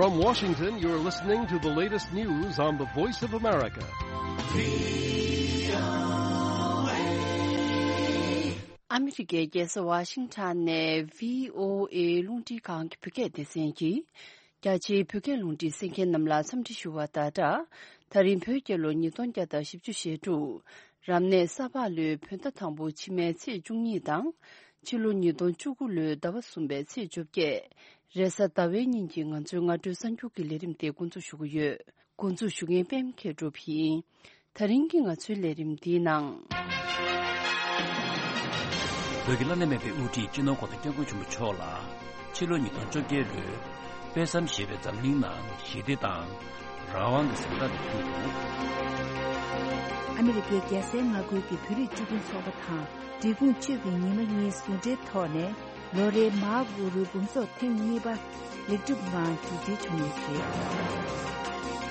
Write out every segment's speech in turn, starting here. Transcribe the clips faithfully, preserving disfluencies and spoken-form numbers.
From Washington, you're listening to the latest news on the Voice of America. ཨ་མི་རི་ཀའི་རྒྱལ་ས་ཝ་ཤིང་ཊོན་ནས་བྷི་ཨོ་ཨེ་རླུང་འཕྲིན་ཁང་གི་བོད་སྐད་སྡེ་ཚན་གྱིས། རྒྱ་ཆེའི་བོད་སྐད་རླུང་འཕྲིན་གསན་མཁན་རྣམས་ལ་འཚམས་འདྲི་ཞུ་བ་དང་སྦྲགས། ད་རིང་བོད་རྒྱལ་ལོ་ཉིས་སྟོང་བརྒྱ་དང་བཞི་བཅུ་ཞེ་དྲུག་རབ་གནས་ས་ཕག་ལོའི་བོད་ཟླ་དང་པོ་ཕྱི་མའི་ཚེས་བཅུ་གཉིས་དང་། ཕྱི་ལོ་ཉིས་སྟོང་བཅུ་དགུ་ལོའི་ཟླ་བ་གསུམ་པའི་ཚེས་བཅོ་བརྒྱད། རེས་གཟའ་ཟླ་བའི་ཉིན་གྱི་ང་ཚོའི་སྔ་དྲོའི་གསར་འགྱུར་གྱི་ལས་རིམ་དེ་འགོ་འཛུགས་ཞུ་གི་ཡོད། འགོ་འཛུགས་ཞུ་མཁན་པད་མ་མཁས་གྲུབ་ཡིན། ད་རིང་གི་ང་ཚོའི་ལས་རིམ་འདིའི་ནང་། བོད་ཀྱི་བླ་ན་མེད་པའི་དབུ་ཁྲིད་སྤྱི་ནོར་༸གོང་ས་༸སྐྱབས་མགོན་ཆེན་པོ་མཆོག་ལ་ཕྱི་ལོ་ཉིས་སྟོང་བཅོ་བརྒྱད་ལོའི་དཔེ་བསམ་ཞེས་པའི་འཛམ་གླིང་ནང་ཞི་བདེ་དང་རང་དབང་གི་གཟེངས་རྟགས་དེ་ཕུལ་འདུག་ཨ་མི་རི་ཀའི་རྒྱལ་སའི་མངའ་ཁུལ་གྱི་བོད་རིགས་སྤྱི་མཐུན་ཚོགས་པ་དང་འབྲས་སྤུངས་ཆོས་ཀྱི་ཉི་མ་གཉིས་ཟུང་འབྲེལ་ཐོག་ནས། ལོ་རེའི་མར་གུ་རུ་འབུམ་ཚོགས་ཐེངས་གཉིས་པ་ལེགས་གྲུབ་ངང་མཇུག་སྒྲིལ་བྱུང་ཡོད་པ་རེད།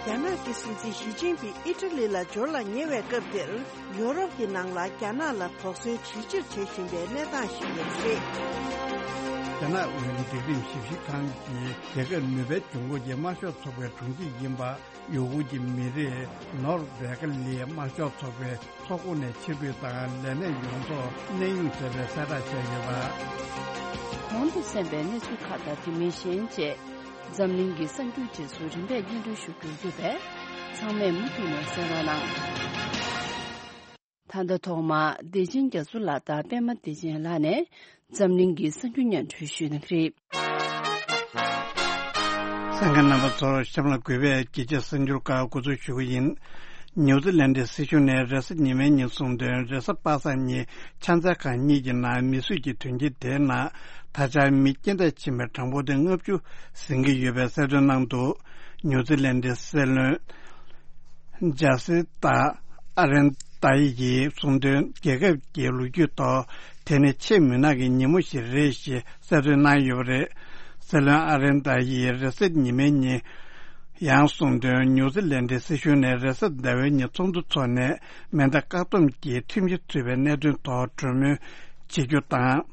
རྒྱ་ནག་གི་སྲིད་འཛིན་ཞི་ཅིན་ཕིང་ཨི་ཊ་ལི་ལ་འབྱོར་ལ་ཉེ་བའི་སྐབས་འདིར། ཡོ་རོབ་ཀྱི་ནང་ལ་རྒྱ་ནག་ལ་དོགས་ཟོན་ཇེ་ཆེར་བྱེད་བཞིན་པའི་གནས་སྟངས་ཤིག་ཡོད་པ་རེད། རྒྱ་ནག་དབུས་སྒྲིག་ཁྲིམས་ཞིབ་བཤེར་ཁང་གིས་རྒྱལ་ཁབ་ནུས་པའི་འབྱུང་ཁུངས་ཀྱི་དམར་ཤོག་ཚོགས་པའི་དྲུང་ཆེ་ཡིན་པ། ཡུ་གུར་གྱི་མི་རིགས་ནོར་བྷེ་ཀ་ལིའི་དམར་ཤོག་ཚོགས་པའི་ཚོགས་ཁོངས་ནས་ཕྱིར་འབུད་དང་ལས་གནས་ཡོངས་རྫོགས་གནས་དབྱུང་བྱས་པའི་གསལ་བསྒྲགས་བྱས་ཡོད་པ། གོང་དུ་གསན་པའི་གནས་ཚུལ་ཁག་དང་དེ་མིན་གཞན་བཅས་འཛམ་གླིང་གི་གསར་འགྱུར་རྗེས་སུ་རིམ་པས་སྙན་སྒྲོན་ཞུ་རྒྱུ་ཡོད་པས། ཚང་མས་མུ་མཐུད་ནས་གསན་རོགས་གནང་། ད་ལྟ་ཐོག་མར་བདེ་ཆེན་རྒྱ་མཚོ་ལགས་དང་པད་མ་བདེ་ཆེན་ལགས་ནས་འཛམ་གླིང་གི་གསར་འགྱུར་སྙན་སྒྲོན་ཞུ་གནང་གི་རེད། གསན་མཁན་རྣམ་པ་ཚོར་གཤམ་ལ་གུས་པས་རྒྱལ་སྤྱིའི་གསར་འགྱུར་ཁག་འགོ་འཛུགས་ཞུ་གི་ཡིན། ནིའུ་ཛི་ལན་ཌའི་སྲིད་གཞུང་ནས་རེས་གཟའ་ཉི་མའི་ཉིན་གསུངས་དོན། རེས་གཟའ་པ་སངས་ཉིན་ཕྱག་འཚལ་ཁང་གཉིས་ཀྱི་ནང་མི་གསོད་ཀྱི་དོན་རྐྱེན་དེའི་ནང་ད་ཆ་མི་རྐྱེན་འདས་ཕྱིན་པའི་གྲངས་འབོར་དེ་ལྔ་བཅུ་ཟིན་གྱི་ཡོད་པའི་གསལ་སྟོན་གནང་འདུག་ནིའུ་ཛི་ལན་ཌའི་སྲིད་བློན་ཇཱ་སི་ཏཱ་ཨ་རེན་ཏཱ་ཡི་ཡིས་གསུངས་དོན། རྒྱལ་ཁབ་ཀྱི་ལོ་རྒྱུས་ཐོག་དེ་ནི་ཆེས་མུན་ནག་གི་ཉིན་མོ་ཞིག་རེད་ཞེས་གསལ་སྟོན་གནང་ཡོད་པ་རེད། སྲིད་བློན་ཨ་རེན་ཏཱ་ཡིས་རེས་གཟའ་ཉི་མའི་ཉིན་ཡང་གསུངས་དོན། ནིའུ་ཛི་ལན་ཌའི་སྲིད་གཞུང་ནས་རེས་གཟའ་ཟླ་བའི་ཉིན་ཚོགས་འདུ་འཚོགས་ནས་མེ་མདའ་བཀག་སྡོམ་གྱི་ཁྲིམས་གཞི་ཚུད་པའི་གནད་དོན་ཐོག་གྲོས་མོལ་བྱེད་རྒྱུ་དང་།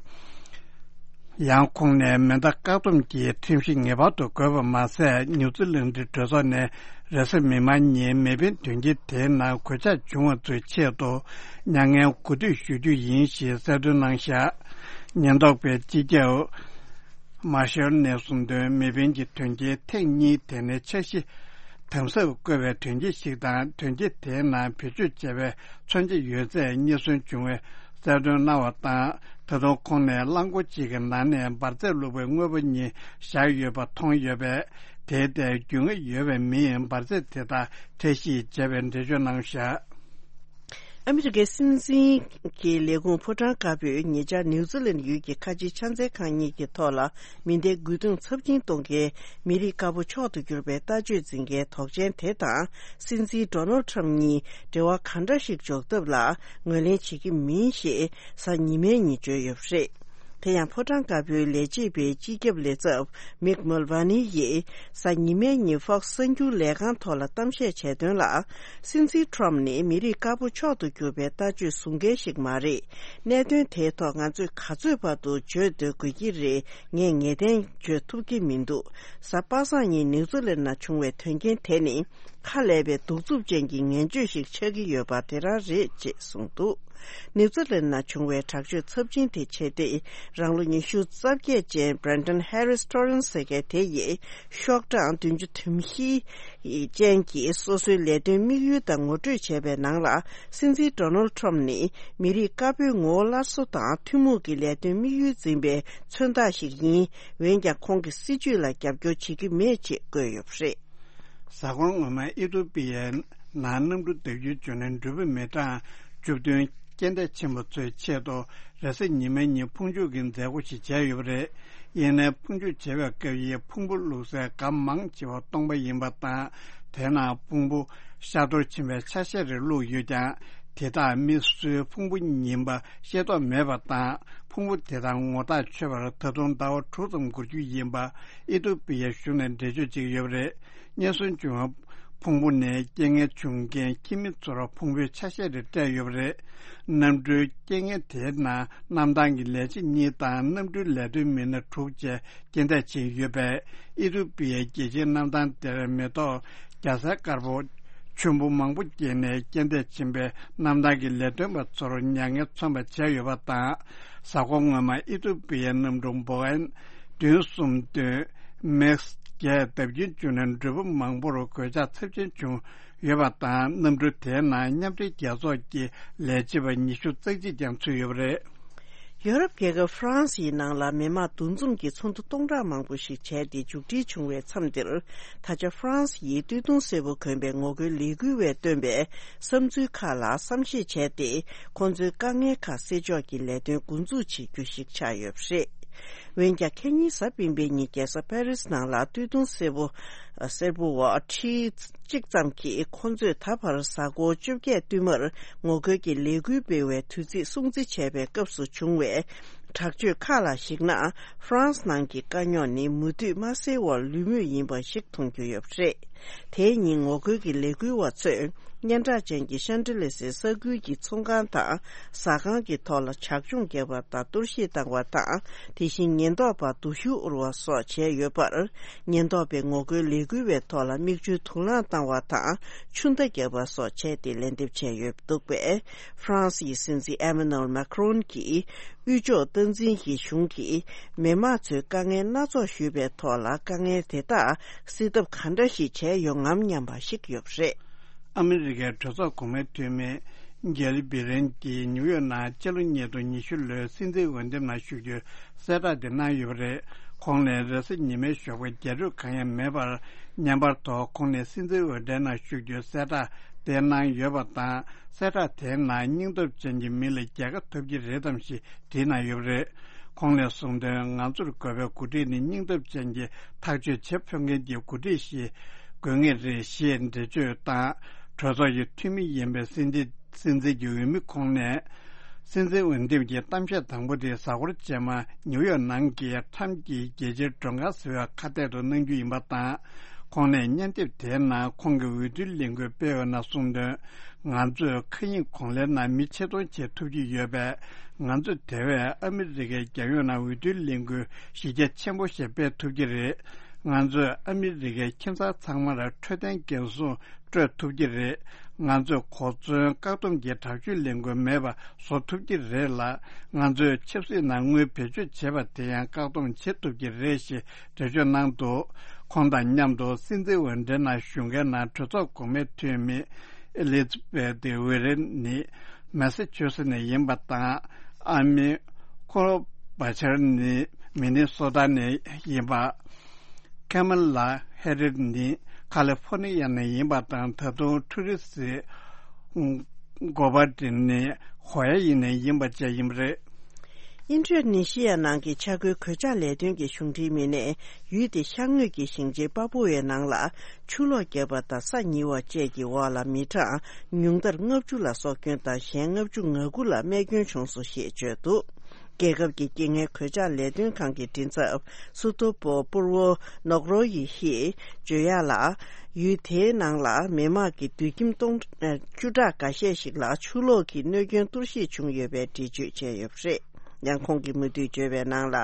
ཡང་ཁོང་ནས་མེ་མདའ་བཀག་སྡོམ་གྱི་ཁྲིམས་གཞི་ངེས་པར་དུ་དགོས་པ་མ་ཟད། ནིའུ་ཛི་ལན་ཌའི་གྲོས་ཚོགས་ནས་རེས་གཟའ་མིག་དམར་ཉིན་མེ་འཕེན་དོན་རྐྱེན་དེའི་ནང་གོད་ཆག་བྱུང་བ་ཚོའི་ཆེད་དུ་མྱ་ངན་གུས་འདུད་ཞུ་རྒྱུ་ཡིན་ཞེས་གསལ་སྟོན་གནང་བཞག་ཉེན་རྟོག་པས་སྤྱི་ཁྱབ་མར་ཤལ་ནས་གསུངས་དོན། མེ་འཕེན་གྱི་དོན་རྐྱེན་ཐེངས་གཉིས་དེ་ནི་འཆར་གཞི་དམ་ཟབ་བཀོད་པའི་དོན་རྐྱེན་ཞིག་དང་། དོན་རྐྱེན་དེའི་ནང་བེད་སྤྱོད་བྱས་པའི་མཚོན་ཆ་ཡོད་ཚད་རྙེད་སོན་བྱུང་བའི་གསལ་སྟོན་གནང་བ་དང་། ད་དུང་ཁོང་ནས་རླངས་འཁོར་གཅིག་གི་ནང་ནས་འབར་རྫས་བླུགས་པའི་དངོས་པོ་གཉིས་བཞག་ཡོད་པ་མཐོང་ཡོད་པས། དེའི་ཐད་རྒྱུས་མངའ་ཡོད་པའི་མིས་འབར་རྫས་དེ་དག་འཐེན་བཤེར་བྱས་པའི་འགྲེལ་བརྗོད་གནང་བཞག་ཨ་མི་རི་ཀའི་སྲིད་འཛིན་གྱི་ལས་ཁུངས་ཕོ་བྲང་དཀར་པོས་ཉེ་ཆར་ནིའུ་ཛི་ལན་ཡུལ་གྱི་ཁ་ཆེའི་ཕྱག་འཚལ་ཁང་གཉིས་ཀྱི་ཐོག་ལ་མེ་མདའི་རྒོལ་རྡུང་ཚབས་ཆེན་གཏོང་མཁན་མི་རིགས་དཀར་པོ་མཆོག་ཏུ་གྱུར་པའི་ལྟ་སྤྱོད་འཛིན་མཁན་དོགས་ཅན་དེ་དང་སྲིད་འཛིན་ཌོ་ནལ་ཁྲམ་གཉིས་འབྲེལ་བ་ག་འདྲ་ཞིག་འཇོག་ཐབས་ལ་ངོས་ལེན་བྱེད་ཀྱི་མིན་ཞེས་གཟའ་ཉི་མའི་ཉིན་བརྗོད་ཡོད་པ་རེད། དེ་ཡང་ཕོ་བྲང་དཀར་པོའི་ལས་བྱེད་པའི་སྤྱི་ཁྱབ་ལས་ཚབ་མིག་མུལ་ཝ་ནི་ཡིས་གཟའ་ཉི་མའི་ཉིན་ཧྥོག་སི་གསར་འགྱུར་ལས་ཁང་ཐོག་ལ་གཏམ་བཤད་བྱས་དོན་ལ། སྲིད་འཛིན་ཁྲོམ་ནི་མི་རིགས་དཀར་པོ་མཆོག་ཏུ་གྱུར་པའི་ལྟ་སྤྱོད་བཟུང་མཁན་ཞིག་མ་རེད། གནད་དོན་དེའི་ཐོག་ང་ཚོས་ག་ཚོད་བར་དུ་བརྗོད་སྡོད་དགོས་ཀྱི་རེད། ངས་ངེས་གཏན་བརྗོད་ཐུབ་ཀྱི་མི་འདུག་གཟའ་པ་སངས་ཉིན་ནིའུ་ཛི་ལན་ནང་བྱུང་བའི་དོན་རྐྱེན་དེ་ནི་ཁ་ལས་པའི་གདུག་རྩུབ་ཅན་གྱི་ངན་བྱུས་ཤིག་ཆགས་ཀྱི་ཡོད་པ་དེ་རང་རེད་ཅེས་གསུངས་འདུག་ནིའུ་ཛི་ལན་ནང་བྱུང་བའི་དྲག་སྤྱོད་ཚབས་ཆེན་དེ་བྱས་ཏེ། རང་ལོ་ཉི་ཤུ་རྩ་བརྒྱད་ཅན་Brenton Harris Torrens་ཟེར་མཁན་དེ་ཡིས་ཤོག་གྲངས་བདུན་ཅུ་དོན་བཞི་ཅན་གྱི་སོ་སོའི་ལས་དོན་དམིགས་ཡུལ་དང་ངོ་སྤྲོད་བྱས་པའི་ནང་ལ། སྲིད་འཛིན་Donald Trump་ནི་མི་རིགས་དཀར་པོའི་ངོ་བོ་སླར་གསོ་དང་ཐུན་མོང་གི་ལས་དོན་དམིགས་ཡུལ་འཛིན་པའི་མཚོན་རྟགས་ཤིག་ཡིན། འོན་ཀྱང་ཁོང་གི་སྲིད་བྱུས་ལ་རྒྱབ་སྐྱོར་བྱེད་ཀྱི་མེད་ཅེས་བཀོད་ཡོད་པ་རེད། གཟའ་འཁོར་སྔོན་མ་ཨི་ཐོ་པི་ཡའི་ནང་གནམ་གྲུ་བརྡབ་སྐྱོན་བྱུང་ནས་འགྲུལ་པ་མི་གྲངས་བཅུ་བདུན་རྐྱེན་འདས་ཕྱིན་པ་ཚོའི་ཆེད་དུ་རེས་གཟའ་ཉི་མའི་ཉིན་ཕུང་མཆོད་ཀྱི་མཛད་སྒོ་ཞིག་བྱས་ཡོད་པ་རེད། ཡིན་ནའི་ཕུང་མཆོད་བྱེད་པའི་སྐབས་ཡི་ཕུང་པོ་བླུགས་སའི་སྒམ་མང་ཆེ་བ་སྟོང་པ་ཡིན་པ་དང་། དེའི་ནང་ཕུང་པོ་ཤ་གཏོར་ཕྱིན་པའི་ཆ་ཤས་རེ་བླུགས་ཡོད་ཀྱང་། དེ་དག་མི་སུའི་ཕུང་པོ་ཡིན་པ་ཤེས་རྟོགས་མེད་པ་དང་། ཕུང་པོ་དེ་དག་ངོ་ཐག་ཆོད་པར་ད་དུང་ཟླ་བ་དྲུག་ཙམ་འགོར་རྒྱུ་ཡིན་པ་ཨི་ཐོ་པི་ཡའི་གཞུང་ནས་འགྲེལ་བརྗོད་བྱེད་ཀྱི་ཡོད་པ་རེད། རྙེད་སོན་བྱུང་བ་ ཕུང་པོ་ནས་རྐྱེན་ངན་བྱུང་རྐྱེན་ཁྱིམ་མི་ཚོར་ཕུང་པོའི་ཆ་ཤས་རེ་སྤྲད་ཡོད་པ་རེད། གནམ་གྲུའི་རྐྱེན་ངན་དེའི་ནང་གནམ་ཐང་གི་ལས་བྱེད་གཉིས་དང་གནམ་གྲུའི་ལས་དོན་མི་སྣ་དྲུག་བཅས་རྐྱེན་འདས་ཕྱིན་ཡོད་པས། ཨི་ཐུ་པི་ཡའི་རྒྱལ་སྤྱིའི་གནམ་ཐང་དེར་མེ་ཏོག་རྒྱ་སེར་དཀར་པོ་ཆུན་པོ་མང་པོ་སྐྱེས་ནས་རྐྱེན་འདས་ཕྱིན་པའི་གནམ་ཐང་གི་ལས་དོན་པ་ཚོར་མྱ་ངན་མཚོན་པ་བྱས་ཡོད་པ་དང་། གཟའ་འཁོར་སྔོན་མ་ཨི་ཐུ་པི་ཡའི་གནམ་གྲུ་བོ་ཨེན་བདུན་གསུམ་བདུན་མེག་བརྒྱད་བརྡབ་ཆེན་བྱུང་ནས་འགྲུལ་པ་མང་པོར་གོད་ཆག་ཚབས་ཆེན་བྱུང་ཡོད་པ་དང་། གནམ་གྲུ་དེའི་ནང་མཉམ་འབྲེལ་རྒྱལ་ཚོགས་ཀྱི་ལས་བྱེད་པ་ཉི་ཤུ་རྩ་གཅིག་ཀྱང་ཚུད་ཡོད་པ་རེད། ཡོ་རོབ་རྒྱལ་ཁབ་ཧྥ་རན་སིའི་ནང་ལ་མི་དམངས་འདུ་འཛོམས་ཀྱི་ཚོགས་འདུ་སྟོང་ཕྲག་མང་པོ་ཞིག་བྱས་ཏེ་མཇུག་སྒྲིལ་བྱུང་བའི་མཚམས་འདིར། ད་ཆ་ཧྥ་རན་སི་ཡི་སྟོད་ཐུང་སེར་པོ་གོན་པའི་ངོ་རྒོལ་ལས་འགུལ་བས་བཏོན་པའི་བསམ་ཚུལ་ཁག་ལ་བསམ་ཤེས་བྱས་ཏེ། ཁོང་ཚོའི་དཀའ་ངལ་ཁག་སེལ་ཕྱོགས་ཀྱི་ལས་དོན་འགོ་འཛུགས་བྱེད་རྒྱུ་ཞིག་ཆགས་ཡོད་པ་རེད། འོན་ཀྱང་ཁ་ཉིན་གཟའ་སྤེན་པའི་ཉིན་རྒྱལ་ས་ཕ་རི་སི་ནང་ལ་སྟོད་ཐུང་སེར་པོ་སེར་པོ་བ་ཁྲི་གཅིག་ཙམ་གྱིས་ཁོང་ཚོས་ད་བར་གཟའ་འཁོར་བཅོ་བརྒྱད་བསྟུད་མར་ངོ་རྒོལ་གྱི་ལས་འགུལ་སྤེལ་བའི་དུས་ཚིགས་སྲུང་བརྩི་བྱས་པའི་སྐབས་སུ་བྱུང་བའི་དྲག་སྤྱོད་ཁག་ལ་གཞིགས་ན། ཧྥ་རན་སི་ནང་གི་དཀའ་རྙོག་ནི་མུ་མཐུད་མ་སེལ་བར་ལུས་མུས་ཡིན་པ་ཞིག་མཐོང་རྒྱུ་ཡོད་པ་རེད། དེའི་ཉིན་ངོ་རྒོལ་གྱི་ལས་འགུལ་བ་ཚོས་སྙན་གྲགས་ཅན་གྱི་ཤན་ཏི་ལེ་སི་ས་ཁུལ་གྱི་ཚོང་ཁང་དང་ཟ་ཁང་གི་ཐོག་ལ་བྱག་ལྗོངས་བརྒྱབ་པ་དང་གཏོར་བཤིག་བཏང་བ་དང་། དེ་བཞིན་ཉེན་རྟོག་པ་སྡུག་ཤོས་དབུར་བ་སོགས་བྱས་ཡོད་པར། ཉེན་རྟོག་པས་ངོ་རྒོལ་ལས་འགུལ་བའི་ཐོག་ལ་མིག་ཆུའི་དུག་རླངས་བཏང་བ་དང་ཆུ་མདའ་བརྒྱབ་པ་སོགས་བྱས་ཏེ་ལན་འདེབས་བྱས་ཡོད་འདུག་པས། ཧྥ་རན་སིའི་སྲིད་འཛིན་ཨེ་མ་ནུ་ཨེལ་མཱ་ཁི་རོན་གྱིས་དབུས་ཕྱོགས་སྟངས་འཛིན་གྱི་གཞུང་གིས་མི་དམངས་ཚོའི་དཀའ་ངལ་སྣ་ཚོགས་ཞུས་པའི་ཐོག་ལ་དཀའ་ངལ་དེ་དག་སེལ་ཐབས་ག་འདྲ་ཞིག་བྱས་ཡོང་ངམ་སྙམ་པ་ཞིག་ཡོད་པ་རེད། ཨ་མི་རི་ཀའི་གྲོས་ཚོགས་གོང་མའི་འཐུས་མི་གྷེལ་བྷི་རན་གྱིས་ནིའུ་ཡོག་ནང་སྤྱི་ལོ་ཉིས་སྟོང་ཉི་ཤུ་ལོའི་སྲིད་འཛིན་འོས་འདེམས་ནང་ཞུགས་རྒྱུའི་གསལ་བསྒྲགས་དེ་གནང་ཡོད་པ་རེད། ཁོང་ནས་རེས་གཟའ་ཉི་མའི་ཞོགས་པ་རྒྱ་སྒྲོལ་གང་ཡང་མེད་པར་མཉམ་པར་ཐོག་ཁོང་ནས་སྲིད་འཛིན་འོས་འགྲན་ནང་ཞུགས་རྒྱུའི་གསལ་བསྒྲགས་དེ་གནང་ཡོད་པ་དང་། གསལ་བསྒྲགས་དེའི་ནང་སྙིང་སྟོབས་ཅན་གྱི་མི་ལ་རྒྱལ་ཁ་ཐོབ་ཀྱི་རེད་དམ་ཞེས་དྲིས་གནང་ཡོད་པ་རེད། ཁོང་ནས་གསུངས་དོན། ང་ཚོར་དགོས་པའི་འགོ་ཁྲིད་ནི་སྙིང་སྟོབས་ཅན་གྱི་ཐག་གཅོད་བྱེད་ཕོད་མཁན་གྱི་འགོ་ཁྲིད་ཞིག་དགོས་ངེས་རེད་ཞེས་འགྲེལ་བརྗོད་དང་། གྲོས་ཚོགས་ཀྱི་འཐུས་མི་ཡིན་པའི་སྲིད་འཛིན་སྲིད་འཛིན་གྱི་འོས་མི་ཁོང་ནས། སྲིད་འཛིན་འོས་འདེམས་ཀྱི་གཏམ་བཤད་དང་པོ་དེ་གཟའ་འཁོར་རྗེས་མ་ནིའུ་ཡོག་ནང་གི་ཁྲམ་གྱི་རྒྱལ་སྤྱིའི་མགྲོན་ཁང་ཟེར་བའི་ཁ་གཏད་དུ་གནང་རྒྱུ་ཡིན་པ་དང་། ཁོང་ནས་སྙན་དེབ་དེའི་ནང་ཁོང་གིས་འོས་བསྡུའི་ལས་འགུལ་སྤེལ་བའི་ནང་གསུངས་དོན། ང་ཚོས་མཁའ་དབྱིངས་གོང་ལའི་ནང་མི་ཆེད་གཏོང་བྱེད་ཐུབ་ཀྱི་ཡོད་པས། ང་ཚོས་དེ་བས་ཨ་མི་རི་ཀའི་རྒྱལ་ཡོངས་ནང་འོས་བསྡུའི་ལས་འགུལ་གཞི་རྒྱ་ཆེན་པོ་ཞིག་སྤེལ་ཐུབ་ཀྱི་རེད། ང་ཚོས་ཨ་མི་རི་ཀའི་ཁྱིམ་ཚང་ཚང་མར་འཕྲོད་བསྟེན་འགན་སྲུང་སྤྲོད་ཐུབ་ཀྱི་རེད། ང་ཚོས་གོ་མཚོན་བཀག་སྡོམ་གྱི་དྲག་སྤྱོད་ལས་འགུལ་མེད་པ་བཟོ་ཐུབ་ཀྱི་རེད་ལ། ང་ཚོས་ཆབ་སྲིད་ནང་དངུལ་བེད་སྤྱོད་བྱེད་པ་དེ་ཡང་བཀག་སྡོམ་བྱེད་ཐུབ་ཀྱི་རེད་ཞེས་འགྲེལ་བརྗོད་གནང་འདུག་ཁོང་དང་མཉམ་དུ་སྲིད་འཛིན་འོས་འགྲན་ནང་ཞུགས་མཁན་ནང་གྲོས་ཚོགས་གོང་མའི་འཐུས་མི་ཨེ་ལི་ཛ་བྷེ་ཐི་ཝེ་རན་ནི་མེ་ས་ཆུ་སེ་ནས་ཡིན་པ་དང་། ཨ་མི་ཁོ་ལོ་བྷ་ཆར་ནི་མི་ནི་སོ་ཊ་ནས་ཡིན་པ། ཁེ་མ་ལ་ཧེ་རིར་ནི་ཁ་ལི་ཧྥོ་ནི་ཡ་ནས་ཡིན་པ་དང་། ད་དུང་ཁྲུ་རི་སི་གོ་བ་ཏི་ནི་ཧོ་ཡ་ཡི་ནས་ཡིན་པ་བཅས་ཡིན་པ་རེད། ཨིན་ཌོ་ནེ་ཤི་ཡ་ནང་གི་ཆ་བགོས་གོད་ཆག་ལས་དོན་གྱི་གཞུང་འབྲེལ་མི་སྣས་ཡུལ་དེའི་ཤར་ངོས་ཀྱི་ཞིང་ཆེན་པ་པུ་ཝའི་ནང་ལ་ཆུ་ལོག་བརྒྱབ་པ་དང་ས་ཉིལ་བ་བཅས་ཀྱི་འོག་ལ་མི་གྲངས་ཉུང་མཐར་ལྔ་བཅུ་ལ་སྲོག་སྐྱོན་དང་གཞན་ལྔ་བཅུ་ང་དགུ་ལ་རྨས་སྐྱོན་བྱུང་སོང་ཞེས་བརྗོད་འདུག་རྒྱལ་ཁབ་ཀྱི་རྐྱེན་ངན་གོད་ཆག་ལས་དོན་ཁང་གི་མགྲིན་ཚབ་སུ་ཏོ་པོ་པུར་བོ་ནོག་རོ་ཡི་ཧིས་བརྗོད་ཡག་ལ། ཡུལ་དེའི་ནང་ལ་མི་དམངས་ཀྱི་སྡོད་ཁྱིམ་སྟོང་བཅུ་ཕྲག་འགའ་ཤས་ཤིག་ལ་ཆུ་ལོག་གི་གནོད་སྐྱོན་གཏོར་བཤིག་བྱུང་ཡོད་པའི་འགྲེལ་བརྗོད་བྱས་ཡོད་པ་རེད། ཡང་ཁོང་གིས་མུ་མཐུད་བརྗོད་པའི་ནང་ལ།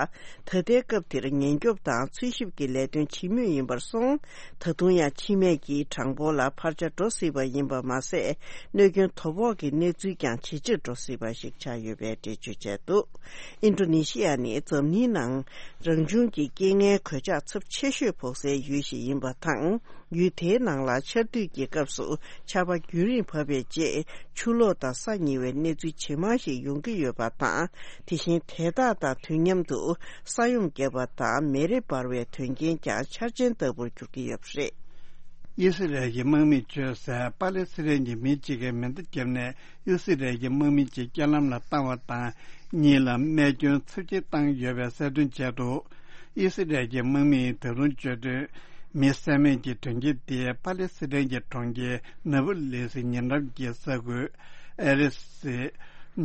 ད་ལྟའི་སྐབས་དེར་ཉེན་སྐྱོབ་དང་འཚོལ་ཞིབ་ཀྱི་ལས་དོན་བྱེད་མུས་ཡིན་པར་སོང་། ད་དུང་ཡང་འཆི་རྨས་ཀྱི་གྲངས་འབོར་ལ་འཕར་ཆ་འགྲོ་སྲིད་པ་ཡིན་པ་མ་ཟད། གནོད་སྐྱོན་དོ་ཕོག་གི་གནས་ཚུལ་ཀྱང་ཇེ་ཆེར་འགྲོ་སྲིད་པ་ཞིག་ཆགས་ཡོད་པའི་འགྲེལ་བརྗོད་བྱས་འདུག་ཨིན་ཌོ་ནེ་ཤི་ཡ་ནི་འཛམ་གླིང་ནང་རང་བྱུང་གི་རྐྱེན་ངན་གོད་ཆག་ཚབས་ཆེ་ཤོས་ཕོག་སའི་ཡུལ་ཞིག་ཡིན་པ་དང་། ཡུལ་དེའི་ནང་ལ་ཆར་དུས་ཀྱི་སྐབས་སུ་ཆར་པ་རྒྱུན་རིང་བབས་པའི་རྗེས། ཆུ་ལོག་དང་ས་ཉིལ་བའི་གནས་ཚུལ་ཇེ་མང་ཞིག་ཡོང་གི་ཡོད་པ་དང་། དེ་བཞིན་དེ་དག་དང་དུས་མཉམ་དུ་ས་ཡོམ་བརྒྱབ་པ་དང་མེ་རི་འབར་བའི་དོན་རྐྱེན་ཀྱང་འཆར་ཅན་ལྟ་བུར་འགྱུར་གྱི་ཡོད་པ་རེད། ཨི་སི་རལ་གྱི་དམག་མིས་བྱོས་སའི་པ་ལེ་སི་ཐན་གྱི་མི་གཅིག་གིས་མེ་མདའ་བརྒྱབ་ནས་ཨི་སི་རལ་གྱི་དམག་མི་གཅིག་རྐྱེན་ལམ་ལ་བཏང་བ་དང་། གཉིས་ལ་རྨས་སྐྱོན་ཚབས་ཆེན་བཏང་ཡོད་པའི་གསལ་སྟོན་བྱས་འདུག་ཨི་སི་རལ་གྱི་དམག་མིས་ད་དུང་བརྗོད་དོན། མི་བསད་རྨས་ཀྱི་དོན་རྐྱེན་དེ་པ་ལེ་སི་ཐན་གྱི་གྲོང་ཁྱེར་ནཱ་པོ་ལིས་ཉེ་འགྲམ་གྱི་ས་ཁུལ་ཨེ་རི་སི་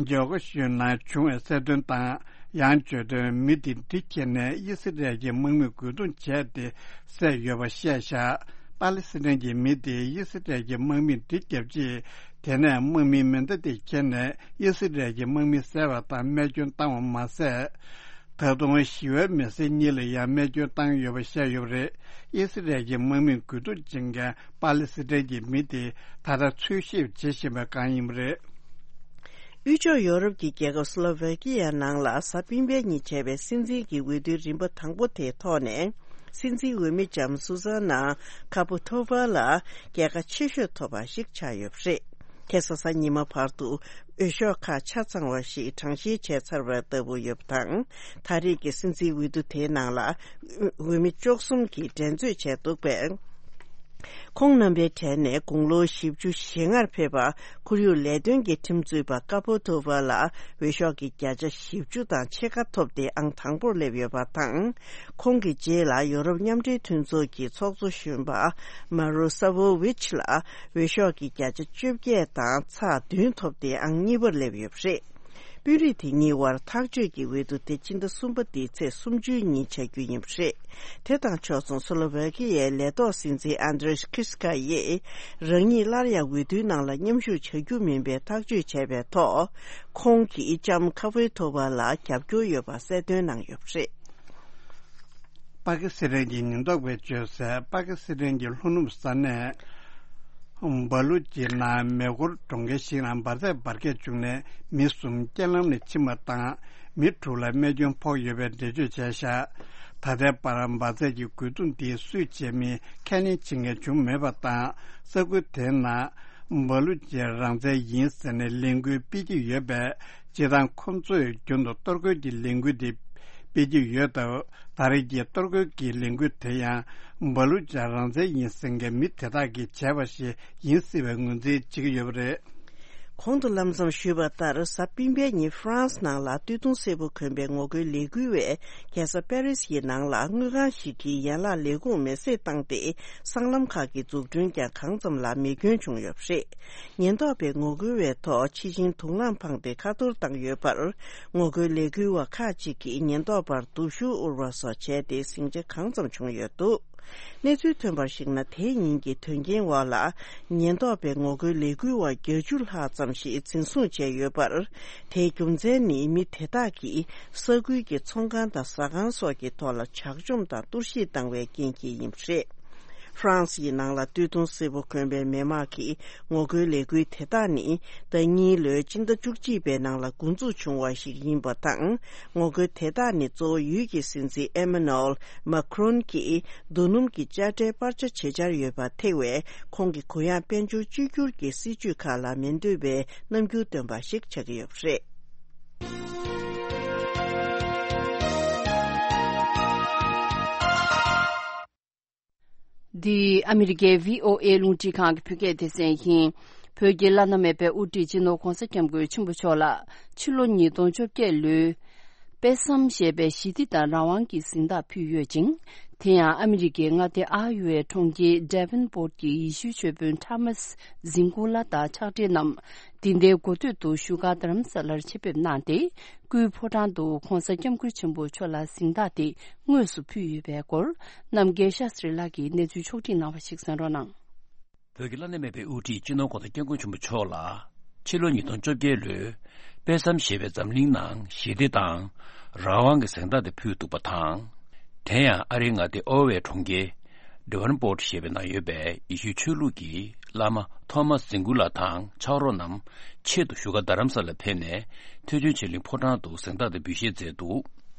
ཇོ་ཀ་ཤུ་ནང་བྱུང་བའི་གསལ་སྟོན་དང་། ཡང་བརྗོད་དོན། མི་དེ་གྲི་ཁྱེར་ནས་ཨི་སི་རལ་གྱི་དམག་མིས་རྒོལ་རྡུང་བྱས་ཏེ་བསད་ཡོད་པ་བཤད་བཞག་པ་ལི་སི་ཐན་གྱི་མི་དེས་ཨི་སི་རལ་གྱི་དམག་མིར་གྲི་བརྒྱབ་རྗེས། དེ་ནས་དམག་མིའི་མེ་མདའ་དེ་ཁྱེར་ནས་ཨི་སི་རལ་གྱི་དམག་མི་བསད་པ་དང་རྨས་སྐྱོན་བཏང་བ་མ་ཟད། ད་དུང་ཞི་བའི་མི་སེར་གཉིས་ལ་ཡང་རྨས་སྐྱོན་བཏང་ཡོད་པ་བཤད་ཡོད་པ་རེད། ཨི་སི་རལ་གྱི་དམག་མིས་རྒོལ་རྡུང་བྱེད་མཁན་པ་ལི་སི་ཐན་གྱི་མི་དེ་ད་ལྟ་འཚོལ་ཞིབ་བྱེད་བཞིན་པ་གང་ཡིན་པ་རེད། དབུས་ཕྱོགས་ཡོ་རོབ་ཀྱི་རྒྱལ་ཁབ་སི་ལོ་ཝེ་ཀི་ཡའི་ནང་ལ་གཟའ་སྤེན་པའི་ཉིན་བྱས་པའི་སྲིད་འཛིན་གྱི་འོས་བསྡུའི་རིམ་པ་དང་པོ་དེའི་ཐོག་ནས། སྲིད་འཛིན་འོས་མི་ལྕམ་སུ་ཟ་ན་ཁ་པོ་ཐོ་བྷ་ལ་རྒྱལ་ཁ་ཆེ་ཤོས་ཐོབ་པ་ཞིག་ཆགས་ཡོད་པ་རེད། ཁ་སང་གཟའ་ཉི་མ་བར་དུ་འོས་ཤོག་ཁག་ཆ་ཚང་བ་ཞིག་གྲངས་བཤེར་བྱས་ཚར་བ་ལྟ་བུ་ཡོད་པ་དང་། ད་རེས་ཀྱི་སྲིད་འཛིན་འོས་བསྡུ་དེའི་ནང་ལ་འོས་མི་བཅུ་གསུམ་གྱིས་འགྲན་རྩོད་བྱས་འདུག་པས། ཁོང་རྣམ་པའི་གྲས་ནས་དགུང་ལོ་བཞི་བཅུ་ཞེ་ལྔར་ཕེབས་པ་ཁོར་ཡུག་ལས་དོན་གྱི་ཁྲིམས་རྩོད་པ་ཀ་པོ་ཐོ་བྷ་ལ་འོས་ཤོག་གི་བརྒྱ་ཆ་བཞི་བཅུ་དང་ཕྱེད་ཀ་ཐོབ་སྟེ་ཨང་དང་པོར་སླེབས་ཡོད་པ་དང་། ཁོང་གི་རྗེས་ལ་ཡོ་རོབ་མཉམ་འབྲེལ་མཐུན་ཚོགས་ཀྱི་ཚོགས་གཙོ་གཞོན་པ་མ་རོ་ས་ཝོ་ཝིཆ་ལ་འོས་ཤོག་གི་བརྒྱ་ཆ་བཅོ་བརྒྱད་དང་ཚེག་བདུན་ཐོབ་སྟེ་ཨང་གཉིས་པར་སླེབས་ཡོད་པ་རེད། དཔོན་རིགས་དེ་གཉིས་དབར་ཐག་གཅོད་ཀྱི་འོས་བསྡུ་དེ་སྤྱི་ཟླ་གསུམ་པ་འདིའི་ཚེས་སུམ་ཅུའི་ཉིན་བྱ་རྒྱུ་ཡིན་པ་རེད། དེ་དང་ཕྱོགས་མཚུངས་སོ་ལོ་ཝེ་ཀི་ཡའི་ལས་ཐོག་སྲིད་འཛིན་ཨན་དྲེ་ཁི་སི་ཀ་ཡིས་རང་ཉིད་སླར་ཡང་འོས་བསྡུའི་ནང་ལ་མཉམ་ཞུགས་བྱ་རྒྱུ་མིན་པའི་ཐག་གཅོད་བྱས་པའི་ཐོག་ཁོང་གིས་ལྕམ་ཁ་ཝེ་ཐོ་བྷ་ལ་རྒྱབ་སྐྱོར་ཡོད་པ་གསལ་སྟོན་གནང་ཡོད་པ་རེད། པ་ཀི་སི་ཐན་གྱི་ཉེན་རྟོག་པས་བརྗོད་གསལ། པ་ཀི་སི་ཐན་གྱི་ལྷོ་ནུབ་ས་གནས་སྦ་ལུ་ཅི་ནང་མེ་འཁོར་གྲོང་ཁྱེར་ཞིག་ནང་འབར་རྫས་འབར་གས་བྱུང་ནས་མི་གསུམ་རྐྱེན་ལམ་ནས་ཕྱིན་པ་དང་། མི་དྲུག་ལ་རྨས་སྐྱོན་ཕོག་ཡོད་པའི་འགྲེལ་བརྗོད་བྱས་བཞག་ད་ལྟའི་བར་འབར་རྫས་ཀྱི་རྒོལ་རྡུང་འདིའི་སུས་བྱས་མིན་ཁས་ལེན་བྱེད་མཁན་བྱུང་མེད་པ་དང་། ས་ཁུལ་དེའི་ནང་སྦ་ལུ་ཅི་རང་བཙན་ཡིན་ཟེར་ནས་ལས་འགུལ་སྤེལ་གྱི་ཡོད་པས། སྤྱིར་བཏང་ཁོ་ཚོས་རྒྱུན་དུ་གཏོར་རྒོལ་གྱི་ལས་འགུལ་དེ་སྤེལ་གྱི་ཡོད་སྟབས། ད་རེས་ཀྱི་གཏོར་རྒོལ་གྱི་ལས་འགུལ་དེ་ཡང་སྦ་ལུ་ཅ་རང་བཙན་ཡིན་ཟེར་མཁན་མི་དེ་དག་གིས་བྱས་པ་ཞིག་ཡིན་སྲིད་པའི་ངོས་འཛིན་བྱེད་ཀྱི་ཡོད་པ་རེད། གོང་དུ་ལམ་སང་ཞུས་པ་ལྟར། གཟའ་སྤེན་པའི་ཉིན་ཧྥ་རན་སི་ནང་ལ་སྟོད་ཐུང་སེར་པོ་གོན་པའི་ངོ་རྒོལ་ལས་འགུལ་བས། རྒྱལ་ས་པེ་རི་སི་ཡི་ནང་ལ་དངུལ་ཁང་ཞིག་གི་ཡན་ལག་ལས་ཁུངས་མེ་བསྲེགས་བཏང་སྟེ། སྲང་ལམ་ཁག་གི་འཛུགས་སྐྲུན་ཀྱང་གང་ཙམ་ལ་མེ་སྐྱོན་བྱུང་ཡོད་པ་རེད། ཉེན་རྟོག་པས་ངོ་རྒོལ་བའི་ཐོག་ཕྱི་ཤིང་དུག་རླངས་འཕངས་ཏེ་ཁ་གཏོར་བཏང་ཡོད་པར། ངོ་རྒོལ་ལས་འགུལ་བ་ཁག་ཅིག་གིས་ཉེན་རྟོག་པར་སྡུག་ཤུགས་དབུར་བ་སོགས་བྱས་ཏེ་ཟིང་ཆ་གང་ཙམ་བྱུང་ཡོད་འདུག་གནས་ཚུལ་ཐོན་པར་གཞིགས་ན། དེའི་ཉིན་གྱི་དོན་རྐྱེན་འོག་ལ་ཉེན་རྟོག་པས་ངོ་རྒོལ་ལས་འགུལ་བ་བརྒྱད་ཅུ་ལྷག་ཙམ་ཞིག་འཛིན་བཟུང་བྱས་ཡོད་པར། དེའི་རྒྱུ་མཚན་ནི་མི་དེ་དག་གིས་ས་ཁུལ་གྱི་ཚོང་ཁང་དང་ཟ་ཁང་སོགས་ཀྱི་ཐོག་ལ་ཇག་བཅོམ་དང་གཏོར་བཤིག་བཏང་བའི་རྐྱེན་གྱིས་ཡིན་པ་རེད། ཧྥ་རན་སི་ཡི་ནང་ལ་སྟོད་ཐུང་སེར་པོ་གོན་པའི་མི་མང་གི་ངོ་རྒོལ་ལས་འགུལ་དེ་དག་ནི་ཟླ་གཉིས་ལོའི་སྤྱི་ཟླ་བཅུ་གཅིག་པའི་ནང་ལ་འགོ་འཛུགས་བྱུང་བ་ཞིག་ཡིན་པ་དང་། ངོ་རྒོལ་དེ་དག་ནི་གཙོ་བོ་ཡུལ་གྱི་སྲིད་འཛིན་ཨེ་མ་ནུ་ཨེལ་མཱ་ཁི་རོན་གྱིས་རྡོ་སྣུམ་གྱི་དཔྱ་ཁྲལ་སྤར་ཆ་བྱེད་འཆར་ཡོད་པར་ཐེ་བའི་ཁོང་གི་གུ་ཡངས་དཔལ་འབྱོར་བཅོས་བསྒྱུར་གྱི་སྲིད་ཇུས་ཁག་ལ་མི་འདོད་པའི་རྣམ་འགྱུར་སྟོན་པ་ཞིག་ཆགས་ཀྱི་ཡོད་པ་རེད། འདི་ཨ་མི་རི་ཀའི་བྷི་ཨོ་ཨེ་རླུང་འཕྲིན་ཁང་གི་བོད་སྐད་སྡེ་ཚན་ཡིན། བོད་ཀྱི་བླ་ན་མེད་པའི་དབུ་ཁྲིད་སྤྱི་ནོར་༧གོང་ས་༧སྐྱབས་མགོན་ཆེན་པོ་མཆོག་ལ་ཕྱི་ལོ་ཉིས་སྟོང་བཅོ་བརྒྱད་ལོའི་དཔེ་བསམ་ཞེས་པའི་ཞི་བདེ་དང་རང་དབང་གི་གཟེངས་རྟགས་ཕུལ་ཡོད་ཅིང་། དེ་ཡང་ཨ་མི་རི་ཀའི་མངའ་སྡེ་ཨ་ཡོ་ཝའི་གྲོང་ཁྱེར་ཌེ་ཝན་པོར་ཊ་གྱི་ཡེ་ཤུའི་ཆོས་དཔོན་ཐ་མཱས་ཟིན་གུ་ལ་དང་ཕྱག་སྦྲེལ་རྣམས། འདི་ཟླའི་འགོ་སྟོད་དུ་བཞུགས་སྒར་རྡ་རམ་ས་ལར་ཆེད་ཕེབས་གནང་སྟེ། སྐུའི་ཕོ་བྲང་དུ་༧གོང་ས་༧སྐྱབས་མགོན་ཆེན་པོ་མཆོག་ལ་གཟེངས་རྟགས་དེ་དངོས་སུ་ཕུལ་ཡོད་པའི་སྐོར། རྣམ་རྒྱལ་ཤཱ་སི་རི་ལགས་ཀྱིས་གནས་ཚུལ་ཕྱོགས་སྒྲིག་གནང་བ་ཞིག་གསན་རོགས་གནང་། བོད་ཀྱི་བླ་ན་མེད་པའི་དབུ་ཁྲིད་སྤྱི་ནོར་༧གོང་ས་༧སྐྱབས་མགོན་ཆེན་པོ་མཆོག་ལ། ཕྱི་ལོ་ཉིས་སྟོང་བཅོ་བརྒྱད་ལོའི་དཔེ་བསམ་ཞེས་པའི་འཛམ་གླིང་ནང་ཞི་བདེ་དང་རང་དབང་གི་གཟེངས་རྟགས་དེ་ཕུལ་འདུག་པ་དང་། དེ་ཡང་ཨ་རིའི་མངའ་སྡེ་ཨོ་ཝའི་གྲོང་ཁྱེར་ཌེ་ཝན་པོར་ཊ་ཞེས་པའི་ནང་ཡོད་པའི་ཡེ་ཤུའི་ཆོས་ལུགས་ཀྱི་བླ་མ་ཐོ་མཱས་ཟིན་གུ་ལ་དང་ཕྱག་རོགས་རྣམས་ཆེད་དུ་བཞུགས་སྒར་རྡ་རམ་ས་ལར་ཕེབས་ནས་ཐེག་ཆེན་ཆོས་གླིང་ཕོ་བྲང་དུ་གཟེངས་རྟགས་དེ་འབུལ་བཞེས་མཛད་འདུག་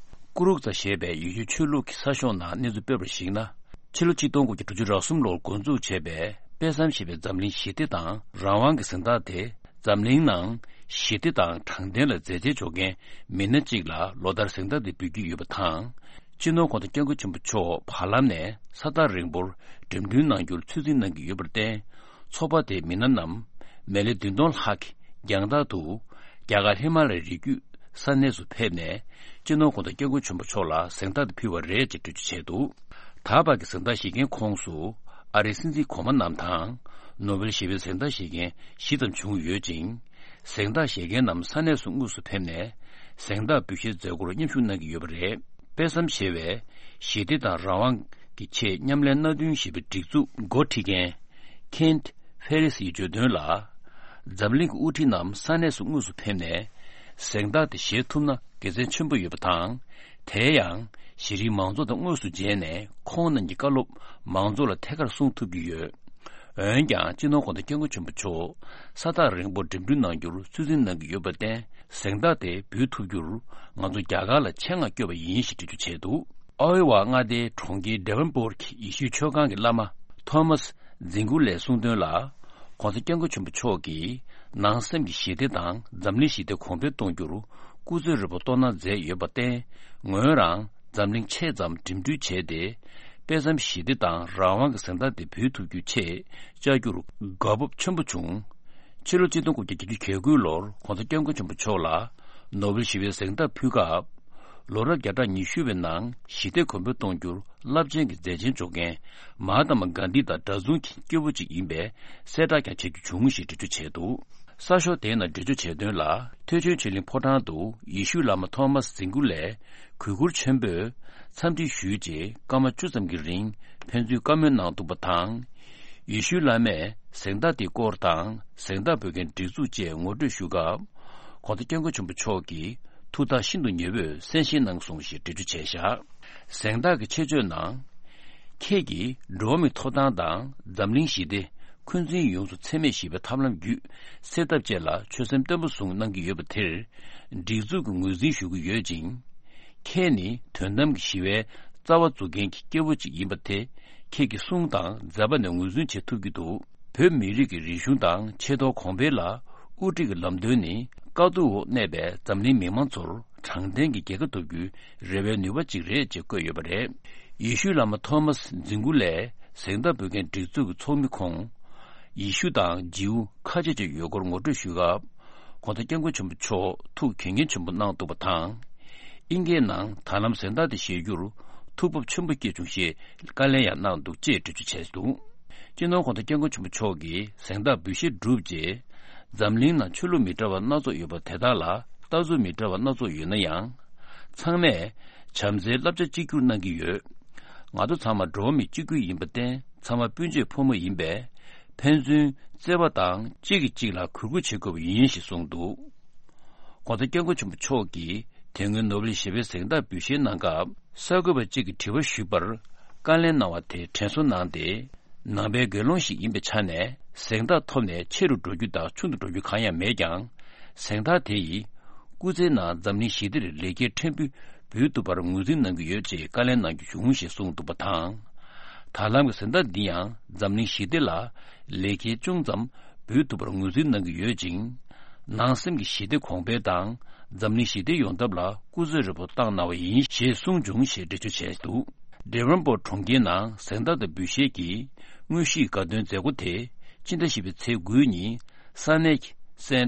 ཀུ་རུག་ཙ་ཞེས་པའི་ཡེ་ཤུའི་ཆོས་ལུགས་ཀྱི་གསར་ཤོག་ནང་གནས་ཚུལ་སྤེལ་བར་གཞིགས་ན། ཕྱི་ལོ་ཆིག་སྟོང་དགུ་བརྒྱ་དྲུག་ཅུ་རེ་གསུམ་ལོར་འགོ་འཛུགས་བྱས་པའི་དཔེ་བསམ་ཞེས་པའི་འཛམ་གླིང་ཞི་བདེ་དང་རང་དབང་གི་གཟེངས་རྟགས་དེ། འཛམ་གླིང་ནང་ཞི་བདེ་དང་དྲང་བདེན་ལ་མཛད་རྗེས་འཇོག་མཁན་མི་སྣ་གཅིག་ལ་ལོ་ལྟར་གཟེངས་རྟགས་དེ་འབུལ་གྱི་ཡོད་པ་དང་། སྤྱི་ནོར་༧གོང་ས་༧སྐྱབས་མགོན་ཆེན་པོ་མཆོག་བར་ལམ་ནས་ས་ཐག་རིང་པོར་འགྲིམ་འགྲུལ་གནང་རྒྱུར་ཚོད་འཛིན་གནང་གི་ཡོད་པར་བརྟེན། ཚོགས་པ་དེའི་མི་སྣ་རྣམས་མི་ལེ་བདུན་སྟོང་ལྷག་གིས་རྒྱང་ཐག་ཏུ་རྒྱ་གར་ཧི་མ་ལ་ཡའི་རི་རྒྱུད་ས་གནས་སུ་ཕེབས་ནས། སྤྱི་ནོར་༧གོང་ས་༧སྐྱབས་མགོན་ཆེན་པོ་མཆོག་ལ་གཟེངས་རྟགས་དེ་ཕུལ་བ་རེད་ཅེས་འགྲེལ་བརྗོད་བྱས་འདུག་ད་བར་གྱི་གཟེངས་རྟགས་བཞེས་མཁན་ཁོངས་སུ་ཨ་རིའི་སྲིད་འཛིན་གོང་མ་རྣམས་དང་། ནོ་བེལ་ཞི་བའི་གཟེངས་རྟགས་བཞེས་མཁན་བཞི་ཙམ་བྱུང་ཡོད་ཅིང་། གཟེངས་རྟགས་བཞེས་མཁན་རྣམས་ས་གནས་སུ་དངོས་སུ་ཕེབས་ནས་གཟེངས་རྟགས་འབུལ་བཞེས་མཛད་སྒོར་མཉམ་ཞུགས་གནང་གི་ཡོད་པ་རེད། དཔེ་བསམ་ཞེས་པའི་ཞི་བདེ་དང་རང་དབང་ གི་ཆེད་མཉམ་ལས་མནའ་མཐུན་ཞེས་པའི་སྒྲིག་འཛུགས་འགོ་ཁྲིད་མཁན་Kent Ferris ཡིས་བརྗོད་དོན་ལ། འཛམ་གླིང་གི་དབུ་ཁྲིད་རྣམས་ས་གནས་སུ་དངོས་སུ་ཕེབས་ནས། གཟེངས་རྟགས་དེ་བཞེས་ཐུབ་ན་དགེ་མཚན་ཆེན་པོ་ཡོད་པ་དང་། དེ་ཡང་གཞི་རིམ་མང་ཚོགས་དང་དངོས་སུ་མཇལ་ནས་ཁོང་རྣམས་ཀྱི་བཀའ་སློབ་མང་ཚོགས་ལ་ཐད་ཀར་གསུང་ཐུབ་ཀྱི་ཡོད། འོན་ཀྱང་སྤྱི་ནོར་༸གོང་ས་༸སྐྱབས་མགོན་ཆེན་པོ་མཆོག་ས་ཐག་རིང་པོར་འགྲིམ་འགྲུལ་གནང་རྒྱུར་ཚོད་འཛིན་གནང་གི་ཡོད་པར་བརྟེན། གཟེངས་རྟགས་དེ་འབུལ་ཐུབ་རྒྱུར་ང་ཚོ་རྒྱ་གར་ལ་ཆེད་མངགས་བསྐྱོད་པ་ཡིན་ཞེས་འགྲེལ་བརྗོད་བྱས་འདུག། ཨའོ་ཝ་མངའ་སྡེའི་གྲོང་ཁྱེར་ཌེ་ཝན་པོར་གྱི་ཡེ་ཤུའི་ཆོས་ཁང་གི་བླ་མ་ཐོ་མཱས་ཛིང་གུ་ལས་གསུངས་དོན་ལ། ༸གོང་ས་༸སྐྱབས་མགོན་ཆེན་པོ་མཆོག་གིས་ནང་སེམས་ཀྱི་ཞི་བདེ་དང་འཛམ་གླིང་ཞི་བདེ་གོང་འཕེལ་གཏོང་རྒྱུར་སྐུ་ཚེ་རིང་པོ་སྟོང་གནང་མཛད་ཡོད་པར་བརྟེན། ངོས་རང་འཛམ་གླིང་ཕྱེད་ཙམ་འགྲིམ་འགྲུལ་བྱས་ཏེ། དཔེ་མཚམས་ཞི་བདེ་དང་རང་དབང་གི་གཟེངས་རྟགས་དེ་འབུལ་ཐུབ་རྒྱུའི་ཆེད་བཅར་རྒྱུར་དགའ་སྤོབས་ཆེན་པོ་བྱུང་། ཕྱི་ལོ་ཆིག་སྟོང་དགུ་བརྒྱ་བརྒྱད་ཅུ་གྱ་དགུ་ལོར་༸གོང་ས་༸སྐྱབས་མགོན་ཆེན་པོ་མཆོག་ལ་ནོ་བེལ་ཞི་བའི་གཟེངས་རྟགས་ཕུལ་སྐབས། ལོ་རབས་བརྒྱ་ཕྲག་ཉི་ཤུ་པའི་ནང་ཞི་བདེ་གོང་འཕེལ་གཏོང་རྒྱུར་རླབས་ཆེན་གྱི་མཛད་རྗེས་འཇོག་མཁན་མ་ཧཱ་ཏ་མ་གྷན་དྷི་དང་འདྲ་མཚུངས་ཀྱི་སྐྱེས་བུ་ཅིག་ཡིན་པའི་གསལ་བསྒྲགས་ཀྱང་བྱེད་རྒྱུ་བྱུང་ཞེས་འགྲེལ་བརྗོད་བྱས་འདུག། གསར་ཤོག་དེའི་ནང་འགྲེལ་བརྗོད་བྱས་དོན་ལ། ཐེག་ཆེན་ཆོས་གླིང་ཕོ་བྲང་དུ་ཡེ་ཤུའི་བླ་མ་ཐོ་མཱས་ཛིང་གུ་ལས་གུས་བཀུར་ཆེན་པོས་འཚམས་འདྲི་ཞུས་རྗེས་སྐར་མ་བཅུ་ཙམ་གྱི་རིང་ཕན་ཚུན་བཀའ་མོལ་གནང་འདུག་པ་དང་། ཡེ་ཤུའི་བླ་མས་གཟེངས་རྟགས་དེའི་སྐོར་དང་གཟེངས་རྟགས་འབུལ་མཁན་སྒྲིག་འཛུགས་བཅས་ངོ་སྤྲོད་ཞུ་སྐབས། ༸གོང་ས་༸སྐྱབས་མགོན་ཆེན་པོ་མཆོག་གིས་ཐུགས་ཐག་ཤིན་ཏུ་ཉེ་བོས་གསན་བཞེས་གནང་སོང་ཞེས་འགྲེལ་བརྗོད་བྱས་བཞག། གཟེངས་རྟགས་ཀྱི་ཆེད་བརྗོད་ནང་། ཁྱེད་ཀྱིས་འགྲོ་བ་མིའི་ཐོབ་ཐང་དང་འཛམ་གླིང་ཞི་བདེ། འཁོན་འཛིན་ཡོངས་སུ་ཚད་མེད་ཞི་བའི་ཐབས་ལམ་བརྒྱུད་སེལ་ཐབས་བཅས་ལ་ཆོད་སེམས་བརྟན་པོ་བཟུང་གནང་གི་ཡོད་པ་དེར། སྒྲིག་འཛུགས་ཀྱིས་ངོས་འཛིན་ཞུ་གི་ཡོད་ཅིང་། ཁྱེད་ནི་དོན་དམ་གྱི་ཞི་བའི་རྩ་བ་འཛུགས་མཁན་གྱི་སྐྱེས་བུ་ཅིག་ཡིན་པ་དེ་ཁྱེད་ཀྱི་གསུང་དང་མཛད་པ་ནས་ངོས་འཛིན་བྱེད་ཐུབ་ཀྱི་འདུག། བོད་མི་རིགས་ཀྱི་རིག་གཞུང་དང་ཆེ་མཐོང་གོང་འཕེལ་ལ་དབུ་ཁྲིད་ཀྱི་ལམ་སྟོན་ནི་དཀའ་སྡུག་འོག་གནས་པའི་འཛམ་གླིང་མི་མང་ཚོར་དྲང་བདེན་གྱི་རྒྱལ་ཁ་ཐོབ་རྒྱུའི་རེ་བའི་ནུས་པ་གཅིག་རེད་ཅེས་བཀོད་ཡོད་པ་རེད། ཡེ་ཤུའི་བླ་མ་ཐོ་མཱས་ཛིང་གུ་ལས་གཟེངས་རྟགས་འབུལ་མཁན་སྒྲིག་འཛུགས་ཀྱི་ཚོགས་མི་ཁོང་། ཡེ་ཤུ་དང་ཇིའུ་ཁ་ཆེ་ཅིག་ཡོད་སྐོར་ངོ་སྤྲོད་ཞུས་སྐབས། ༸གོང་ས་༸སྐྱབས་མགོན་ཆེན་པོ་མཆོག་ཐུགས་དགྱེས་མཁན་ཆེན་པོ་གནང་འདུག་པ་དང་། ཨིན་སྐད་ནང་ད་ལམ་གཟེངས་རྟགས་དེ་བཞེས་རྒྱུར་ཐུགས་བབ་ཆེན་པོ་སྐྱེས་བྱུང་ཞེས་བཀའ་ལན་ཡང་གནང་འདུག་ཅེས་འགྲེལ་བརྗོད་བྱས་འདུག། སྤྱི་ནོར་༸གོང་ས་༸སྐྱབས་མགོན་ཆེན་པོ་མཆོག་གིས་གཟེངས་རྟགས་འབུལ་བཞེས་གྲུབ་རྗེས། འཛམ་གླིང་ནང་ཆོས་ལུགས་མི་འདྲ་བ་སྣ་ཚོགས་ཡོད་པ་དེ་དག་ལ་ལྟ་ཚུལ་མི་འདྲ་བ་སྣ་ཚོགས་ཡོད་ན་ཡང་། ཚང་མས་བྱམས་བརྩེའི་བསླབ་བྱ་གཅིག་གྱུར་གནང་གི་ཡོད། ང་ཚོ་ཚང་མ་འགྲོ་བ་མི་གཅིག་གྱུར་ཡིན་པར་བརྟེན་ཚང་མ་སྤུན་མཆེད་ཕོ་མོ་ཡིན་པས། ཕན་ཚུན་བརྩེ་བ་དང་གཅིག་གིས་གཅིག་ལ་གུས་བཀུར་བྱེད་དགོས་པ་ཡིན་ཞེས་གསུངས་འདུག། ༸གོང་ས་༸སྐྱབས་མགོན་ཆེན་པོ་མཆོག་གིས་དེ་སྔོན་ནོ་བེལ་ཞི་བའི་གཟེངས་རྟགས་འབུལ་བཞེས་གནང་སྐབས་གསར་འགོད་པ་གཅིག་གིས་དྲི་བ་ཞུས་པར་བཀའ་ལན་གནང་བ་དེ་དྲན་གསོ་གནང་སྟེ། ནང་པའི་དགེ་སློང་ཞིག་ཡིན་པའི་ཆ་ནས་གཟེངས་རྟགས་ཐོབ་ནས་ཆེ་རུ་འགྲོ་རྒྱུ་དང་ཆུང་དུ་འགྲོ་རྒྱུ་གང་ཡང་མེད་ཀྱང་། གཟེངས་རྟགས་དེ་ཡིས་སྐུ་ཚེའི་ནང་འཛམ་གླིང་ཞི་བདེར་ལེགས་སྐྱེས་ཕྲན་བུ་འབུལ་ཐུབ་པར་ངོས་འཛིན་གནང་གི་ཡོད་ཅེས་བཀའ་ལན་གནང་རྒྱུ་བྱུང་ཞེས་གསུངས་འདུག་པ་དང་། ད་ལམ་གྱི་གཟེངས་རྟགས་འདི་ཡང་འཛམ་གླིང་ཞི་བདེ་ལ་ལེགས་སྐྱེས་ཅུང་ཙམ་འབུལ་ཐུབ་པར་ངོས་འཛིན་གནང་གི་ཡོད་ཅིང་། ནང་སེམས་ཀྱི་ཞི་བདེ་གོང་འཕེལ་དང་འཛམ་གླིང་ཞི་བདེ་ཡོང་ཐབས་ལ་སྐུ་ཚེ་རིང་པོ་བཏང་གནང་བ་ཡིན་ཞེས་གསུངས་བྱུང་ཞེས་འགྲེལ་བརྗོད་བྱས་འདུག། ཌེ་ཝན་པོར་གྲོང་ཁྱེར་ནང་གཟེངས་རྟགས་དང་འབུལ་བཞེས་ཀྱི་དངོས་གཞིའི་དགའ་སྟོན་མཛད་སྒོ་དེ་ཕྱི་ཟླ་བཞི་པའི་ཚེས་དགུའི་ཉིན་ས་གནས་ཀྱི་སེན་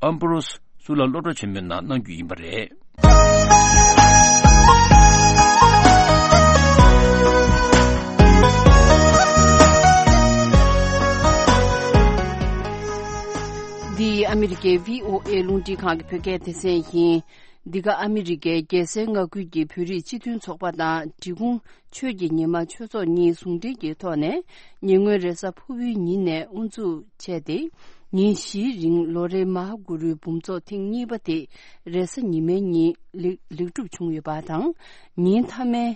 ཨམ་བྷ་རོས་གཙུག་ལག་སློབ་གྲྭ་ཆེན་མོའི་ནང་གནང་རྒྱུ་ཡིན་པ་རེད། འདི་ཨ་མི་རི་ཀའི་བྷི་ཨོ་ཨེ་རླུང་འཕྲིན་ཁང་གི་བོད་སྐད་སྡེ་ཚན་ཡིན། འདི་ག་ཨ་མི་རི་ཀའི་རྒྱལ་སའི་མངའ་ཁུལ་གྱི་བོད་རིགས་སྤྱི་མཐུན་ཚོགས་པ་དང་འབྲི་གུང་ཆོས་ཀྱི་ཉི་མ་ཆོས་ཚོགས་གཉིས་ཟུང་འབྲེལ་གྱི་ཐོག་ནས་ཉེ་སྔོན་རེས་གཟའ་ཕུར་བུའི་ཉིན་ནས་དབུ་འཛུགས་བྱས་ཏེ། ཉིན་བཞིའི་རིང་ལོ་རེའི་མ་ཧཱ་གུ་རུའི་འབུམ་ཚོགས་ཐེངས་གཉིས་པ་དེ་རེས་གཟའ་ཉི་མའི་ཉིན་ལེགས་ལེགས་གྲུབ་བྱུང་ཡོད་པ་དང་། ཉིན་མཐའ་མའི་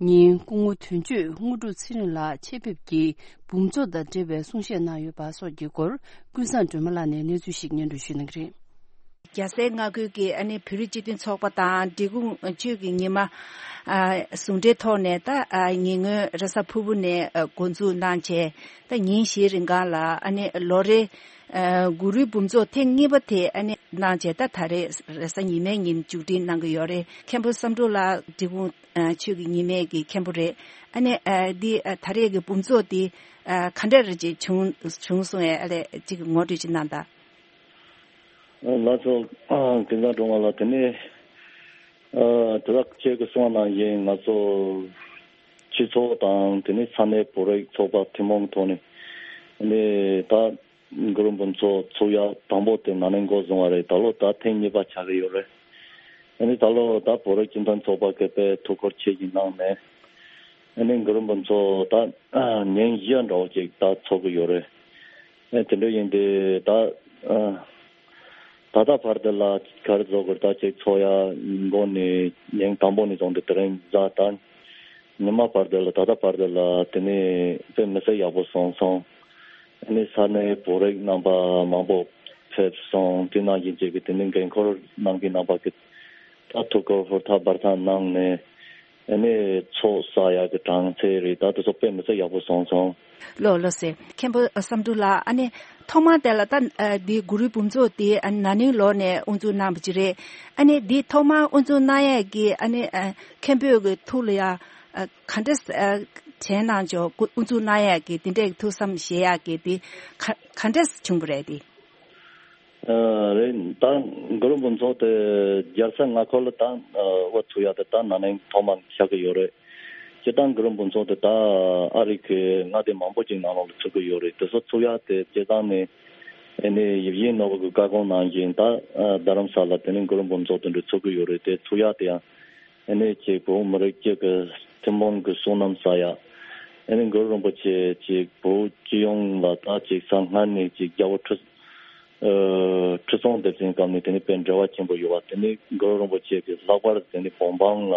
ཉིན་སྐུ་ངོ་དོན་གཅོད་དངོས་གྲུབ་ཚེ་རིང་ལགས་ཆེད་ཕེབས་ཀྱིས་འབུམ་ཚོགས་དང་འབྲེལ་བའི་གསུང་བཤད་གནང་ཡོད་པ་སོགས་ཀྱི་སྐོར་ཀུན་བཟང་སྒྲོལ་མ་ལགས་ནས་གནས་ཚུལ་ཞིག་སྙན་སྒྲོན་ཞུ་གནང་གི་རེད། རྒྱལ་སའི་མངའ་ཁུལ་གྱི་ཨ་ནི་བོད་རིགས་སྤྱི་མཐུན་ཚོགས་པ་དང་འབྲི་གུང་ཆོས་ཀྱི་ཉི་མ་ཨ་ཟུང་འབྲེལ་ཐོག་ནས་ད་ཨ་ཉེ་སྔོན་རེས་གཟའ་ཕུར་བུ་ནས་ཨ་འགོ་འཛུགས་གནང་བྱས། ད་ཉིན་བཞིའི་རིང་གང་ལ་ཨ་ནི་ལོ་རེ་ཨ་གུ་རུའི་འབུམ་ཚོགས་ཐེངས་གཉིས་པ་དེ་ཨ་ནི་གནང་བྱས། ད་ད་རེས་རེས་གཟའ་ཉི་མའི་ཉིན་མཇུག་སྒྲིལ་གནང་གི་ཡོད་རེད། མཁན་པོ་བསམ་འགྲུབ་ལགས་འབྲི་གུང་ཨ་ཆོས་ཀྱི་ཉི་མའི་གི་མཁན་པོ་རེད། ཨ་ནི་ཨ་འདི་ཨ་ད་རེས་ཀྱི་འབུམ་ཚོགས་འདི་ཨ་ག་འདྲ་རེ་ཅིག་བྱུང་བྱུང་སོང་ཨེ། ཨ་ལས་ཅིག་ངོ་སྤྲོད་ཅིག་གནང་དང་། ལགས་སོ། ཀུན་བཟང་སྒྲོལ་མ་ལགས། དེ་ནས་ཨ་དེ་དག་ཁྱེད་ཀྱིས་གསུངས་པ་ནང་བཞིན་ང་ཚོ་སྤྱི་ཚོགས་དང་དེ་ནས་ས་གནས་བོད་རིགས་ཚོགས་པ་ཐུན་མོང་གི་ཐོག་ནས་ནས་ད་གུ་རུ་འབུམ་ཚོགས་ཚུགས་ཡ་དང་པོ་དེ་ན་ནིང་འགོ་བཟུང་བ་རེད། ད་ལོ་ད་ཐེངས་གཉིས་པ་ཆགས་ཀྱི་ཡོད་རེད། ཨ་ནི་ད་ལོ་ད་བོད་རིགས་སྤྱི་མཐུན་ཚོགས་པ་གི་དཔེ་ཐུགས་ཁུར་ཆེ་ཞིག་གནང་ནས་ ཨ་ནི་གུ་རུ་འབུམ་ཚོགས་ད་ཉིན་བཞི་འདྲ་བོ་ཅིག་ད་ཚོགས་ཀྱི་ཡོད་རེད། ཨ་དེ་འདྲ་ཡིན་དུས་ད་ད་ལྟ་བར་དུ་ལ་ག་རེ་བཟོ་དགོས་ད་ཅིག་ཚོགས་ཡ་འགོ་ནས་ཉིན་དང་པོ་ནས་བཟུང་སྟེ་དེ་རིང་གཟའ་ད་ཉི་མ་བར་དུ་ལ་ད་ལྟ་བར་དུ་ལ་དེ་ནས་དཔེ་མི་སྲིད་ཡག་པོ་སོང་སོང་། ཨ་ནི་ས་གནས་བོད་རིགས་རྣམ་པ་མང་པོ་ཕེབས་སོང་། དེ་ནང་བཞིན་བྱས་ཀྱི་དེ་ནི་འགན་འཁུར་གནང་མཁན་རྣམ་པ་གི་ད་ཐུགས་ཁུར་ཧུར་ཐག་འབད་ཐག་གནང་ནས་ཨ་ནི་ཚོགས་བསགས་ཡག་གི་གྲངས་ཚད་རེད། ད་དེ་ཚོ་དཔེ་མི་སྲིད་ཡག་པོ་སོང་སོང་། ལགས་ལགས་སེ། མཁན་པོ་བསམ་འགྲུབ་ལགས། ཨ་ནི་ཐོག་མ་དེ་ལ་ད་ཨ་འདི་གུ་རུའི་འབུམ་ཚོགས་དེ་ཨ་ན་ནིང་ལོ་ནས་དབུ་འཛུགས་གནང་བ་ཅིག་རེད། ཨ་ནི་འདི་ཐོག་མ་དབུ་འཛུགས་གནང་ཡས་ཀྱི་ཨ་ནི་ཨ་མཁན་པོའི་གི་ཐུགས་ལ་ཡ་ཨ་ག་འདྲ་ཨ་དྲན་གནང་བྱུང་། དབུ་འཛུགས་གནང་ཡས་ཀྱི་དེ་འདྲའི་ཐུགས་བསམ་བཞེས་ཡས་ཀྱི་དེ་ག་ག་འདྲ་བྱུང་བ་རེད་དེ། ཨ་རེད། ད་གུ་རུ་འབུམ་ཚོགས་དེ་རྒྱལ་ས་མངའ་འཁོར་ལ་ད་ཨ་དབུ་ཚུགས་ཡག་དེ་ད་ན་ནིང་ཐོག་མ་ཆགས་ཀྱི་ཡོད་རེད། སྤྱིར་བཏང་གུ་རུ་འབུམ་ཚོགས་དེ་ད་ཨ་རི་གི་མངའ་སྡེ་མང་པོ་ཅིག་ནང་ལོགས་ལ་ཚུགས་ཀྱི་ཡོད་རེད། དེ་ཚོ་ཚུགས་ཡག་དེ་སྤྱིར་བཏང་ནས་ཨ་ནི་ཡིད་བཞིན་ནོར་བུ་གི་བཀའ་དགོངས་ནང་བཞིན་ད་ཨ་རྡ་རམ་ས་ལ་དེ་ནས་གུ་རུ་འབུམ་ཚོགས་དེ་འདྲ་ཚུགས་ཀྱི་ཡོད་རེད། དེ་ཚུགས་ཡག་དེ་ཡང་ཨ་ནི་ཅིག་བོད་མི་རིགས་སྤྱི་གི་ཐུན་མོང་གི་བསོད་ནམས་བསགས་ཡག་ཨ་ནི་གུ་རུ་རིན་པོ་ཆེ་ཅིག་བོད་སྤྱི་ཡོངས་ལ་ད་ཅིག་གསང་སྔར་ནས་ཅིག་རྒྱལ་པོ་ཁྲི་ཨ་ཁྲི་སྲོང་ལྡེ་བཙན་སྐབས་ནས་དེ་ནས་དཔེ་འབྲེལ་བ་ཆེན་པོ་ཡོད་པ། དེ་ནས་གུ་རུ་རིན་པོ་ཆེ་གི་ལྷག་པར་དེ་ནས་བོད་འབངས་ལ་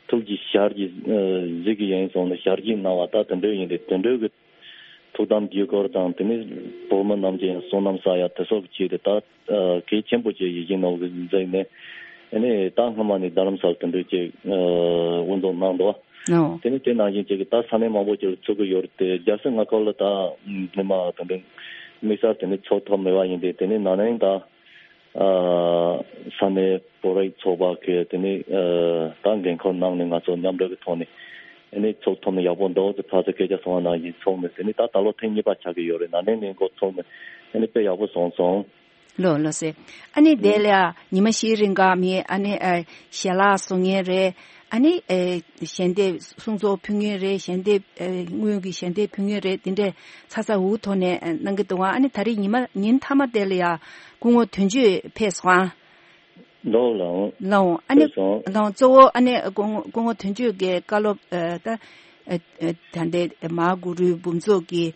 ཐུགས་ཀྱི་ཞལ་གྱིས་ཨ་གཟིགས་ཀྱི་ཡིན་གསུངས་ནས་ཞལ་གྱིས་གནང་བ་ད་དེ་འདྲ་ཡིན་ཏེ། དེ་འདྲ་གི་ཐུགས་དམ་དཀྱིལ་འཁོར་དང་དེ་ནས་བོད་མི་རྣམས་ཀྱི་བསོད་ནམས་བསགས་ཡག་དེ་སོགས་ཀྱི་ཆེད་དུ་ད་ཨ་གལ་ཆེན་པོ་ཅིག་ཡིད་བཞིན་ནོར་བུ་གཟིགས་ནས་ཨ་ནི་ད་སྔོན་མ་ནས་རྡ་རམ་ས་ལ་དེ་འདྲ་ཅིག་ཨ་དབུ་འཛུགས་གནང་འདུག་བ། ཨོ། དེ་ནས་དེ་ནང་བཞིན་ཅིག་གི་ད་ས་གནས་མང་པོ་ཅིག་ལ་ཚུགས་ཀྱི་ཡོད་རེད་དེ། རྒྱལ་ས་མངའ་འཁོར་ལ་ད་སྔོན་མ་དེ་འདྲ་དམིགས་བསལ་དེ་ནས་ཚོགས་ཐུབ་མེད་པ་ཡིན་ཏེ། དེ་ནས་ན་ནིང་ད་ཨ་ས་གནས་བོད་རིགས་ཚོགས་པ་གི་དེ་ནས་ཨ་ད་འགན་འཁུར་གནང་ནས་ང་ཚོ་མཉམ་འབྲེལ་གྱི་ཐོག་ནས་ཨ་ནི་ཚོགས་ཐུབ་ན་ཡག་པོ་འདུག་ཟེར་ཕར་ཚུར་སྐད་ཆ་གསུངས་པ་ནང་བཞིན་ཚོགས་ནས། དེ་ནས་ད་ད་ལོ་ཐེངས་གཉིས་པ་ཆགས་ཀྱི་ཡོད་རེད། ན་ནིང་ནས་འགོ་ཚུགས་ནས་ཨ་ནི་དཔེ་ཡག་པོ་སོང་སོང་། ལགས་ལགས་སེ། ཨ་ནི་དེ་ལ་ཡང་ཉི་མ་བཞིའི་རིང་ག་མི་ཨ་ནི་ཨ་ཞལ་ལག་བཟོ་མཁན་རེད། ཨ་ནི་ཨ་ཞལ་འདེབས་གསུང་ཚོགས་ཕུལ་མཁན་རེད། ཞལ་འདེབས་ཨ་དངུལ་གྱི་ཞལ་འདེབས་ཕུལ་མཁན་རེད། དེ་འདྲས་ཚ་ཚ་འུ་ཐོག་ནས་ཨ་གནང་གི་འདུག་ཨ། ཨ་ནི་ད་རེས་ཉི་མ་ཉིན་མཐའ་མ་དེ་ལ་ཡང་སྐུ་ངོ་དོན་གཅོད་ཕེབས་སོང་ཨ། ལགས་ལགས། ལགས་འོང་། ཨ་ནི་ཕེབས་སོང་། ལགས་འོང་། གཙོ་བོ་ཨ་ནི་སྐུ་ངོ་སྐུ་ངོ་དོན་གཅོད་ཀྱི་བཀའ་སློབ་ཨ་ད་ཨ་ཨ་ད་ལྟའི་མ་གུ་རུའི་འབུམ་ཚོགས་ཀྱི་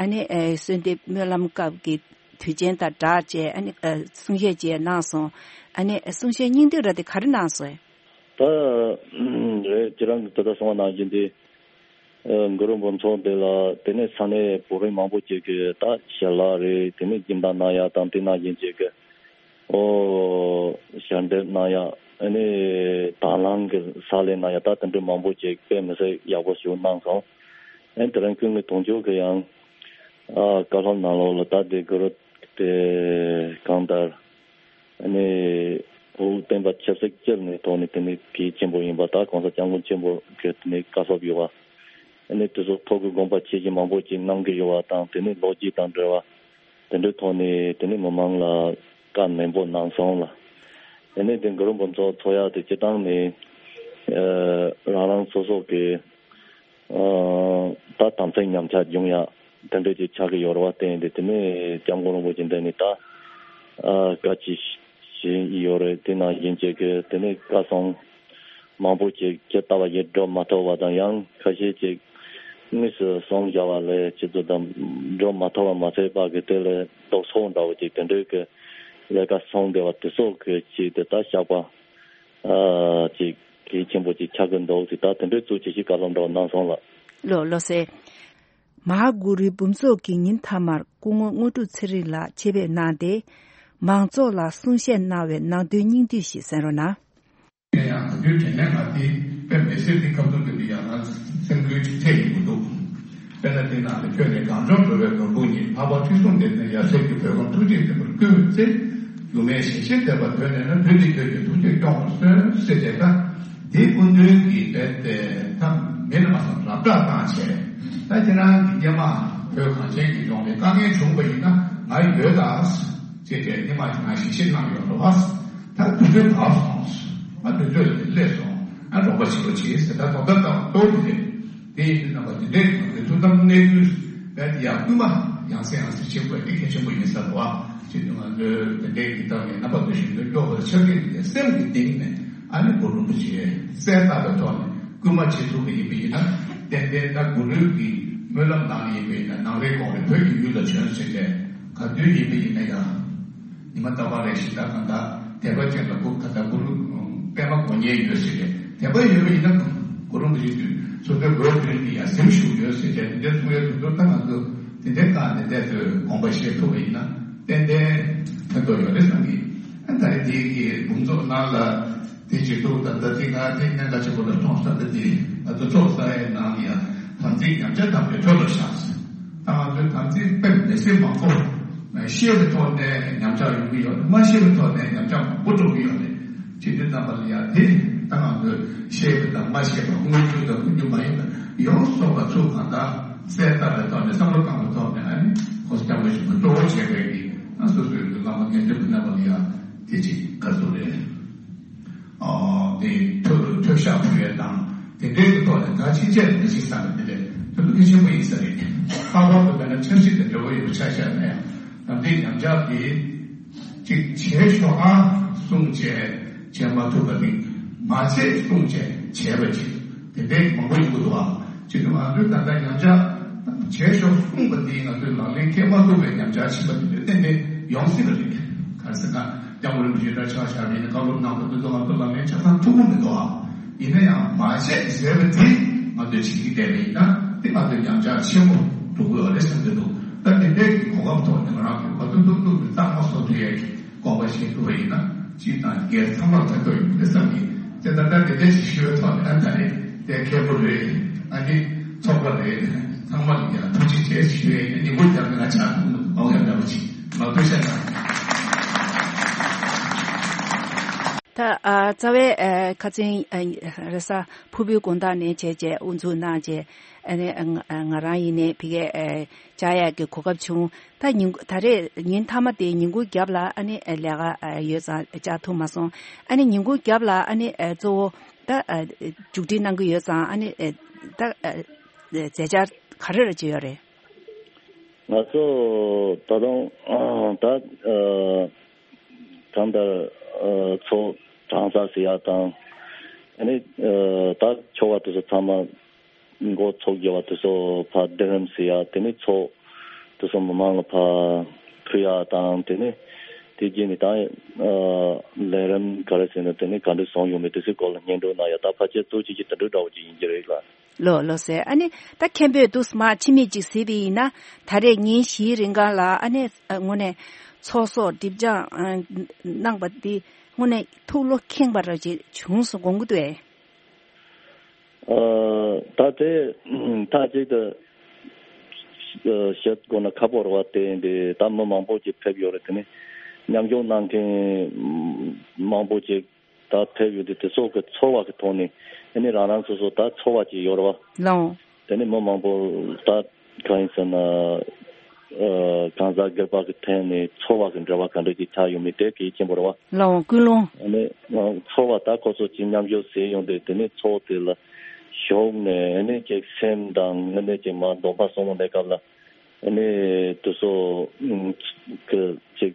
ཨ་ནི་ཨ་གསོལ་འདེབས་སྨོན་ལམ་སྐབས་ཀྱི་དུས་ཆེན་དང་སྦྲགས་བྱས་ཨ་ནི་ཨ་གསུང་བཤད་བཅས་གནང་སོང་། ཨ་ནི་གསུང་བཤད་སྙིང་བསྡུས་ར་དེ་ག་རེ་གནང་སོང་། ད་རེད། ཁྱེད་རང་གིས་དེ་ལྟར་གསུངས་པ་ནང་བཞིན་དེ་ཨ་གུ་རུ་འབུམ་ཚོགས་དེ་ལ་དེ་ནས་ས་གནས་བོད་རིགས་མང་པོ་ཅིག་གིས་ད་ཞལ་ལག་རེད། དེ་ནས་སྦྱིན་བདག་གནང་ཡག་དང་དེ་ནང་བཞིན་ཅིག་གི་ཨོ་ཞལ་འདེབས་གནང་ཡག་ཨ་ནི་དང་བླངས་ཀྱི་ཕྱག་ལས་གནང་ཡག་ད་དེ་འདྲ་མང་པོ་ཅིག་དཔེ་མི་སྲིད་ཡག་པོ་ཞིག་གནང་སོང་། ཨ་ནི་དེ་རིང་སྐུ་ངོ་དོན་གཅོད་ཀྱིས་ཡང་ཨ་བཀའ་སློབ་ནང་ལོགས་ལ་ད་དེ་གུ་རུ་དེ་གང་ལྟར་ཨ་ནི་བོད་བསྟན་པ་ཆབ་སྲིད་སྤྱིར་ནས་ཐོག་ནས་དེ་ནི་གལ་ཆེན་པོ་ཡིན་པ། ད་གོང་ས་སྐྱབས་མགོན་ཆེན་པོ་གི་དེ་ནི་བཀའ་སློབ་ཡོད་པ། ཨ་ནི་དེ་ཚོ་ཐོག་གི་དགོངས་པ་ཆེ་ཆེ་མང་པོ་ཅིག་གནང་གི་ཡོད་པ་དང་། དེ་ནི་ལོ་རྒྱུས་དང་འབྲེལ་བ་དེ་འདྲའི་ཐོག་ནས་དེ་ནི་མི་མང་ལ་བཀའ་ནན་པོ་གནང་སོང་ལ། དེ་ནི་དེ་གུ་རུ་འབུམ་ཚོགས་ཚོགས་ཡག་དེ་སྤྱིར་བཏང་ནས་ཨ་རང་རང་སོ་སོ་གི་ཨ་ད་དམ་ཚིག་ཉམས་ཆག་འབྱུང་ཡག་དེ་འདྲ་ཅིག་ཆགས་ཀྱི་ཡོད་རེད་བ། བརྟེན་ཏེ་དེ་ནས་སྐྱབས་མགོན་རིན་པོ་ཆེ་འདི་ནས་ད་ཨ་བཀའ་ཅིག་བཞེས་ཡོད་རེད། དེ་ནང་བཞིན་བྱས་ཀྱི་དེ་ནས་བཀའ་གསུང་མང་པོ་ཅིག་ཇི་ལྟ་བ་བཞིན་སྒྲུབ་མ་ཐུབ་པ་དང་། ཡང་ཁ་ཤས་ཅིག་དངོས་སུ་གསུང་བཞག་པ་ལས་ཅི་ཙམ་དང་སྒྲུབ་མ་ཐུབ་པ་མ་ཚད་པ་གི་དེ་ལས་ལྡོག་ཕྱོགས་འདྲ་བོ་ཅིག་དེ་འདྲའི་གི་ལས་ཀ་གསུང་བསྡད་པ་དེ་སོགས་ཀྱི་ཅིག་དེ་ལྟར་བཞག་པ་ཨ་ཅིག་གལ་ཆེན་པོ་ཅིག་ཆགས་ཀྱི་འདུག་ཅིག་ད་དེ་འདྲའི་གཙོ་ཆེ་ཞིག་བཀའ་སློབ་འདྲ་བོ་གནང་སོང་ལགས། ལགས་ལགས་སེ། མ་ཧཱ་གུ་རུའི་འབུམ་ཚོགས་ཀྱི་ཉིན་མཐའ་མར་སྐུ་ངོ་དངོས་གྲུབ་ཚེ་རིང་ལགས་ཆེད་ཕེབས་གནང་སྟེ། མང་ཚོགས་ལ་གསུང་བཤད་གནང་བའི་ནང་དོན་སྙིང་བསྡུས་ཤིག་གསན་རོགས་གནང་། ཡང་ད་དུང་དྲན་ལན་ང་དེ་དཔེ་མི་སྲིད་དེ་ཁ་ཐུག་གི་འདི་ཡང་ན་སེམས་འགུལ་ཅིག་ཐེབས་ཡོང་གི་འདུག་དཔེར་ན་དེ་ནང་ལ་ཁྱོད་ནས་གངས་ལྗོངས་འགྲོ་བའི་ནོར་བུ་ཉིད། འཕགས་པ་ཁྲི་སྲོང་ལྡེ་བཙན་ཡབ་སྲས་ཀྱི་བོད་ཁམས་ཐུགས་རྗེས་བརྟན་པར་བསྐུལ་བའི་ཚེ། སྒྱུ་མའི་ཞལ་བཞེས་མཛད་པ་དོན་ལས་ན། དུས་འདིར་ཁྱོད་ཀྱི་ཐུགས་རྗེས་སྐྱོང་བར་གསོལ་ཟེར་ཏེ། ད་དེའི་སྐུ་མདུན་གྱི་དཔེ་དེ་ད་མི་ལ་མ་སོང་རབ་བསྒྲགས་བཏང་བྱས། ད་ཁྱེད་རང་གི་སྐྱེས་མ་བོད་གངས་ཅན་གྱི་ལྗོངས་ལ་དཀའ་ངལ་བྱུང་བ་ཡིན་ན་ང་ཡོད་ད་ཅེས་པའི་སྙན་མ་ཅིག་ང་ཞལ་བཞེས་གནང་ཡོད་རེད་བ། ད་དུས་ཚོད་བབས་སོང་། ང་དུས་ཚོད་ལ་སླེབས་སོང་། ང་རོགས་པ་བྱེད་རོགས་བྱེད་ཟེར། ད་དོ་ད་ད་ཏོག་ཙམ་རེད། དེ་ཡིན་དུས་རྣམ་པ་འདི་འདྲའི་ངང་གི་ཐུགས་དམ་གནས་ཚུལ་བས་ཡང་སྐུལ་མ་ཡང་སེ་ཡང་སེ་བྱེད་དགོས་དེ་གལ་ཆེན་པོ་ཡིན་ས་རེད་བ། ཅེས་དུས་ང་ཚོའི་དེ་འདྲའི་གི་ཐོག་ནས་རྣམ་པ་ཚོ་ཞིག་ཏུ་སྐྱོ་བར་ཆགས་ཀྱི་འདུག་སྟེ། སེམས་ཀྱི་གཏིང་ནས་ཨ་ནི་གུ་རུ་རིན་པོ་ཆེ་གསལ་བཏབ་པའི་ཐོག་ནས་སྐུལ་མ་བྱེད་ཐུབ་པ་ཡིན་པ་ཡིན་ན། ཏན་ཏན་ད་གུ་རུ་གི་སྨོན་ལམ་ནང་ཡིན་པས་ན། ནང་རེ་གོང་རེ་བོད་ཀྱི་ཡུལ་ལ་བྱོན་ཟེར་ཏེ། ག་དུས་ཡིན་པ་ཡིན་ན་ཡང་ཉི་མ་རྟག་པར་རེ་ཞིག་ད་གང་ལྟར་དད་པ་ཅན་ལ་གུ་ག་ད་གུ་རུ་པདྨ་དགོན་གཉེར་ཡོད་ཟེར་ཏེ། དད་པ་ཡོད་པ་ཡིན་ན་གུ་རུ་རིན་པོ་ཆེ་དུས་སོ་སོའི་སྒོའི་མདུན་དུ་ཡང་གཟིམ་བཞུགས་ཡོད་ཟེར་ཏེ། དེ་འདྲའི་གསུང་ཡོད་དུས་ད་ང་ཚོ་དེ་འདྲའི་སྒང་ནས་བསྡད་དུས་དགོངས་པ་བཞེས་ཐུབ་པ་ཡིན་ན་ཏན་ཏན་ཕན་ཐོགས་ཡོད་རེད་བསམ་གི། ཨ་ད་རེས་དེ་གི་འབུམ་ཚོགས་ནང་ལ། དེ་བྱེད་དུས་ད་ལྟ་དེ་ང་དེ་གནད་འགག་ཆེན་པོ་ལ་མཐོང་ས་ད་དེ། ང་ཚོ་ཚོགས་བསགས་ཡས་ནང་ཡང་དམ་ཚིག་ཉམས་ཆག་དམ་པའི་ཁྲོད་ལ་བཞག་ཟེར། ད་ང་ཚོའི་དམ་ཚིག་དཔེ་མི་སྲིད་མང་པོ་ཤེས་པའི་ཐོག་ནས་ཉམས་ཆག་ཡོང་གི་ཡོད་རེད། མ་ཤེས་པའི་ཐོག་ནས་ཉམས་ཆག་མང་པོ་འགྲོ་གི་ཡོད་རེད། བྱེད་དུས་ཙམ་པ་ལ་ཡང་དེ་ད་ང་ཚོས་ཤེས་པ་དང་མ་ཤེས་པ། དངོས་ཡོད་དང་དངོས་ཡོད་མ་ཡིན་པ་ཡོངས་སུ་རྫོགས་པ་ཚུར་གང་ལྟར་གསལ་བཏབ་པའི་ཐོག་ནས། བསམ་བློ་བཏང་བའི་ཐོག་ནས། ཨ་ནི་ཁོ་སྐྱབས་མགོན་ཆེན་པོ་གཙོ་བོ་བྱས་པའི་གི་ཨ་སོ་སོའི་གི་བླ་མ་དགེ་འདུན་པ་རྣམ་པ་ལ་ཡང་དེ་ཅིག་ག་ཚོད་རེད། ཨོ། དེ་ཐོས་ཐོས་ཤག་ཕུལ་ཡས་དང་དེ་འདྲའི་གི་ཐོག་ནས་ད་ཕྱིན་ཆད་མི་ཤེས་ས་ནས། དེ་འདྲའི་དོན་དུ་གལ་ཆེན་པོ་ཡིན་ས་རེད། ལྷག་པར་དུ་དཔེར་ན་ཆབ་སྲིད་དང་འབྲེལ་བ་ཡོད་པ་ཆ་བཞག་ན་ཡང་། དམ་ཚིག་ཉམས་ཆག་དེ་ཅིག་བྱས་ཤོག་ཨ་གསུངས་བྱས་བྱས་མ་ཐུབ་པ་དེ། མ་བྱེད་གསུངས་བྱས་བྱས་པ་ཅིག་དེ་འདྲའི་མང་པོ་ཡོང་གི་འདུག་ཨ། ཅིག་ང་ཚོས་ད་ལྟ་ཉམས་ཆག་བྱས་ཤོག་གསུངས་པ་དེ་ང་ཚོས་ལག་ལེན་འཁེལ་མ་ཐུབ་པའི་ཉམས་ཆག་ཕྱིན་པ་དེ་ཚོ་ཏན་ཏན་ཡོང་སྲིད་པ་རེད། ག་རེ་ཟེར་ན། སྐྱབས་མགོན་རིན་པོ་ཆེ་འདྲ་ཆགས་བཞག་པ་ཡིན་ན། བཀའ་སློབ་གནང་བ་དེ་ཚོ་ང་ཚོ་ལག་ལེན་ཆ་ཚང་ཐུབ་ཀྱི་མི་འདུག་ཨ། ཡིན་ན་ཡང་མ་བྱེད་ཟེར་བ་དེ་ང་ཚོས་བྱེད་ཀྱི་བསྡད་པ་ཡིན་ན། དེ་ང་ཚོའི་ཉམས་ཆག་ཆེན་པོ་འགྲོ་གི་ཡོད་རེད་བསམ་གྱི་འདུག་ད་དེ་འདྲའི་གི་གོ་སྐབས་ཐོག་ནས་ང་རང་གིས་ག་ཚོད་ཐུབ་ཐུབ་ཀྱིས་རྟགས་མ་བཟོ་ཐུབ་ཡས་ཀྱི་དགོངས་པ་བཞེས་ཐུབ་པ་ཡིན་ན། སྤྱི་དང་སྒེར་ཚང་མར་ཕན་ཐོགས་ཡོང་གི་རེད་བསམ་གྱི། དེ་ད་ལྟ་དེ་འདྲ་ཞིག་ཞུ་བའི་ཐོག་ནས། ཨ་ད་རེད། དེ་མཁན་པོ་རེད། ཨ་ནི་ཚོགས་པ་རེད། ཚང་མ་ལ་ཡང་ཐུགས་རྗེ་ཆེ་ཞུ་ཡས་ཀྱི་ཉིན་མོ་རྒྱབ་ནས་ང་ཆགས་ཐུབ་མི་འདུག་ཨོ་ཡ་འདྲ་པོ་ཅིག་མ་ཐུགས་རྗེ་ཆེ་གནང་། ད་ཨ་རྩ་བའི་ཨ་ཁ་ཚན་ཨ་རེས་གཟའ་ཕུར་བུའི་དགོང་དག་ནས་བྱས་རྗེས་དབུ་འཛུགས་གནང་རྗེས། ཨ་ནི་ཨ་ང་ང་རང་ཡིན་ནའི་ཕ་གིར་ཨ་བཅར་ཡག་གི་གོ་སྐབས་བྱུང་། ད་ཉིན་ད་རེས་ཉིན་མཐའ་མ་དེ་ཉིན་གུང་རྒྱབ་ལ་ཨ་ནི་ཨ་ལས་ཀ་ཨ་ཡོད་ཙང་བཅར་ཐུབ་མ་སོང་། ཨ་ནི་ཉིན་གུང་རྒྱབ་ལ་ཨ་ནི་ཨ་གཙོ་བོ་ད་ཨ་མཇུག་སྒྲིལ་གནང་གི་ཡོད་ཙང་། ཨ་ནི་ཨ་ད་ཨ་མཛད་འཆར་ག་རེ་རེ་ཅིག་ཡོད་རེད། ང་ཚོ་ད་དུང་ད་ཨ་གང་ལྟར་ཨ་ཚོགས་གྲངས་གསར་ཟེར་ཡག་དང་། ཨ་ནི་ཨ་ད་ཆོ་ག་དེ་ཚོ་ཚང་མ་འགོ་ཚུགས་རྒྱུ་བ་དེ་ཚོ་ཕར་སྡེ་རིམ་ཟེར་ཡག། དེ་ནས་ཚོགས་དེ་ཚོ་མི་མང་ལ་ཕར་ཕུལ་ཡག་དང་། དེ་ནས་དེ་རྗེས་ནས་ད་ཨ་ལས་རིམ་ག་རེ་ཟེར་ན། དེ་ནས་ག་འདྲ་བཟོས་ཡོད་མེད་དེ་ཚོའི་སྐོར་ལ་སྙན་སྒྲོན་གནང་ཡག། ད་ཕལ་ཆེར་གཙོ་ཆེ་ཆེ་དེ་འདྲ་འདྲ་བོ་ཅིག་ཡིན་གྱི་རེད་ལ། ལགས་ལགས་སེ། ཨ་ནི་ད་མཁན་པོས་དུས་མ་ཕྱི་མིག་ཅིག་གཟིགས་པ་ཡིན་ན། ད་རེས་ཉིན་བཞིའི་རིང་ག་ལ་ཨ་ནི་ཨ་དངོས་གནས་ཚོགས་གསོག་སྒྲིབ་སྦྱང་ཨ་གནང་པ་འདི་དངོས་གནས་ཐུགས་བློ་ཁེངས་པ་ར་ཅིག་བྱུང་སོང་དགོངས་ཀྱི་འདུག་ཨེ། ཨ་ད་དེ་ད་ཅིག་ཏུ་ཨ་བཤད་དགོས་ན་ཁག་པོ་རེད་བ། དེ་འདི་ད་མི་མང་པོ་ཅིག་ཕེབས་ཡོད་རེད། དེ་ནས་མཉམ་ཞུགས་གནང་མཁན་མང་པོ་ཅིག་ད་ཕེབས་ཡོད་དུས། དེ་ཚོ་གི་ཚོར་བ་གི་ཐོག་ནས་ཨ་ནི་རང་རང་སོ་སོ་ད་ཚོར་བ་ཅིག་ཡོད་རེད་བ། ལགས། དེ་ནི་མི་མང་པོ་ད་གང་ཡིན་ཟེར་ན། ཨ་གང་ཟག་སྒེར་པ་གི་ཐད་ནས་ཚོར་བ་གི་འབྲེལ་བ་ག་འདྲ་ཅིག་ཆགས་ཡོད་མེད་དེ་གལ་ཆེན་པོ་རེད་བ། ལགས་འོང་། ཀུན་སློང་། ཨ་ནི་ཚོར་བ་ད་ཁོ་ཚོ་ཅིག་མཉམ་ཞུགས་ཟེར་ཡོང་དུས། དེ་ནི་ཚོགས་དེ་ལ་ཞུགས་ནས་ཨ་ནི་ཅིག་སེམས་དང་དངོས་གནས་ཅིག་མ་འདོམས་པ་སོང་བའི་སྐབས་ལ། ཨ་ནི་དེ་ཚོ་ཨུམ་གི་ཅིག་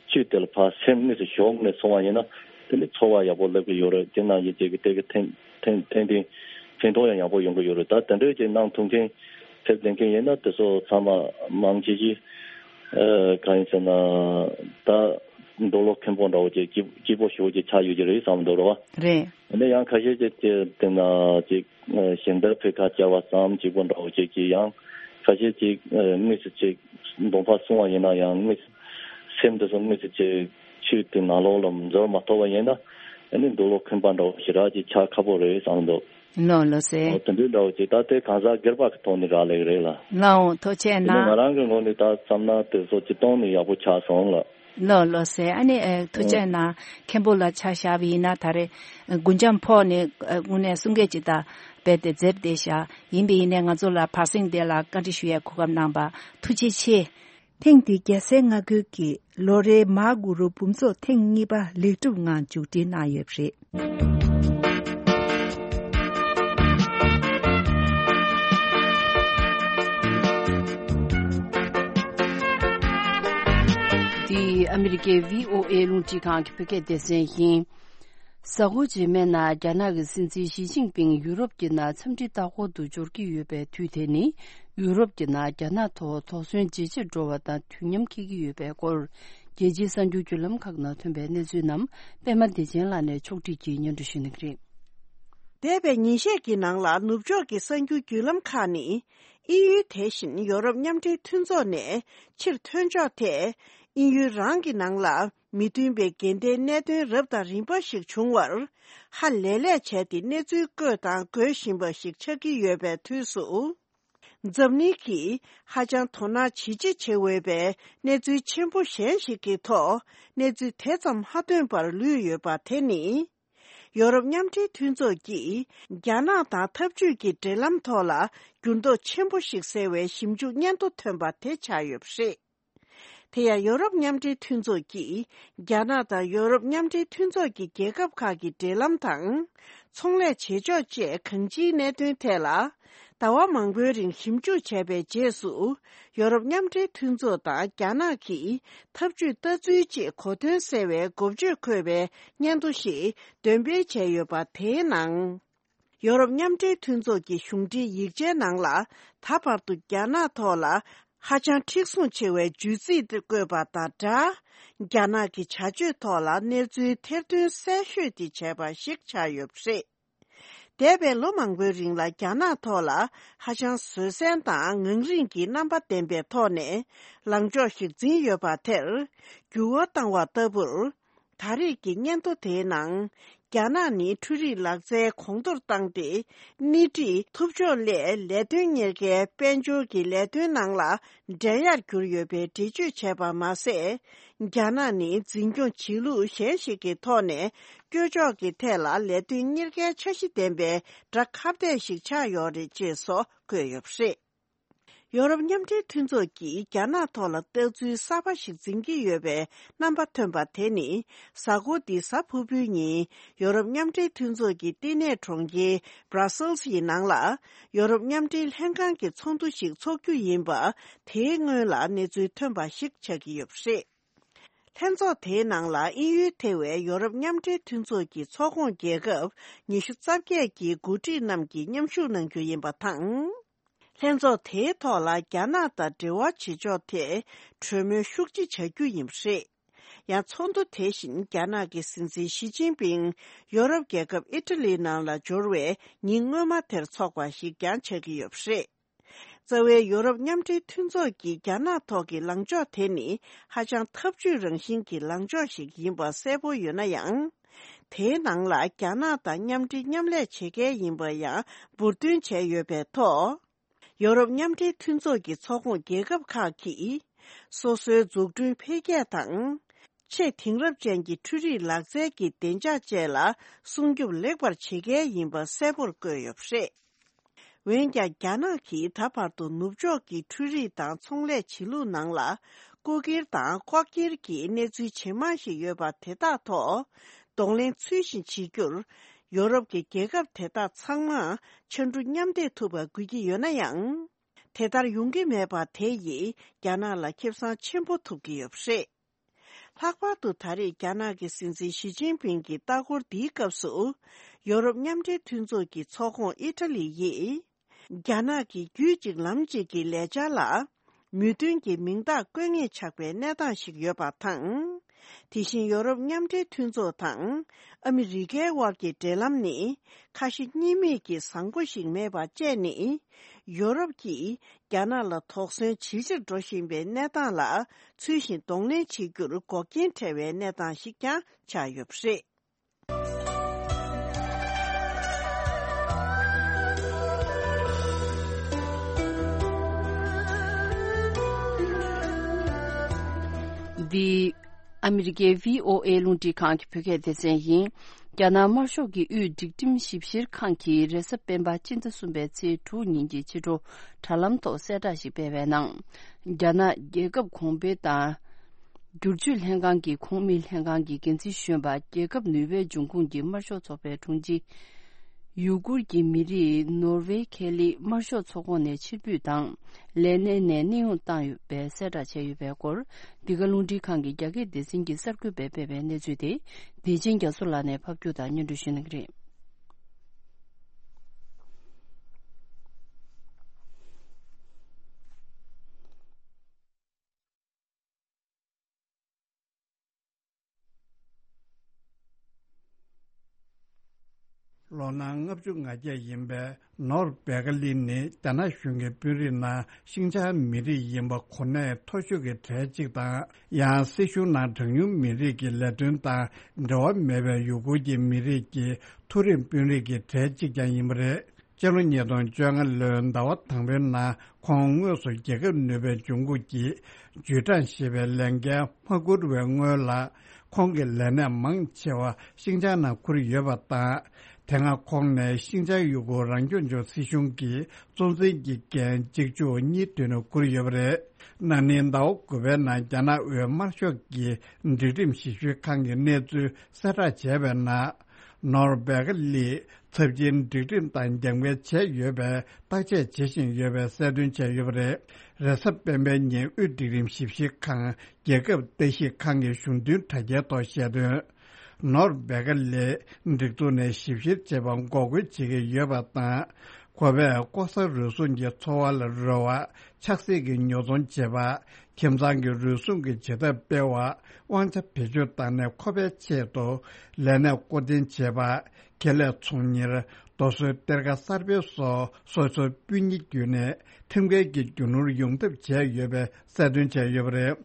ཆོས་དེ་ལ་ཕར་སེམས་དངོས་སུ་ཞུགས་ནས་སོང་བ་ཡིན་ན། དེ་ནི་ཚོར་བ་ཡག་པོ་སླེབས་ཀྱི་ཡོད་རེད། དེ་ནང་བཞིན་བྱས་ཀྱི་དེ་གི་ཐེངས་ཐེངས་ཐེངས་ཐེངས་ཕན་ཐོགས་ཡང་ཡག་པོ་ཡོང་གི་ཡོད་རེད། ད་དེ་འདྲའི་ཅིག་གནང་ཐུབ་མཁན་ཕེབས་བསྡད་མཁན་ཡིན་ན། དེ་ཚོ་ཚང་མ་མང་ཆེ་ཞིག་ཨ་གང་ཡིན་ཟེར་ན། ད་འདོད་བློ་ཁེངས་པོ་འདྲ་བོ་ཅིག་སྐྱིད་སྐྱིད་པོ་ཞེ་པོ་ཅིག་ཆགས་ཡོད་ཀྱི་རེད་བསམ་འདུག་རེད་བ། རེད། ཨ་ནི་ཡང་ཁ་ཤས་ཅིག་ཅིག་དེ་ན་ཅིག་ཨ་གཞན་དག་ཕེབས་ཁ་བཅར་བ་ཙམ་གཅིག་པོ་འདྲ་བོ་ཅིག་གིས་ཡང་ཁ་ཤས་ཅིག་ཨ་དངོས་སུ་ཅིག་འདོམས་པ་སོང་བ་ཡིན་ན་ཡང་། དངོས་སུ་སེམས་དེ་ཚོ་དངོས་སུ་ཅིག་ཆོས་དེ་ནང་ལོགས་ལ་འཛུལ་མ་ཐུབ་པ་ཡིན་ན། ཨ་ནི་འདོད་བློ་ཁེངས་པ་འདྲ་བོ་ཞེ་དྲག་ཅིག་ཆགས་ཁག་པོ་རེད་བསམ་འདུག་ལགས་ལགས་སེ། འོ་དེ་འདྲའི་འདྲ་བོ་ཅིག་ད་དེ་གང་ཟག་སྒེར་པ་གི་ཐོག་ནས་རག་ལས་ཀྱི་རེད་ལ། ལགས་འོང་། ཐུགས་རྗེ་དེ་ནི་ང་གནང་། རང་གི་ངོས་ནས་ད་བསམ་ན་དེ་ཚོ་སྤྱིར་བཏང་ནས་ཡག་པོ་ཆགས་སོང་ལ། ལགས་ལགས་སེ། ཨ་ནི་ཨ་ཐུགས་རྗེ་གནང་། མཁན་པོ་ལ་ཆ་བཞག་པ་ཡིན་ན། ད་རེས་ཨ་རྒུན་འབྲུམ་ཕོག་ནས་ཨ་དངོས་གནས་གསུང་སྐད་ཅིག་ད་རྦད་དེ་འཛེབས་བསྡད་བཞག་ཡིན་པ་ཡིན་ནའི་ང་ཚོ་ལ་བར་གསེང་དེ་ལ་བཀའ་འདྲི་ཞུ་ཡའི་གོ་སྐབས་གནང་བ་ཐུགས་རྗེ་ཆེ། ཐེངས་འདིའི་རྒྱལ་སའི་མངའ་ཁུལ་གྱི་ལོ་རེའི་མ་གུ་རུ་འབུམ་ཚོགས་ཐེངས་གཉིས་པ་ལེགས་གྲུབ་ངང་མཇུག་སྒྲིལ་གནང་ཡོད་པ་རེད། འདི་ཨ་མི་རི་ཀའི་བྷི་ཨོ་ཨེ་རླུང་འཕྲིན་ཁང་གི་བོད་སྐད་སྡེ་ཚན་ཡིན། གཟའ་འཁོར་རྗེས་མའི་ནང་རྒྱ་ནག་གི་སྲིད་འཛིན་ཞི་ཅིན་ཕིང་ཡུ་རོབ་ཀྱི་ནང་འཚམས་འདྲིའི་ལྟ་སྐོར་དུ་འབྱོར་གྱི་ཡོད་པའི་དུས་དེ་ནི། ཡུ་རོབ་ཀྱི་ནང་རྒྱ་ནག་ཐོག་དོགས་ཟོན་ཇེ་ཆེར་འགྲོ་བ་དང་དུས་མཉམ་འཁེལ་གྱི་ཡོད་པའི་སྐོར། རྒྱལ་སྤྱིའི་གསར་འགྱུར་བརྒྱུད་ལམ་ཁག་ནང་ཐོན་པའི་གནས་ཚུལ་རྣམས་པད་མ་བདེ་ཆེན་ལགས་ནས་ཕྱོགས་སྒྲིག་གིས་སྙན་སྒྲོན་ཞུ་གནང་གི་རེད། འདས་པའི་ཉིན་ཤས་ཀྱི་ནང་ལ་ནུབ་ཕྱོགས་ཀྱི་གསར་འགྱུར་བརྒྱུད་ལམ་ཁག་ནི། དབྱིན་ཡུལ་དེ་བཞིན་ཡོ་རོབ་མཉམ་འབྲེལ་མཐུན་ཚོགས་ནས་ཕྱིར་ཐོན་ཕྱོགས་ཐད། དབྱིན་ཡུལ་རང་གི་ནང་ལ་མི་མཐུན་པའི་འགལ་ཟླའི་གནད་དོན་རབ་དང་རིམ་པ་ཞིག་བྱུང་བར། ཧ་ལས་ལས་བྱས་ཏེ་གནས་ཚུལ་བཀོད་དང་འགོད་བཞིན་པ་ཞིག་ཆགས་ཀྱི་ཡོད་པའི་དུས་སུ། འཛམ་གླིང་གིས་ཧ་ཅང་དོ་སྣང་ཇེ་ཆེ་བྱེད་འོས་པའི་གནས་ཚུལ་ཆེན་པོ་གཞན་ཞིག་གི་ཐོག་གནས་ཚུལ་དེ་ཙམ་ཧ་ཐོན་པར་ལུས་ཡོད་པ་དེ་ནི། ཡོ་རོབ་མཉམ་འབྲེལ་མཐུན་ཚོགས་ཀྱིས་རྒྱ་ནག་དང་འཐབ་ཇུས་ཀྱི་འབྲེལ་ལམ་ཐོག་ལ་འགྱུར་ལྡོག་ཆེན་པོ་ཞིག་སེལ་བའི་ཞིབ་འཇུག་སྙན་ཐོ་ཐོན་པ་དེ་ཆགས་ཡོད་པ་རེད། དེ་ཡང་ཡོ་རོབ་མཉམ་འབྲེལ་མཐུན་ཚོགས་ཀྱིས་རྒྱ་ནག་དང་ཡོ་རོབ་མཉམ་འབྲེལ་མཐུན་ཚོགས་ཀྱི་རྒྱལ་ཁབ་ཁག་གི་འབྲེལ་ལམ་དང་། ཚོང་ལས་བྱེད་ཕྱོགས་བཅས་གང་ཅིའི་གནད་དོན་ཐད་ལ། ཟླ་བ་མང་པོའི་རིང་ཞིབ་འཇུག་བྱས་པའི་རྗེས་སུ། ཡོ་རོབ་མཉམ་འབྲེལ་མཐུན་ཚོགས་དང་རྒྱ་ནག་གིས་འཐབ་ཇུས་ལྟ་ཚུལ་བཅས་གོ་དོན་གསལ་བའི་འགོ་བརྗོད་འཁོད་པའི་སྙན་ཐོ་ཞིག་འདོན་སྤེལ་བྱས་ཡོད་པ་དེའི་ནང་། ཡོ་རོབ་མཉམ་འབྲེལ་མཐུན་ཚོགས་ཀྱི་གཞུང་འབྲེལ་ཡིག་ཆའི་ནང་ལ། ད་བར་དུ་རྒྱ་ནག་ཐོག་ལ་ཧ་ཅང་མཁྲེགས་བཟུང་ཆེ་བའི་བརྗོད་ཚིག་དེ་བཀོད་པ་དང་སྦྲགས། རྒྱ་ནག་གི་བྱ་སྤྱོད་ཐོག་ལ་གནས་ཚུལ་ཐེར་འདོན་གསལ་ཤོས་དེ་བྱས་པ་ཞིག་ཆགས་ཡོད་པ་རེད། འདས་པའི་ལོ་མང་པོའི་རིང་ལ་རྒྱ་ནག་ཐོག་ལ་ཧ་ཅང་བཟོད་བསྲན་དང་ངང་རིང་གི་རྣམ་པ་ལྡན་པའི་ཐོག་ནས་ལངས་ཕྱོགས་ཤིག་འཛིན་ཡོད་པ་དེར་འགྱུར་བ་བཏང་བ་ལྟ་བུར། ད་རེས་ཀྱི་སྙན་ཐོ་དེའི་ནང་། རྒྱ་ནག་ནི་འཕྲུལ་རིག་ལག་རྩལ་གོང་མཐོར་བཏང་སྟེ། སྣེ་ཁྲིད་ཐུབ་ཕྱོགས་སླད་ལས་དོན་གཉེར་མཁན་དཔལ་འབྱོར་གྱི་ལས་དོན་ནང་ལ་འགྲན་ཡར་གྱུར་ཡོད་པའི་འགྲེལ་བརྗོད་བྱས་པ་མ་ཟད། རྒྱ་ནག་ནི་འཛིན་སྐྱོང་བྱེད་ལུགས་གཞན་ཞིག་གི་ཐོག་ནས་སྐྱོ་ཕྱོགས་ཀྱི་ཐད་ལ་ལས་དོན་གཉེར་མཁན་འཆར་གཞི་ལྡན་པའི་དགྲ་ཁ་གཏད་ཞིག་ཆགས་ཡོད་རེད་ཅེས་སོགས་བཀོད་ཡོད་པ་རེད། ཡོ་རོབ་མཉམ་འབྲེལ་མཐུན་ཚོགས་ཀྱིས་རྒྱ་ནག་ཐོག་ལ་ལྟ་ཚུལ་གསར་པ་ཞིག་འཛིན་གྱི་ཡོད་པའི་རྣམ་པ་ཐོན་པ་དེ་ནི། གཟའ་འཁོར་འདིའི་གཟའ་ཕུར་བུའི་ཉིན། ཡོ་རོབ་མཉམ་འབྲེལ་མཐུན་ཚོགས་ཀྱི་བསྟི་གནས་གྲོང་ཁྱེར་Brussels་ཡི་ནང་ལ། ཡོ་རོབ་མཉམ་འབྲེལ་ལྷན་ཁང་གི་ཚོགས་འདུ་ཞིག་འཚོགས་རྒྱུ་ཡིན་པ། དེའི་སྔོན་ལ་གནས་ཚུལ་ཐོན་པ་ཞིག་ཆགས་ཀྱི་ཡོད་པ་རེད། ལྷན་ཚོགས་དེའི་ནང་ལ་དབྱིན་ཡུལ་ཐེ་བའི་ཡོ་རོབ་མཉམ་འབྲེལ་མཐུན་ཚོགས་ཀྱི་ཚོགས་ཁོངས་རྒྱལ་ཁབ་ཉི་ཤུ་རྩ་བརྒྱད་ཀྱི་འགོ་ཁྲིད་རྣམས་ཀྱིས་མཉམ་ཞུགས་གནང་རྒྱུ་ཡིན་པ་དང་། ལྷན་ཚོགས་དེའི་ཐོག་ལ་རྒྱ་ནག་དང་འབྲེལ་བ་བྱེད་ཕྱོགས་ཐད་གྲོས་མོལ་ཤུགས་ཆེ་བྱ་རྒྱུ་ཡིན་པ་རེད། ཡང་ཚོགས་འདུ་དེ་བཞིན་རྒྱ་ནག་གི་སྲིད་འཛིན་ཞི་ཅིན་ཕིང་ཡོ་རོབ་རྒྱལ་ཁབ་ཨི་ཊ་ལིའི་ནང་ལ་འབྱོར་བའི་ཉིན་སྔོན་མ་དེར་འཚོགས་པ་ཞིག་ཀྱང་ཆགས་ཀྱི་ཡོད་པ་རེད། རྩ་བའི་ཡོ་རོབ་མཉམ་འབྲེལ་མཐུན་ཚོགས་ཀྱི་རྒྱ་ནག་ཐོག་གི་ལངས་ཕྱོགས་དེ་ནི་ཧ་ཅང་ཐབས་ཇུས་རང་བཞིན་གྱི་ལངས་ཕྱོགས་ཤིག་ཡིན་པ་གསལ་པོ་ཡོད་ན་ཡང་། དེའི་ནང་ལ་རྒྱ་ནག་དང་མཉམ་འབྲེལ་མཉམ་ལས་བྱེད་མཁན་ཡིན་པ་ཡང་འབུར་འདོན་བྱས་ཡོད་པའི་ཐོག་ཡོ་རོབ་མཉམ་འབྲེལ་མཐུན་ཚོགས་ཀྱི་ཚོགས་ཁོངས་རྒྱལ་ཁབ་ཁག་གིས་སོ་སོའི་འཛུགས་སྐྲུན་འཕེལ་རྒྱས་དང་། ཆེས་དེང་རབས་ཅན་གྱི་འཕྲུལ་རིག་ལག་རྩལ་གྱི་བདེ་འཇགས་བཅས་ལ་སྲུང་སྐྱོབ་ལེགས་པར་བྱེད་མཁན་ཡིན་པ་གསལ་པོར་བཀོད་ཡོད་པ་རེད། འོན་ཀྱང་རྒྱ་ནག་གིས་ད་བར་དུ་ནུབ་ཕྱོགས་ཀྱི་འཕྲུལ་རིག་དང་ཚོང་ལས་བྱེད་ལུགས་ནང་ལ་རྐུ་འཁྱེར་དང་ལྐོག་འཁྱེར་གྱི་གནས་ཚུལ་ཇེ་མང་ཞིག་ཡོད་པ་དེ་དག་ཐོག་གདོང་ལེན་ཚུལ་བཞིན་བྱེད་རྒྱུར། ཡོ་རོབ་ཀྱི་རྒྱལ་ཁབ་དེ་དག་ཚང་མ་ཕྱར་གྲུ་མཉམ་འདེགས་ཐུབ་པ་དགོས་ཀྱི་ཡོད་ན་ཡང་། དེ་ལྟར་ཡོང་གི་མེད་པ་དེ་ཡིས་རྒྱ་ནག་ལ་ཁེ་བཟང་ཆེན་པོ་ཐོབ་ཀྱི་ཡོད་པ་རེད། ལྷག་པར་དུ་ད་རེས་རྒྱ་ནག་གི་སྲིད་འཛིན་ཞི་ཅིན་ཕིང་གི་ལྟ་སྐོར་འདིའི་སྐབས་སུ། ཡོ་རོབ་མཉམ་འབྲེལ་མཐུན་ཚོགས་ཀྱི་ཚོགས་ཁོངས་ཨི་ཊ་ལི་ཡིས། རྒྱ་ནག་གི་རྒྱུད་གཅིག་ལམ་གཅིག་གི་ལས་འཆར་ལ། མོས་མཐུན་གྱི་མིང་རྟགས་བཀོད་ངེས་ཆགས་པའི་གནས་སྟངས་ཤིག་ཡོད་པ་དང་། དེ་བཞིན་ཡོ་རོབ་མཉམ་འབྲེལ་མཐུན་ཚོགས་དང་། ཨ་མི་རི་ཀའི་དབར་གྱི་འབྲེལ་ལམ་ནི། ཁ་ཞེ་གཉིས་མེད་ཀྱིས་བཟང་པོ་ཞིག་མེད་པ་བཅས་ནི། ཡོ་རོབ་ཀྱིས། རྒྱ་ནག་ལ་དོགས་ཟོན་ཇེ་ཆེར་འགྲོ་བཞིན་པའི་གནས་སྟངས་ལ་ཚུལ་བཞིན་གདོང་ལེན་བྱེད་རྒྱུར་འགོག་རྐྱེན་འཕྲད་པའི་གནས་སྟངས་ཤིག་ཀྱང་ཆགས་ཡོད་པ་རེད། འདི་ཨ་མི་རི་ཀའི་བྷི་ཨོ་ཨེ་རླུང་འཕྲིན་ཁང་གི་བོད་སྐད་སྡེ་ཚན་ཡིན། རྒྱ་ནག་དམར་ཤོག་གི་དབུས་སྒྲིག་ཁྲིམས་ཞིབ་བཤེར་ཁང་གིས་རེས་གཟའ་སྤེན་པ་སྤྱི་ཟླ་གསུམ་པའི་ཚེས་དྲུག་ཉིན་གྱི་ཕྱི་དྲོ་དྲ་ལམ་ཐོག་གསལ་བསྒྲགས་ཤིག་སྤེལ་བའི་ནང་། རྒྱ་ནག་རྒྱལ་ཁབ་གོང་འཕེལ་དང་། བསྒྱུར་བཅོས་ལྷན་ཁང་གི་ཁོངས་མི་ལྷན་ཁང་གི་འགན་འཛིན་གཞོན་པ་རྒྱལ་ཁབ་ནུས་པའི་འབྱུང་ཁུངས་ཀྱི་དམར་ཤོག་ཚོགས་པའི་དྲུང་ཆེ། ཡུ་གུར་གྱི་མི་རིགས་ནོར་ཝེ་ཁེ་ལི་དམར་ཤོག་ཚོགས་ཁོངས་ནས་ཕྱིར་འབུད་དང་། ལས་གནས་ནས་གནས་དབྱུང་བཏང་ཡོད་པའི་གསལ་བསྒྲགས་བྱས་ཡོད་པའི་སྐོར། འདི་ག་རླུང་འཕྲིན་ཁང་གི་རྒྱ་སྐད་སྡེ་ཚན་གྱི་གསར་འགོད་པས་སྤེལ་བའི་གནས་ཚུལ་དེ། བདེ་ཆེན་རྒྱ་མཚོ་ལགས་ནས་ཕབ་སྒྱུར་དང་སྙན་སྒྲོན་ཞུ་གནང་གི་རེད། ལོ་ན་ལྔ་བཅུ་ང་བརྒྱད་ཡིན་པའི་ནོར་བེ་ཀ་ལི་ནི་རྒྱ་ནག་གཞུང་གི་དཔོན་རིགས་ནང་ཤིང་ཅང་མི་རིགས་ཡིན་པ་གོ་གནས་མཐོ་ཤོས་ཀྱི་གྲས་གཅིག་དང་། ཡང་སྲིད་གཞུང་ནང་གྲངས་ཉུང་མི་རིགས་ཀྱི་ལས་དོན་དང་འབྲེལ་བ་མེད་པའི་ཡུ་གུར་གྱི་མི་རིགས་ཀྱི་མཐོ་རིམ་དཔོན་རིགས་ཀྱི་གྲས་གཅིག་ཀྱང་ཡིན་པ་རེད། སྤྱི་ལོ་ཉིས་སྟོང་བཅོ་ལྔ་ལོའི་ཟླ་བ་དང་པོའི་ནང་ཁོང་དངོས་སུ་རྒྱལ་ཁབ་ནུས་པའི་འབྱུང་ཁུངས་ཀྱི་ཇུས་ཀྲང་ཞེས་པའི་ལས་འགན་མ་འཁུར་བའི་སྔོན་ལ། ཁོང་གི་ལས་གནས་མང་ཆེ་བ་ཤིང་ཅང་ནང་ཁུར་ཡོད་པ་དང་། དེ་སྔ་ཁོང་ནས་ཤིང་ཅང་ཡུ་གུར་རང་སྐྱོང་ལྗོངས་སྲིད་གཞུང་གི་གཙོ་འཛིན་གྱི་འགན་གཅིག་མཇུག་གཉིས་མདུན་ནས་འཁུར་ཡོད་པ་རེད། ན་ནིང་ཟླ་བ་དགུ་པའི་ནང་རྒྱ་ནག་དབུས་དམར་ཤོག་གི་སྒྲིག་ཁྲིམས་ཞིབ་བཤེར་ཁང་གི་གནས་ཚུལ་གསལ་བསྒྲགས་བྱས་པའི་ནང་། ནོར་བེ་ཀ་ལི་ཚབས་ཆེན་སྒྲིག་ཁྲིམས་དང་རྒྱབ་འགལ་བྱས་ཡོད་པའི་བརྟག་དཔྱད་བྱེད་བཞིན་ཡོད་པའི་གསལ་སྟོན་བྱས་ཡོད་པ་རེད། རེས་གཟའ་སྤེན་པའི་ཉིན་དབུས་སྒྲིག་ཁྲིམས་ཞིབ་བཤེར་ཁང་རྒྱལ་ཁབ་ལྟ་ཞིབ་ཁང་གི་གཞུང་དོན་དྲ་རྒྱའི་ཐོག་བཤད་དོན། ནོར་བེ་ཀ་ལི་སྒྲིག་འཛུགས་ནས་ཞིབ་བཤེར་བྱེད་པར་འགོག་རྒོལ་བྱེད་ཀྱི་ཡོད་པ་དང་། ཁོ་པས་ལྐོག་ཟ་རུལ་སུངས་ཀྱི་འཚོ་བ་ལ་རོལ་བ། ཆགས་སྲེད་ཀྱི་ཉོ་ཚོང་བྱེད་པ། ཁྱིམ་ཚང་གི་རུལ་སུངས་ཀྱི་བྱེད་ཐབས་སྤེལ་བ། དབང་ཆ་བེད་སྤྱོད་བཏང་ནས་ཁོ་པའི་ཆེད་དུ་ལས་གནས་བསྐོ་འཐེན་བྱེད་པ། ཁེ་ལས་ཚོང་གཉེར། རྡོ་སོལ་གཏེར་ཁ་གསར་སྤེལ་སོགས་སོ་སོའི་སྤུན་ཉེ་བརྒྱུད་ནས་ཁྲིམས་འགལ་གྱི་རྒྱུ་ནོར་ཡོང་ཐབས་བྱས་ཡོད་པའི་གསལ་སྟོན་བྱས་ཡོད་པ་རེད།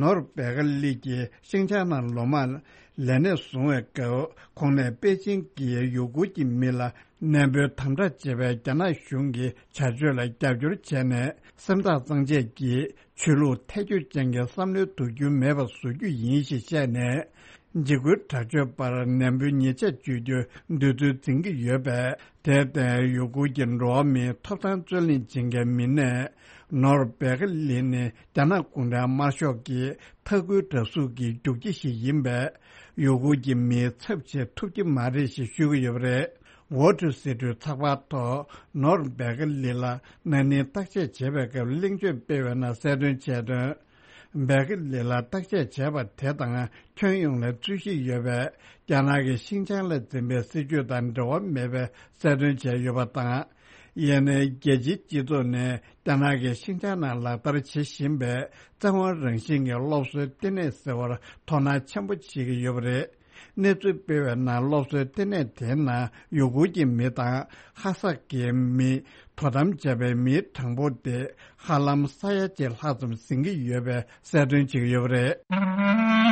ནོར་བེ་ཀ་ལི་གིས་ཤིང་ཅང་ནང་ལོ་མང་ལས་གནས་བཟུང་བའི་སྐབས། ཁོང་ནས་པེ་ཅིང་གིས་ཡུ་གུར་གྱི་མི་ལ་གནས་སྤོའི་དམ་དྲག་བྱེད་པའི་རྒྱ་ནག་གཞུང་གི་བྱ་སྤྱོད་ལ་རྒྱབ་སྐྱོར་བྱས་ནས། སེམས་ཐག་གཙང་བཅད་ཀྱིས་ཆོས་ལུགས་ཐལ་འགྱུར་ཅན་གྱི་བསམ་བློའི་དུག་རྒྱུན་མེད་པར་བཟོ་རྒྱུ་ཡིན་ཞེས་བཤད་ནས། འཇིགས་སྐུལ་དྲག་སྤྱོད་པར་ནན་པོའི་ཉེས་ཆད་གཅོད་རྒྱུའི་འདོད་ཚུལ་འཛིན་གྱི་ཡོད་པས། དེར་བརྟེན། ཡུ་གུར་གྱི་འགྲོ་བ་མིའི་ཐོབ་ཐང་རྩོད་ལེན་བྱེད་མཁན་མི་སྣས། ནོར་བེ་ཀ་ལི་ནི་རྒྱ་ནག་གུང་ཁྲན་དམར་ཤོག་གི་མཐའ་འཁོར་དྲག་ཟུག་གི་རྒྱུག་ཁྱི་ཞིག་ཡིན་པས། ཡུ་གུར་གྱི་མིས་ཚབ་བྱེད་ཐུབ་ཀྱི་མ་རེད་ཞེས་ཤོད་ཀྱི་ཡོད་པ་རེད། Wall Street་ཚགས་པར་ཐོག་ནོར་བེ་ཀ་ལི་ལ་ན་ནིང་བརྟག་དཔྱད་བྱེད་པའི་སྐབས་གླེང་བརྗོད་སྤེལ་བའི་ནང་གསལ་སྟོན་བྱས་དོན། བེ་ཀ་ལི་ལ་བརྟག་དཔྱད་བྱས་པ་དེ་དང་ཁྱོན་ཡོངས་ལ་རྩོད་གཞི་ཡོད་པས། རྒྱ་ནག་གིས་ཤིན་ཅང་ལ་འཛིན་པའི་སྲིད་བྱུས་དང་འབྲེལ་བ་མེད་པའི་གསལ་སྟོན་བྱས་ཡོད་པ་དང་། ཡིན་ནའི་རྒྱལ་སྤྱིའི་སྤྱི་ཚོགས་ནས་རྒྱ་ནག་གིས་ཤིན་ཅང་ནང་ལག་བསྟར་བྱེད་བཞིན་པའི་བཙན་དབང་རང་བཞིན་གྱི་སློབ་གསོའི་ལྟེ་གནས་ཟེར་བར་དོ་སྣང་ཆེན་པོ་བྱེད་ཀྱི་ཡོད་པ་རེད། གནས་ཚུལ་སྤེལ་བའི་ནང་སློབ་གསོའི་ལྟེ་གནས་དེའི་ནང་ཡུ་གུར་གྱི་མི་དང་ཧ་སག་གི་མི། དོ་དམ་བྱས་པའི་མིའི་གྲངས་འབོར་དེ་ཧ་ལམ་ས་ཡ་གཅིག་ལྷག་ཙམ་ཟིན་གྱི་ཡོད་པའི་གསལ་སྟོན་བྱེད་ཀྱི་ཡོད་པ་རེད།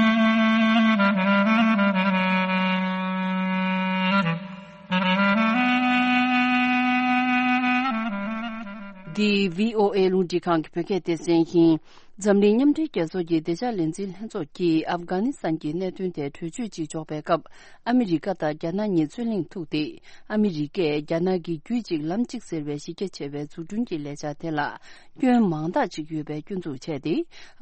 འདི་བྷི་ཨོ་ཨེ་རླུང་འཕྲིན་ཁང་གི་བོད་སྐད་སྡེ་ཚན་ཡིན། འཛམ་གླིང་མཉམ་འབྲེལ་རྒྱལ་ཚོགས་ཀྱི་བདེ་འཇགས་ལས་འཛིན་ལྷན་ཚོགས་ཀྱིས་ཨབ་གྷ་ནི་སི་ཐན་གྱི་གནད་དོན་ཐད་གྲོས་ཆོད་ཅིག་འཇོག་པའི་སྐབས། ཨ་མི་རི་ཀ་དང་རྒྱ་ནག་གཉིས་རྩོད་གླེང་ཐུག་སྟེ། ཨ་མི་རི་ཀས་རྒྱ་ནག་གི་རྒྱུད་གཅིག་ལམ་གཅིག་ཟེར་བའི་གཞི་རྒྱ་ཆེ་བའི་འཛུགས་སྐྲུན་གྱི་ལས་འཆར་དེ་ལ་སྐྱོན་མང་དག་ཅིག་ཡོད་པའི་སྐྱོན་འཛུགས་བྱས་ཏེ།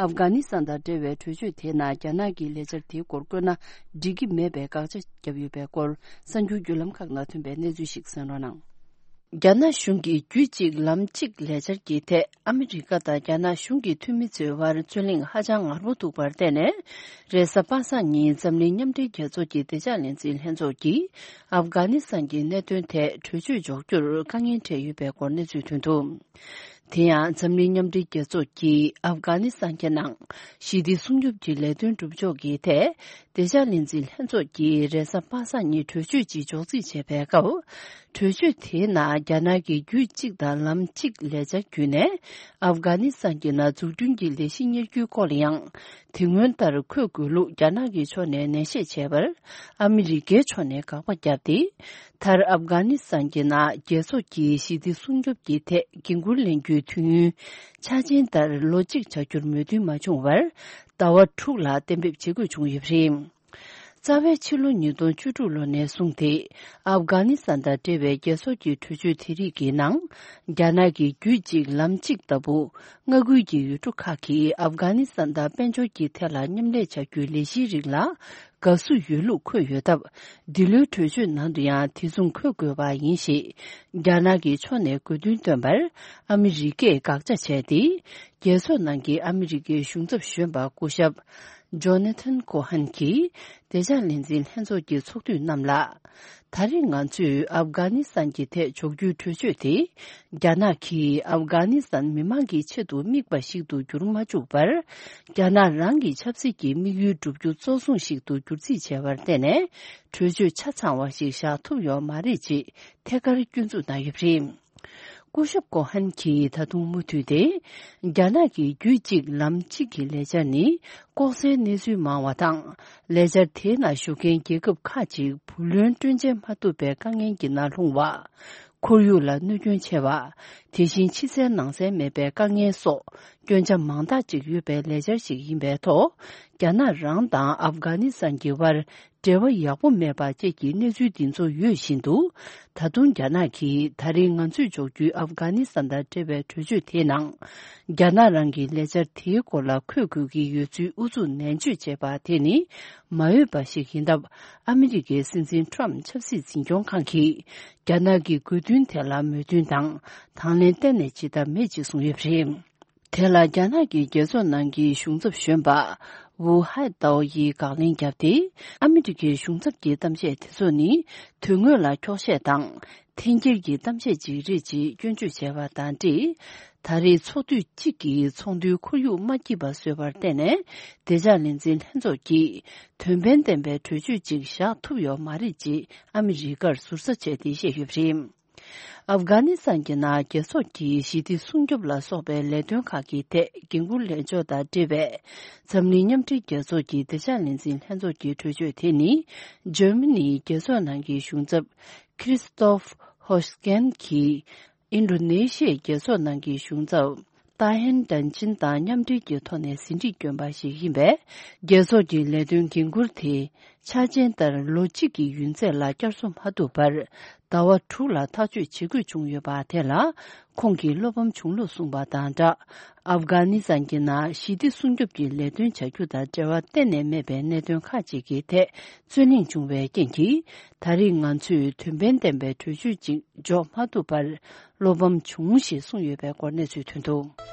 ཨབ་གྷ་ནི་སི་ཐན་དང་འབྲེལ་བའི་གྲོས་ཆོད་དེའི་ནང་རྒྱ་ནག་གིས་ལས་འཆར་དེའི་སྐོར་བཀོད་ན་འགྲིག་གི་མེད་པའི་དགག་བྱ་བརྒྱབ་ཡོད་པའི་སྐོར། གསར་འགྱུར་བརྒྱུད་ལམ་ཁག་ནང་ཐོན་པའི་གནས་ཚུལ་ཞིག་གསན་རོགས་གནང་། རྒྱ་ནག་གཞུང་གིས་རྒྱུད་གཅིག་ལམ་གཅིག་ལས་འཆར་གྱི་ཐད་ཨ་མི་རི་ཀ་དང་རྒྱ་ནག་གཞུང་གི་འཐུས་མི་ཚོའི་བར་རྩོད་གླེང་ཧ་ཅང་ངར་པོ་ཐུག་པར་བརྟེན་ནས། རེས་གཟའ་པ་སངས་ཉིན་འཛམ་གླིང་མཉམ་འབྲེལ་རྒྱལ་ཚོགས་ཀྱི་བདེ་འཇགས་ལས་འཛིན་ལྷན་ཚོགས་ཀྱིས་ཨབ་གྷ་ནི་སི་ཐན་གྱི་གནད་དོན་ཐད་གྲོས་ཆོད་འཇོག་རྒྱུར་དཀའ་ངལ་འཕྲད་ཡོད་པའི་སྐོར་གནས་ཚུལ་ཐོན་འདུག་དེ་ཡང་འཛམ་གླིང་མཉམ་འབྲེལ་རྒྱལ་ཚོགས་ཀྱིས་ཨབ་གྷ་ནི་སི་ཐན་གྱི་ནང་ཞི་བདེ་སྲུང་སྐྱོབ་ཀྱི་ལས་དོན་སྒྲུབ་ཕྱོགས་ཀྱི་ཐད། བདེ་འཇགས་ལས་འཛིན་ལྷན་ཚོགས་ཀྱིས་རེས་གཟའ་པ་སངས་ཉིན་གྲོས་ཆོད་ཅིག་འཇོག་རྩིས་བྱས་པའི་སྐབས། གྲོས་ཆོད་དེའི་ནང་རྒྱ་ནག་གི་རྒྱུད་གཅིག་དང་ལམ་གཅིག་ལས་འཆར་བརྒྱུད་ནས། ཨབ་གྷ་ནི་སི་ཐན་གྱི་ནང་འཛུགས་སྐྲུན་གྱི་ལས་གཞི་གཉེར་རྒྱུའི་སྐོར་ལ་ཡང་། དེ་སྔོན་ལྟར་འཁོད་དགོས་ལུགས་རྒྱ་ནག་གི་ཕྱོགས་ནས་ནན་བཤད་བྱས་པར། ཨ་མི་རི་ཀའི་ཕྱོགས་ནས་དགག་པ་བརྒྱབ་སྟེ། མཐར་ཨབ་གྷ་ནི་སི་ཐན་གྱི་ནང་རྒྱལ་ཚོགས་ཀྱི་ཞི་བདེ་སྲུང་སྐྱོབ་ཀྱི་ཐད་འགན་འཁུར་ལེན་རྒྱུའི་དུས་ཡུན་འཆར་ཅན་ལྟར་ལོ་གཅིག་བྱ་རྒྱུར་མོས་མཐུན་མ་བྱུང་བར། ཟླ་བ་དྲུག་ལ་གཏན་འབེབས་བྱེད་དགོས་བྱུང་ཡོད་པ་རེད། རྩ་བའི་ཕྱི་ལོ་ཉིས་སྟོང་བཅུ་དྲུག་ལོ་ནས་བཟུང་སྟེ། ཨབ་གྷ་ནི་སི་ཐན་དང་འབྲེལ་བའི་རྒྱལ་ཚོགས་ཀྱི་གྲོས་ཆོད་དེ་རིགས་ཀྱི་ནང་། རྒྱ་ནག་གིས་རྒྱུད་གཅིག་ལམ་གཅིག་ལྟ་བུ། མངའ་ཁུལ་གྱི་ཡུལ་གྲུ་ཁག་གིས་ཨབ་གྷ་ནི་སི་ཐན་དང་དཔལ་འབྱོར་གྱི་ཐད་ལ་མཉམ་ལས་བྱ་རྒྱུའི་ལས་གཞིའི་རིགས་ལ་དགའ་བསུ་ཡོད་ལུགས་འཁོད་ཡོད་སྟབས། འདི་ལོའི་གྲོས་ཆོད་ནང་དུ་ཡང་དེ་མཚུངས་འཁོད་དགོས་པ་ཡིན་ཞེས། རྒྱ་ནག་གི་ཕྱོགས་ནས་དགོས་འདུན་བཏོན་པར་ཨ་མི་རི་ཀས་དགག་བྱ་བྱས་ཏེ། རྒྱལ་ཚོགས་ནང་གི་ཨ་མི་རི་ཀའི་གཞུང་ཚབ་གཞོན་པ་སྐུ་ཞབས་ཇོ་ན་ཐན་ཁོ་ཧན་གྱིས་བདེ་འཇགས་ལས་འཛིན་ལྷན་ཚོགས་ཀྱི་ཚོགས་འཐུས་རྣམས་ལ། ད་རེས་ང་ཚོས་ཨབ་གྷ་ནི་སི་ཐན་གྱི་ཐད་འཇོག་རྒྱུའི་གྲོས་ཆོད་དེ། རྒྱ་ནག་གིས་ཨབ་གྷ་ནི་སི་ཐན་མི་མང་གི་ཆེད་དུ་དམིགས་པ་ཞིག་ཏུ་གྱུར་མ་བཅུག་པར། རྒྱ་ནག་རང་གི་ཆབ་སྲིད་ཀྱི་དམིགས་ཡུལ་བསྒྲུབ་རྒྱུ་གཙོ་བཟུང་ཞིག་ཏུ་བསྒྱུར་རྩིས་བྱས་པར་བརྟེན་ནས། གྲོས་ཆོད་ཆ་ཚང་བ་ཞིག་བཞག་ཐུབ་ཡོད་མ་རེད་ཅེས་ཐད་ཀར་སྐྱོན་འཛུགས་གནང་ཡོད་པ་རེད། སྐུ་ཞབས་ཀོ་ཧན་གྱིས་ད་དུང་མུ་མཐུད་དེ། རྒྱ་ནག་གི་རྒྱུད་གཅིག་ལམ་གཅིག་གི་ལས་འཆར་ནི་ལྐོག་ཟའི་གནས་ཚུལ་མང་བ་དང་། ལས་འཆར་དེའི་ནང་ཞུགས་མཁན་རྒྱལ་ཁབ་ཁག་ཅིག་བུ་ལོན་སྤྲོད་འཇལ་མ་ཐུབ་པའི་དཀའ་ངལ་གྱི་ནང་ལྷུང་བ། ཁོར་ཡུག་ལ་གནོད་སྐྱོན་ཆེ་བ། དེ་བཞིན་ཕྱི་གསལ་ནང་གསལ་མེད་པའི་དཀའ་ངལ་སོགས་སྐྱོན་ཆ་མང་དག་ཅིག་ཡོད་པའི་ལས་འཆར་ཞིག་ཡིན་པའི་ཐོག་རྒྱ་ནག་རང་དང་ཨབ་གྷ་ནི་སི་ཐན་གྱི་དབར། འབྲེལ་བ་ཡག་པོ་མེད་པ་བཅས་ཀྱི་གནས་ཚུལ་འདི་ཚོ་ཡོད་བཞིན་དུ། ད་དུང་རྒྱ་ནག་གིས་ད་རེས་ང་ཚོས་འཇོག་རྒྱུའི་ཨབ་གྷ་ནི་སི་ཐན་དང་འབྲེལ་བའི་གྲོས་ཆོད་དེའི་ནང་། རྒྱ་ནག་རང་གི་ལས་འཆར་དེའི་སྐོར་ལ་འཁོད་དགོས་ཀྱི་ཡོད་ཚུལ་ཨུ་ཚུགས་ནན་བརྗོད་བྱས་པ་དེ་ནི་མ་འོས་པ་ཞིག་ཡིན་སྟབས། ཨ་མི་རི་ཀའི་སྲིད་འཛིན་ཁྲོམ་ཆབ་སྲིད་འཛིན་སྐྱོང་ཁང་གིས་རྒྱ་ནག་གི་དགོས་འདུན་དེ་ལ་མོས་མཐུན་དང་དང་ལེན་གཏན་ནས་བྱེད་ཐབས་མེད་ཅེས་གསུངས་ཡོད་པ་རེད། དེ་ལ་རྒྱ་ནག་གི་རྒྱལ་ཚོགས་ནང་གི་གཞུང་ཚབ་གཞོན་པ་ཝུ་ཧའེ་ཏའོ་ཡིས་དགག་ལན་བརྒྱབ་སྟེ། ཨ་མི་རི་ཀའི་གཞུང་ཚབ་ཀྱི་གཏམ་བཤད་དེ་ཚོ་ནི་དོན་དངོས་ལ་འཁྱོག་བཤད་དང་འཐེན་འཁྱེར་གྱི་གཏམ་བཤད་ཅིག་རེད་ཅེས་སྐྱོན་བརྗོད་བྱས་པ་དང་འབྲེལ། ད་རེས་ཚོགས་དུས་གཅིག་གི་ཚོགས་འདུའི་ཁོར་ཡུག་མ་སྐྱིད་པ་བཟོས་པར་བརྟེན་ནས། བདེ་འཇགས་ལས་འཛིན་ལྷན་ཚོགས་ཀྱིས་དོན་ཕན་ལྡན་པའི་གྲོས་ཆོད་ཅིག་བཞག་ཐུབ་ཡོད་མ་རེད་ཅེས་ཨ་མི་རི་ཀར་ཟུར་ཟ་བྱས་ཏེ་བཤད་ཡོད་པ་རེད། ཨབ་གྷ་ནི་སི་ཐན་གྱི་ནང་རྒྱལ་ཚོགས་ཀྱི་ཞི་བདེ་སྲུང་སྐྱོབ་ལ་སོགས་པའི་ལས་དོན་ཁག་གི་ཐད་འགན་འཁུར་ལེན་ཕྱོགས་དང་འབྲེལ་བའི་འཛམ་གླིང་མཉམ་འབྲེལ་རྒྱལ་ཚོགས་ཀྱི་བདེ་འཇགས་ལས་འཛིན་ལྷན་ཚོགས་ཀྱི་གྲོས་ཆོད་དེ་ནི། འཇར་མ་ནིའི་རྒྱལ་ཚོགས་ནང་གི་གཞུང་ཚབ་ཁྲི་སི་ཏོབ་ཧོ་ཤི་ཀན་གྱིས་ཨིན་ཌོ་ནེ་ཤི་ཡའི་རྒྱལ་ཚོགས་ནང་གི་གཞུང་ཚབ་ཏཱ་ཧན་ཏན་ཅིན་དང་མཉམ་འབྲེལ་གྱི་ཐོག་ནས་ཟིན་བྲིས་བསྐྱོན་པ་ཞིག་ཡིན་པས། རྒྱལ་ཚོགས་ཀྱི་ལས་དོན་འགན་འཁུར་དེ་ཆ་རྐྱེན་ལྟར་ལོ་གཅིག་གི་ཡུན་ཚད་ལ་བསྐྱར་གསོ་མ་ཐུབ་པར། ཟླ་བ་དྲུག་ལ་ཐག་གཅོད་བྱེད་དགོས་བྱུང་ཡོད་པ་དེ་ལ། ཁོང་གིས་བློ་ཕམ་བྱུང་ལུགས་གསུངས་པ་དང་སྦྲགས། ཨབ་གྷ་ནི་སི་ཐན་གྱི་ནང་ཞི་བདེ་སྲུང་སྐྱོབ་ཀྱི་ལས་དོན་བྱ་རྒྱུ་དང་འབྲེལ་བ་གཏན་ནས་མེད་པའི་གནད་དོན་ཁག་ཅིག་གི་ཐད་རྩོད་གླེང་བྱུང་བའི་རྐྱེན་གྱིས། ད་རེས་ང་ཚོས་དོན་ཕན་ལྡན་པའི་གྲོས་ཆོད་ཅིག་འཇོག་མ་ཐུབ་པར་བློ་ཕམ་བྱུང་ཞེས་གསུངས་ཡོད་པའི་སྐོར་གནས་ཚུལ་ཐོན་འདུག།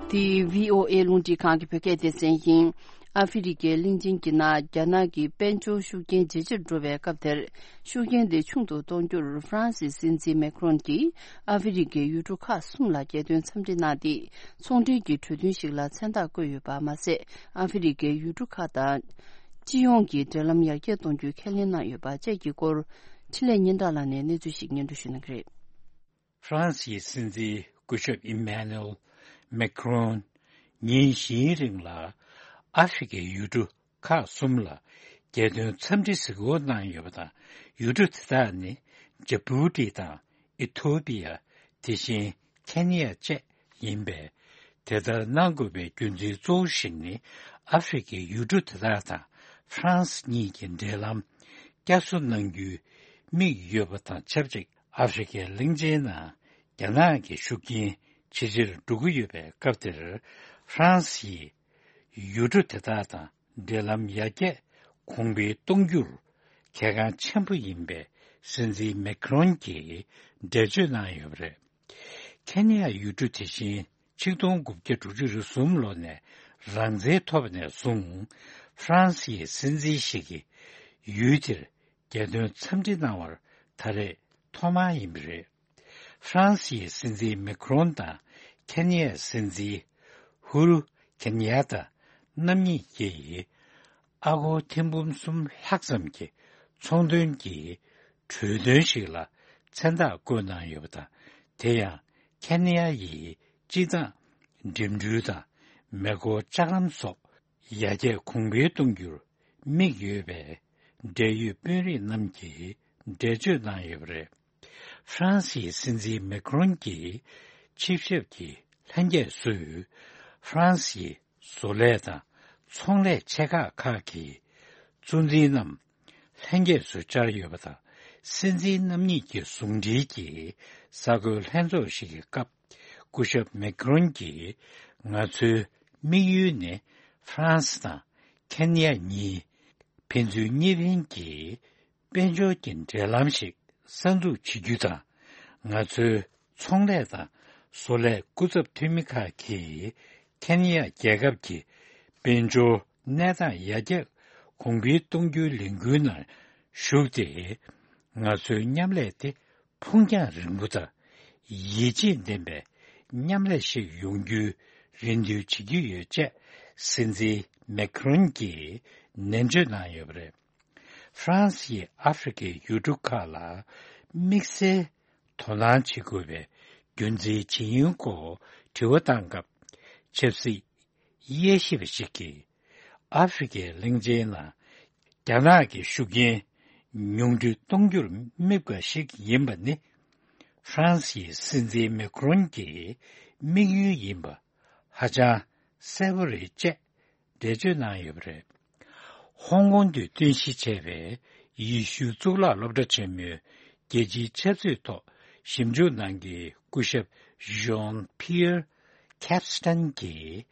འདི་བྷི་ཨོ་ཨེ་རླུང་འཕྲིན་ཁང་གི་བོད་སྐད་སྡེ་ཚན་ཡིན། ཨ་ཧྥེ་རི་ཁའི་གླིང་ཆེན་གྱི་ནང་རྒྱ་ནག་གི་དཔལ་འབྱོར་ཤུགས་རྐྱེན་ཇེ་ཆེར་འགྲོ་བའི་སྐབས་དེར། ཤུགས་རྐྱེན་དེ་ཆུང་དུ་གཏོང་རྒྱུར་ཧྥ་རན་སིའི་སྲིད་འཛིན་མེ་ཁྲོན་གྱིས་ཨ་ཧྥེ་རི་ཁའི་ཡུལ་གྲུ་ཁག་གསུམ་ལ་རྒྱལ་དོན་འཚམས་འདྲི་གནང་སྟེ། ཚོང་འབྲེལ་གྱི་གྲོས་མཐུན་ཞིག་ལ་མཚན་རྟགས་བཀོད་ཡོད་པ་མ་ཟད། ཨ་ཧྥེ་རི་ཁའི་ཡུལ་གྲུ་ཁག་དང་སྤྱི་ཡོངས་ཀྱི་འབྲེལ་ལམ་ཡར་རྒྱས་གཏོང་རྒྱུའི་ཁས་ལེན་གནང་ཡོད་པ་བཅས་ཀྱི་སྐོར། འཕྲིན་ལས་སྙན་གྲགས་ལགས་ནས་གནས་ཚུལ་ཞིག་སྙན་སྒྲོན་ཞུ་གནང་གི་རེད། ཧྥ་རན་སིའི་སྲིད་འཛིན་སྐུ་ཞབས་ཨི་མེ་ནུ་ཨེལ་མེ་ཁྲོན་ཉིན་བཞིའི་རིང་ལ་ཨ་ཧྥེ་རི་ཁའི་ཡུལ་གྲུ་ཁག་གསུམ་ལ་རྒྱལ་དོན་འཚམས་འདྲི་གཟིགས་སྐོར་གནང་ཡོད་པ་དང་། ཡུལ་གྲུ་དེ་དག་ནི་ཇི་བུ་ཏི་དང་ཨི་ཐོ་པི་ཡ། དེ་བཞིན་ཁེ་ནི་ཡ་བཅས་ཡིན་པས། དེ་ལྟར་གནང་དགོས་པའི་རྒྱུ་མཚན་གཙོ་བོ་ཞིག་ནི། ཨ་ཧྥེ་རི་ཁའི་ཡུལ་གྲུ་དེ་དག་དང་ཧྥ་རན་སི་གཉིས་ཀྱི་འབྲེལ་ལམ་བསྐྱར་གསོ་གནང་རྒྱུའི་དམིགས་ཡོད་པ་དང་ཆབས་ཅིག་ཨ་ཧྥེ་རི་ཁའི་གླིང་ཆེན་ནང་རྒྱ་ནག་གི་ཤུགས་རྐྱེན་ཇེ་ཆེར་འགྲོ་གི་ཡོད་པའི་སྐབས་དེར། ཧྥ་རན་སི་ཡིས་ཡུལ་གྲུ་དེ་དག་དང་འབྲེལ་ལམ་ཡར་རྒྱས་གོང་འཕེལ་གཏོང་རྒྱུར་གལ་འགངས་ཆེན་པོ་ཡིན་པའི་སྲིད་འཛིན་མེ་ཁྲོན་གྱིས་འགྲེལ་བརྗོད་གནང་ཡོད་པ་རེད། ཁེ་ནི་ཡ་ཡུལ་གྲུ་དེ་བཞིན་ཆིག་སྟོང་དགུ་བརྒྱ་དྲུག་ཅུ་རེ་གསུམ་ལོ་ནས་རང་བཙན་ཐོབ་པ་ནས་བཟུང་ཧྥ་རན་སིའི་སྲིད་འཛིན་ཞིག་གིས་ཡུལ་དེར་རྒྱལ་དོན་འཚམས་འདྲི་གནང་བར་ད་རེས་ཐོག་མ་ཡིན་པ་རེད། ཧྥ་རན་སིའི་སྲིད་འཛིན་མེ་ཁྲོན་དང་ཁེ་ནི་ཡའི་སྲིད་འཛིན་ཧུ་རུ་ཁེ་ནི་ཡ་ཏ་རྣམ་གཉིས་ཀྱིས་ཨ་སྒོར་ཐེར་འབུམ་གསུམ་ལྷག་ཙམ་གྱི་ཚོང་དོན་གྱི་གྲོས་མཐུན་ཞིག་ལ་མཚན་རྟགས་བཀོད་གནང་ཡོད་པ་དང་། དེ་ཡང་ཁེ་ནི་ཡ་ཡིས་སྤྱི་བཏང་འགྲིམ་འགྲུལ་དང་མེ་འཁོར་ལྕགས་ལམ་སོགས་ཡར་རྒྱས་གོང་འཕེལ་གཏོང་རྒྱུར་དམིགས་ཡོད་པའི་འབྲེལ་ཡོད་དཔོན་རིགས་རྣམས་ཀྱིས་འགྲེལ་བརྗོད་གནང་ཡོད་པ་རེད། ཧྥ་རན་སིའི་སྲིད་འཛིན་མེ་ཁྲོན་གྱིས་ ཆིབས་ཞབས་ཀྱི་ལྷན་རྒྱས་ཚོས་ཧྥ་རན་སི་ཡི་བཟོ་ལས་དང་ཚོང་ལས་ཆེ་ཁག་ཁག་གི་གཙོ་འཛིན་རྣམས་ལྷན་རྒྱས་སུ་བཅར་ཡོད་པ་དང་། སྲིད་འཛིན་རྣམ་གཉིས་ཀྱི་ཟུང་འབྲེལ་གྱི་གསར་འགོད་ལྷན་ཚོགས་ཤིག་གི་སྐབས། སྐུ་ཞབས་མེག་རོན་གྱིས། ང་ཚོའི་དམིགས་ཡུལ་ནི་ཧྥ་རན་སི་དང་ཁེན་ཡ་གཉིས་ཕན་ཚུན་གཉིས་ཕན་གྱི་དཔལ་འབྱོར་གྱི་འབྲེལ་ལམ་ཞིག་གསར་འཛུགས་བྱེད་རྒྱུ་དང་། ང་ཚོའི་ཚོང་ལས་དང་བཟོ་ལས་སྐུ་ཚབ་འཐུས་མི་ཁག་གིས་ཁེན་ཡ་རྒྱལ་ཁབ་ཀྱི་དཔལ་འབྱོར་གནས་སྟངས་ཡར་རྒྱས་གོང་འཕེལ་གཏོང་རྒྱུའི་ལས་འགུལ་ནང་ཞུགས་ཏེ། ང་ཚོའི་མཉམ་ལས་དེ་ཕུགས་རྒྱང་རིང་པོ་དང་ཡིད་ཆེས་ལྡན་པའི་མཉམ་ལས་ཤིག་ཡོང་རྒྱུའི་རེ་འདུན་བྱེད་ཀྱི་ཡོད་ཅེས་སྲིད་འཛིན་མེག་རོན་གྱིས་ནན་བརྗོད་གནང་ཡོད་པ་རེད། ཧྥ་རན་སི་ཡིས་ཨ་ཧྥེ་རི་ཁའི་ཡུལ་གྲུ་ཁག་ལ་དམིགས་བསལ་དོ་སྣང་བྱེད་དགོས་པའི་རྒྱུ་མཚན་ཇི་ཡིན་སྐོར་དྲི་བ་བཏང་སྐབས། ཆབ་སྲིད་དབྱེ་ཞིབ་པ་ཞིག་གིས། ཨ་ཧྥེ་རི་ཁའི་གླིང་ཆེན་ནང་རྒྱ་ནག་གི་ཤུགས་རྐྱེན་ཉུང་འཕྲི་གཏོང་རྒྱུར་དམིགས་པ་ཞིག་ཡིན་པ་ནི། ཧྥ་རན་སི་ཡི་སྲིད་འཛིན་མེ་ཁོ་རོན་གྱི་དམིགས་ཡུལ་ཡིན་པ་ཧ་ཅང་གསལ་པོ་རེད་ཅེས་འགྲེལ་བརྗོད་གནང་ཡོད་པ་རེད། ཧོང་ཀོང་དུ་རྟེན་གཞི་བྱས་པའི་ཡེ་ཤུའི་གཙུག་ལག་སློབ་གྲྭ་ཆེན་མོའི་རྒྱལ་སྤྱིའི་ཆབ་སྲིད་ཐོག་ཞིབ་འཇུག་གནང་མཁན་སྐུ་ཞབས་ཞོན་ཕི་ཡར་ཁེབ་སི་ཏན་གྱིས།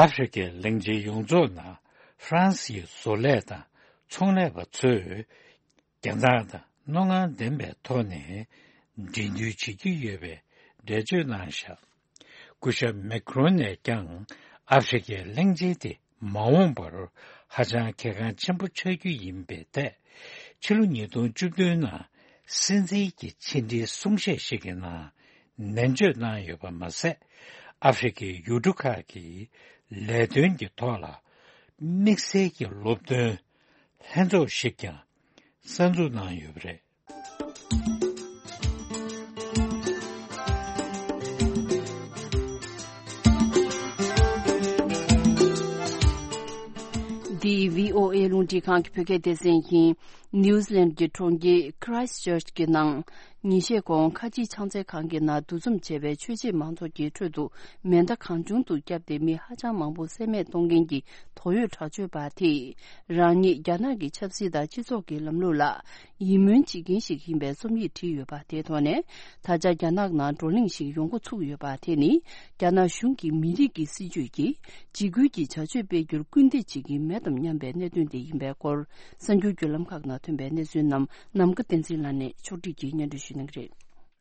ཨ་ཧྥེ་རི་ཁའི་གླིང་ཆེན་ཡོངས་རྫོགས་ནང་ཧྥ་རན་སིའི་བཟོ་ལས་དང་ཚོང་ལས་པ་ཚོས། རྒྱ་ནག་དང་རྣོ་ངར་ལྡན་པའི་ཐོག་ནས་འགྲན་བསྡུར་བྱེད་ཀྱི་ཡོད་པའི་འགྲེལ་བརྗོད་གནང་བཞག་སྐུ་ཞབས་མེ་ཁོ་རོན་ནས་ཀྱང་ཨ་ཧྥེ་རི་ཁའི་གླིང་ཆེན་དེ་མ་འོངས་པར་ཧ་ཅང་གལ་འགངས་ཆེན་པོ་ཆགས་རྒྱུ་ཡིན་པའི་ཐད། ཕྱི་ལོ་ཉིས་སྟོང་བཅུ་བདུན་ནང་སྲིད་འཛིན་གྱི་ཕྱི་འབྲེལ་གསུང་བཤད་ཞིག་གི་ནང་ནན་བརྗོད་གནང་ཡོད་པ་མ་ཟད། ཨ་ཧྥེ་རི་ཁའི་ཡུལ་གྲུ་ཁག་གི་ལས་དོན་གྱི་ཐོག་ལ་དམིགས་བསལ་གྱི་སློབ་སྟོན་ལྷན་ཚོགས་ཤིག་ཀྱང་གསར་འཛུགས་གནང་ཡོད་པ་རེད། འདི་བྷི་ཨོ་ཨེ་རླུང་འཕྲིན་ཁང་གི་བོད་སྐད་སྡེ་ཚན་ཡིན། ནིའུ་ཛི་ལན་གྱི་གྲོང་ཁྱེར་ཁི་རའེ་སི་ཊི་ཅར་ཅི་གི་ནང་། ཉིན་ཤས་གོང་ཁ་ཆེའི་ཕྱག་འཚལ་ཁང་གི་ནང་འདུ་འཛོམས་བྱས་པའི་ཆོས་བྱེད་མང་ཚོགས་ཀྱི་ཁྲོད་དུ་མེ་མདའ་གང་བྱུང་དུ་བརྒྱབ་སྟེ་མི་ཧ་ཅང་མང་པོ་བསད་རྨས་གཏོང་མཁན་གྱི་དོགས་ཡོད་དྲག་སྤྱོད་པ་དེས། རང་ཉིད་རྒྱ་ནག་གི་ཆབ་སྲིད་དང་སྤྱི་ཚོགས་ཀྱི་ལམ་ལུགས་ལ་ཡིད་སྨོན་བྱེད་མཁན་ཞིག་ཡིན་པའི་རྩོམ་ཡིག་བྲིས་ཡོད་པ་དེའི་ཐོག་ནས། ད་ཆ་རྒྱ་ནག་ནང་བགྲོ་གླེང་ཞིག་ཡོང་འགོ་ཚུགས་ཡོད་པ་དེ་ནི། རྒྱ་ནག་གཞུང་གི་མི་རིགས་ཀྱི་སྲིད་ཇུས་ཀྱིས་འཇིགས་སྐུལ་གྱི་བྱ་སྤྱོད་སྤེལ་རྒྱུར་སྐུལ་འདེད་བྱེད་ཀྱིན་མེད་དམ་སྙམ་པའི་གནད་དོན་དེ་ཡིན་པའི་སྐོར། གསར་འགྱུར་བརྒྱུད་ལམ་ཁག་ནང་ཐོན་པའི་གནས་ཚུལ་རྣམས་ནམ་མཁའ་བསྟན་འཛིན་ལགས་ནས་ཕྱོགས་སྒྲིག་གིས་སྙན་སྒྲོན་ཞུ་གནང་གི་རེད།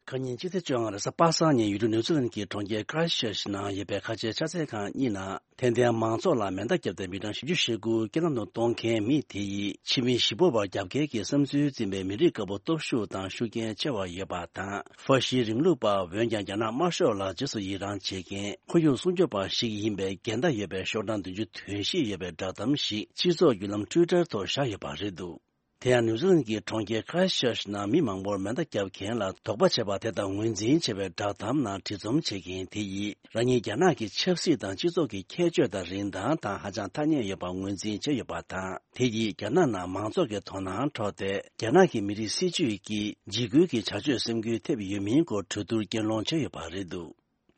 ཁ་ཉིན་སྤྱི་ཚེས་བཅོ་ལྔ་རེས་གཟའ་པ་སངས་ཉིན་ཡུལ་གྲུ་ནིའུ་ཛི་ལན་གྱི་གྲོང་ཁྱེར་ཁི་རའེ་སི་ཊི་ཅར་ཅི་ནང་ཡོད་པའི་ཁ་ཆེའི་ཕྱག་འཚལ་ཁང་གཉིས་ནང་། དད་ལྡན་མང་ཚོགས་ལ་མེ་མདའ་བརྒྱབ་སྟེ་མི་གྲངས་བཞི་བཅུ་ཞེ་དགུ་རྐྱེན་ལམ་དུ་གཏོང་མཁན་མི་དེ་ཡིས་ཕྱི་མི་གཞིས་སྤོ་བར་རྒྱབ་འགལ་གྱི་བསམ་ཚུལ་འཛིན་པའི་མི་རིགས་དཀར་པོ་སྟོབས་ཤུགས་དང་ཤུགས་རྐྱེན་ཆེ་བ་ཡོད་པ་དང་། ཧྥ་ཤི་རིང་ལུགས་པ་འོན་ཀྱང་རྒྱ་ནག་དམར་ཤོག་ལ་རྗེས་སུ་ཡི་རང་བྱེད་མཁན་ཁོར་ཡུག་སྲུང་སྐྱོབ་པ་ཞིག་ཡིན་པའི་འགལ་ཟླ་ཡོད་པའི་ཤོག་གྲངས་བདུན་ཅུ་དོན་བཞི་ཡོད་པའི་བསྒྲགས་གཏམ་ཞིག་སྤྱི་ཚོགས་བརྒྱུད་ལམ་ཊུའི་ཊར་ཐོག་བཞག་ཡོད་པ་རེད་འདུག་དེ་ཡང་ནིའུ་ཛི་ལན་གྱི་གྲོང་ཁྱེར་ཁི་རའེ་སི་ཊི་ཅར་ཅི་ནང་མི་མང་པོར་མེ་མདའ་བརྒྱབ་མཁན་ལ་དོགས་པ་བྱས་པ་དེ་དང་ངོས་འཛིན་བྱས་པའི་བསྒྲགས་གཏམ་ནང་བྲིས་རྩོམ་བྱེད་མཁན་དེ་ཡིས་རང་ཉིད་རྒྱ་ནག་གི་ཆབ་སྲིད་དང་སྤྱི་ཚོགས་ཀྱི་ཁྱད་ཆོས་དང་རིན་ཐང་དང་ཧ་ཅང་ཐ་སྙད་ཡོད་པ་ངོས་འཛིན་བྱས་ཡོད་པ་དང་། དེ་ཡིས་རྒྱ་ནག་ནང་མང་ཚོགས་ཀྱི་དོ་སྣང་འཕྲོག་སྟེ། རྒྱ་ནག་གི་མི་རིགས་སྲིད་ཇུས་ཀྱིས་འཇིགས་སྐུལ་གྱི་བྱ་སྤྱོད་སེམས་འགུལ་ཐེབས་ཡོད་མིན་སྐོར་གྲོས་བསྡུར་གྱེན་ལངས་བྱས་ཡོད་པ་རེད་འདུག་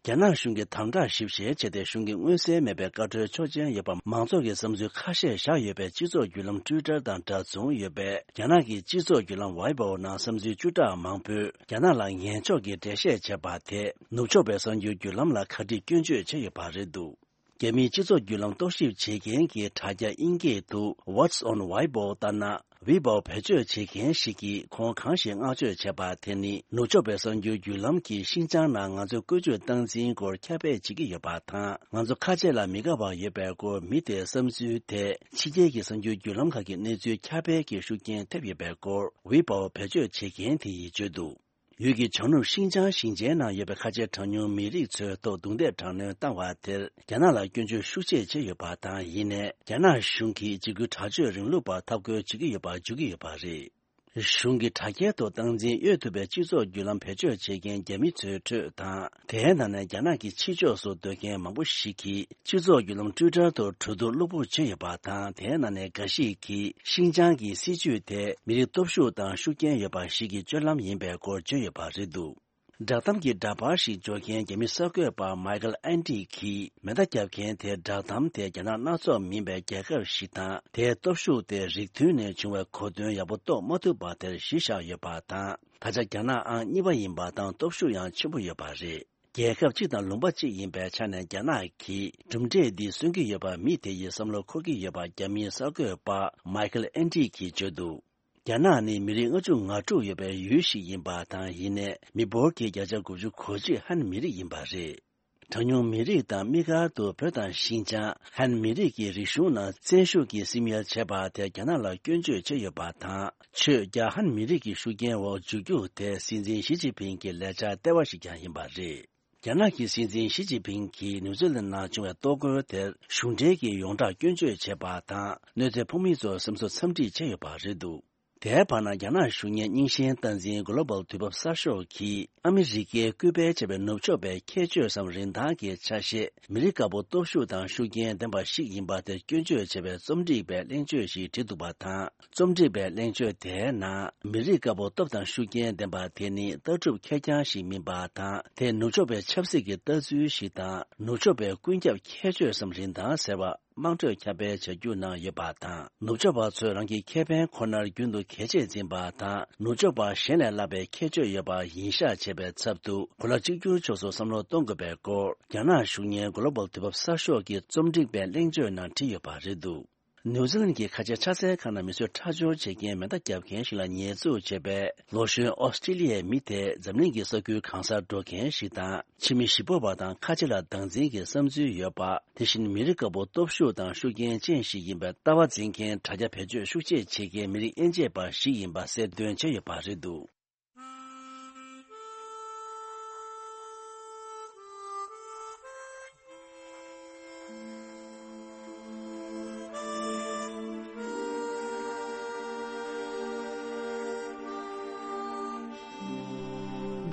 རྒྱ་ནག་གཞུང་གིས་དམ་དྲག་ཞིབ་བཤེར་བྱས་ཏེ། གཞུང་གི་མངོན་གསལ་མེད་པའི་བཀའ་འཁྲོལ་ཆོག་མཆན་ཡོད་པ་མང་ཚོགས་ཀྱི་བསམ་ཚུལ་ཁ་ཤས་བཞག་ཡོད་པའི་སྤྱི་ཚོགས་བརྒྱུད་ལམ་ཊུའི་ཊར་དང་འདྲ་མཚུངས་ཡོད་པའི་རྒྱ་ནག་གི་སྤྱི་ཚོགས་བརྒྱུད་ལམ་ཝའི་པོ་ནང་བསམ་ཚུལ་བཅུ་ཕྲག་མང་པོས་རྒྱ་ནག་ལ་ངན་ཕྱོགས་ཀྱི་འགྲེལ་བཤད་བྱས་པ་དེས་ནུབ་ཕྱོགས་པའི་གསར་འགྱུར་བརྒྱུད་ལམ་ལ་ག་འདྲས་སྐྱོན་བརྗོད་བྱས་ཡོད་པ་རེད་འདུག་རྒྱ་མིའི་སྤྱི་ཚོགས་བརྒྱུད་ལམ་རྟོག་ཞིབ་བྱེད་མཁན་གྱི་དྲ་རྒྱ་དབྱིན་སྐད་དུ་What's on Weibo ལྟར་ན། ཝི་པའོ་བེད་སྤྱོད་བྱེད་མཁན་ཞིག་གིས་ཁོང་གང་ཞིག་བསྔགས་བརྗོད་བྱས་པ་དེ་ནི། ནུབ་ཕྱོགས་པའི་གསར་འགྱུར་བརྒྱུད་ལམ་གྱིས་ཤིན་ཅང་ནང་ང་ཚོའི་བཀོལ་སྤྱོད་སྟངས་འཛིན་སྐོར་ཁྱབ་སྤེལ་བྱེད་ཀྱི་ཡོད་པ་དང་། ང་ཚོ་ཁ་ཆེ་ལ་མི་དགའ་བ་ཡོད་པའི་སྐོར་མི་དེའི་བསམ་ཚུལ་དེ་ཕྱི་རྒྱལ་གྱི་གསར་འགྱུར་བརྒྱུད་ལམ་ཁག་གི་གནས་ཚུལ་ཁྱབ་སྤེལ་གྱི་ཤུགས་རྐྱེན་ཐེབས་ཡོད་པའི་སྐོར་ཝི་པའོ་བེད་སྤྱོད་བྱེད་མཁན་དེ་ཡིས་བརྗོད་འདུག་ཡུལ་གྱི་བྱང་ནུབ་ཤིན་ཅང་ཞིང་ཆེན་ནང་ཡོད་པའི་ཁ་ཆེ་གྲངས་ཉུང་མི་རིགས་ཚོའི་ཐོག་རྡུང་རྡེག་དྲག་གནོན་བཏང་བ་དེར་རྒྱ་ནག་ལ་སྐྱོན་བརྗོད་ཤུགས་ཆེ་བྱས་ཡོད་པ་དང་། ཡིན་ནའི་རྒྱ་ནག་གཞུང་གིས་འཇིགས་སྐུལ་དྲག་སྤྱོད་རིང་ལུགས་པར་འཐབ་རྒོལ་བྱེད་ཀྱི་ཡོད་པ་བརྗོད་ཀྱི་ཡོད་པ་རེད། གཞུང་གི་དྲ་རྒྱའི་ཐོག་སྟངས་འཛིན་གཡོལ་ཐུབ་པའི་སྤྱི་ཚོགས་བརྒྱུད་ལམ་བེད་སྤྱོད་བྱེད་མཁན་རྒྱ་མི་ཚོའི་ཁྲོད་དང་། དེའི་ནང་ནས་རྒྱ་ནག་གི་ཕྱི་ཕྱོགས་སུ་སྡོད་མཁན་མང་པོ་ཞིག་གིས། སྤྱི་ཚོགས་བརྒྱུད་ལམ་ཊུའི་ཊར་ཐོག་གྲོས་བསྡུར་གློ་བུར་བྱས་ཡོད་པ་དང་། དེའི་ནང་ནས་འགའ་ཞིག་གིས་ཤིན་ཅང་གི་སྲིད་ཇུས་དེ་མི་རིགས་སྟོབས་ཤུགས་དང་ཤུགས་རྐྱེན་ཡོད་པ་ཞིག་གི་སྤྱོད་ལམ་ཡིན་པའི་སྐོར་བརྗོད་ཡོད་པ་རེད་འདུག་བསྒྲགས་གཏམ་གྱི་འདྲ་པར་ཞིག་འབྱོར་མཁན་རྒྱ་མི་གསར་འགོད་པ་མའི་ཁལ་ཨན་ཏི་གིས། མེ་མདའ་བརྒྱབ་མཁན་དེ། བསྒྲགས་གཏམ་དེ་རྒྱ་ནག་སྣ་ཚོགས་མིན་པའི་རྒྱལ་ཁབ་ཞིག་དང་། དེའི་སྟོབས་ཤུགས་དེ་རིགས་མཐུན་ནས་བྱུང་བའི་གོ་དོན་ཡག་པོ་རྟོགས་མ་ཐུབ་པ་དེར་གཞི་བཞག་ཡོད་པ་དང་། ད་ཆ་རྒྱ་ནག་ཨང་གཉིས་པ་ཡིན་པ་དང་། སྟོབས་ཤུགས་ཡང་ཆེན་པོ་ཡོད་པ་རེད། རྒྱལ་ཁབ་གཅིག་དང་ལུང་པ་གཅིག་ཡིན་པའི་ཆ་ནས། རྒྱ་ནག་གིས་གྲུབ་འབྲས་འདི་སོན་གྱི་ཡོད་པ། མི་དེ་ཡིས་བསམ་བློ་འཁོར་གྱི་ཡོད་པ། རྒྱ་མིའི་གསར་འགོད་པ་མའི་ཁལ་ཨན་ཏི་གིས་བརྗོད་འདུག་རྒྱ་ནག་ནི་མི་རིགས་ལྔ་བཅུ་ང་དྲུག་ཡོད་པའི་ཡུལ་ཞིག་ཡིན་པ་དང་། ཡིན་ནའི་མི་འབོར་གྱི་བརྒྱ་ཆ་དགུ་བཅུ་གོ་གཅིག་ཧན་མི་རིགས་ཡིན་པ་རེད། གྲངས་ཉུང་མི་རིགས་དང་དམིགས་བཀར་དུ་བོད་དང་ཤིན་ཅང་ཧན་མི་རིགས་ཀྱི་རིག་གཞུང་ནང་བཙན་ཤུགས་ཀྱིས་སིམ་ཡལ་བྱས་པ་དེ་རྒྱ་ནག་ལ་སྐྱོན་བརྗོད་བྱས་ཡོད་པ་དང་། ཆོས་རྒྱ་ཧན་མི་རིགས་ཀྱི་ཤུགས་རྐྱེན་འོག་འཇུག་རྒྱུ་དེ་སྲིད་འཛིན་ཞི་ཅིན་ཕིང་གི་ལས་འཆར་ལྟེ་བ་ཞིག་ཀྱང་ཡིན་པ་རེད། རྒྱ་ནག་གི་སྲིད་འཛིན་ཞི་ཅིན་ཕིང་གིས་ནིའུ་ཛི་ལན་ནང་བྱུང་བའི་གཏོར་རྒོལ་དེར་གཞུང་འབྲེལ་གྱི་ཡོངས་གྲགས་སྐྱོན་བརྗོད་བྱས་པ་དང་། གནོད་འཚེ་ཕོག་མི་ཚོར་སེམས་གསོ་འཚམས་འདྲི་བྱས་ཡོད་པ་རེད་འདུག་དེའི་བར་ན། རྒྱ་ནག་གཞུང་གཉེར་རྙིང་ཞེན་སྟངས་འཛིན་གོ་ལོ་བལ་དུས་བབ་གསར་ཤོག་གིས་ཨ་མི་རི་ཀས་སྐུལ་སྤེལ་བྱས་པའི་ནུབ་ཕྱོགས་པའི་ཁྱད་ཆོས་སམ་རིན་ཐང་གི་ཆ་ཤས། མི་རིགས་དཀར་པོ་སྟོབས་ཤུགས་དང་ཤུགས་རྐྱེན་ལྡན་པ་ཞིག་ཡིན་པ་དེར་སྐྱོན་བརྗོད་བྱས་པའི་རྩོམ་སྒྲིག་པའི་གླེང་བརྗོད་ཞིག་བྲིས་འདུག་པ་དང་། རྩོམ་སྒྲིག་པའི་གླེང་བརྗོད་དེའི་ནང་། མི་རིགས་དཀར་པོ་སྟོབས་དང་ཤུགས་རྐྱེན་ལྡན་པ་དེ་ནི་ལྟ་གྲུབ་ཁེར་རྐྱང་ཞིག་མིན་པ་དང་། དེ་ནུབ་ཕྱོགས་པའི་ཆབ་སྲིད་ཀྱི་ལྟ་ཚུལ་ཞིག་དང་། ནུབ་ཕྱོགས་པའི་ཀུན་ཁྱབ་ཁྱད་ཆོས་སམ་རིན་ཐང་ཟེར་བ། དམངས་ཁྲོད་ཁྱབ་སྤེལ་བྱ་རྒྱུ་ནང་ཡོད་པ་དང་། ནུབ་ཕྱོགས་པ་ཚོས་རང་གི་ཁེ་ཕན་ཁོ་ནར་རྒྱུན་དུ་གལ་ཆེར་འཛིན་པ་དང་། ནུབ་ཕྱོགས་པ་གཞན་ལས་ལྷག་པའི་ཁྱད་ཆོས་ཡོད་པ་ཡིན་ཤག་བྱས་པའི་ཚབ་ཏུ། གོ་ལ་གཅིག་གྱུར་ཕྱོགས་སུ་བསམ་བློ་གཏོང་དགོས་པའི་སྐོར། རྒྱ་ནག་གཞུང་གཉེར་གོ་ལོ་བལ་དུས་བབ་གསར་ཤོག་གི་རྩོམ་སྒྲིག་པའི་གླེང་བརྗོད་ནང་བྲིས་ཡོད་པ་རེད་འདུག་ནིའུ་ཛི་ལན་གྱི་ཁ་ཆེ་ཕྱག་འཚལ་ཁང་ནང་མི་གསོད་ཁྲག་སྦྱོར་བྱེད་མཁན་མེ་མདའ་བརྒྱབ་མཁན་ཞིག་ལ་ཉེས་འཛུགས་བྱས་པའི་ལོ་གཞོན་ཨོ་སི་ཀྲི་ལི་ཡའི་མི་དེ། འཛམ་གླིང་གི་ས་ཁུལ་གང་སར་འགྲོ་མཁན་ཞིག་དང་། ཕྱི་མི་ཞི་སྤོབས་པ་དང་ཁ་ཆེ་ལ་སྡང་འཛིན་གྱི་བསམ་ཚུལ་ཡོད་པ། དེ་བཞིན་མི་རིགས་དཀར་པོ་སྟོབས་ཤུགས་དང་ཤུགས་རྐྱེན་ཅན་ཞིག་ཡིན་པའི་ལྟ་བ་འཛིན་མཁན་དྲ་རྒྱ་བེད་སྤྱོད་ཤུགས་ཆེ་བྱེད་མཁན་མི་རིགས་དབྱེ་འབྱེད་པ་ཞིག་ཡིན་པ་གསལ་སྟོན་བྱས་ཡོད་པ་རེད་འདུག་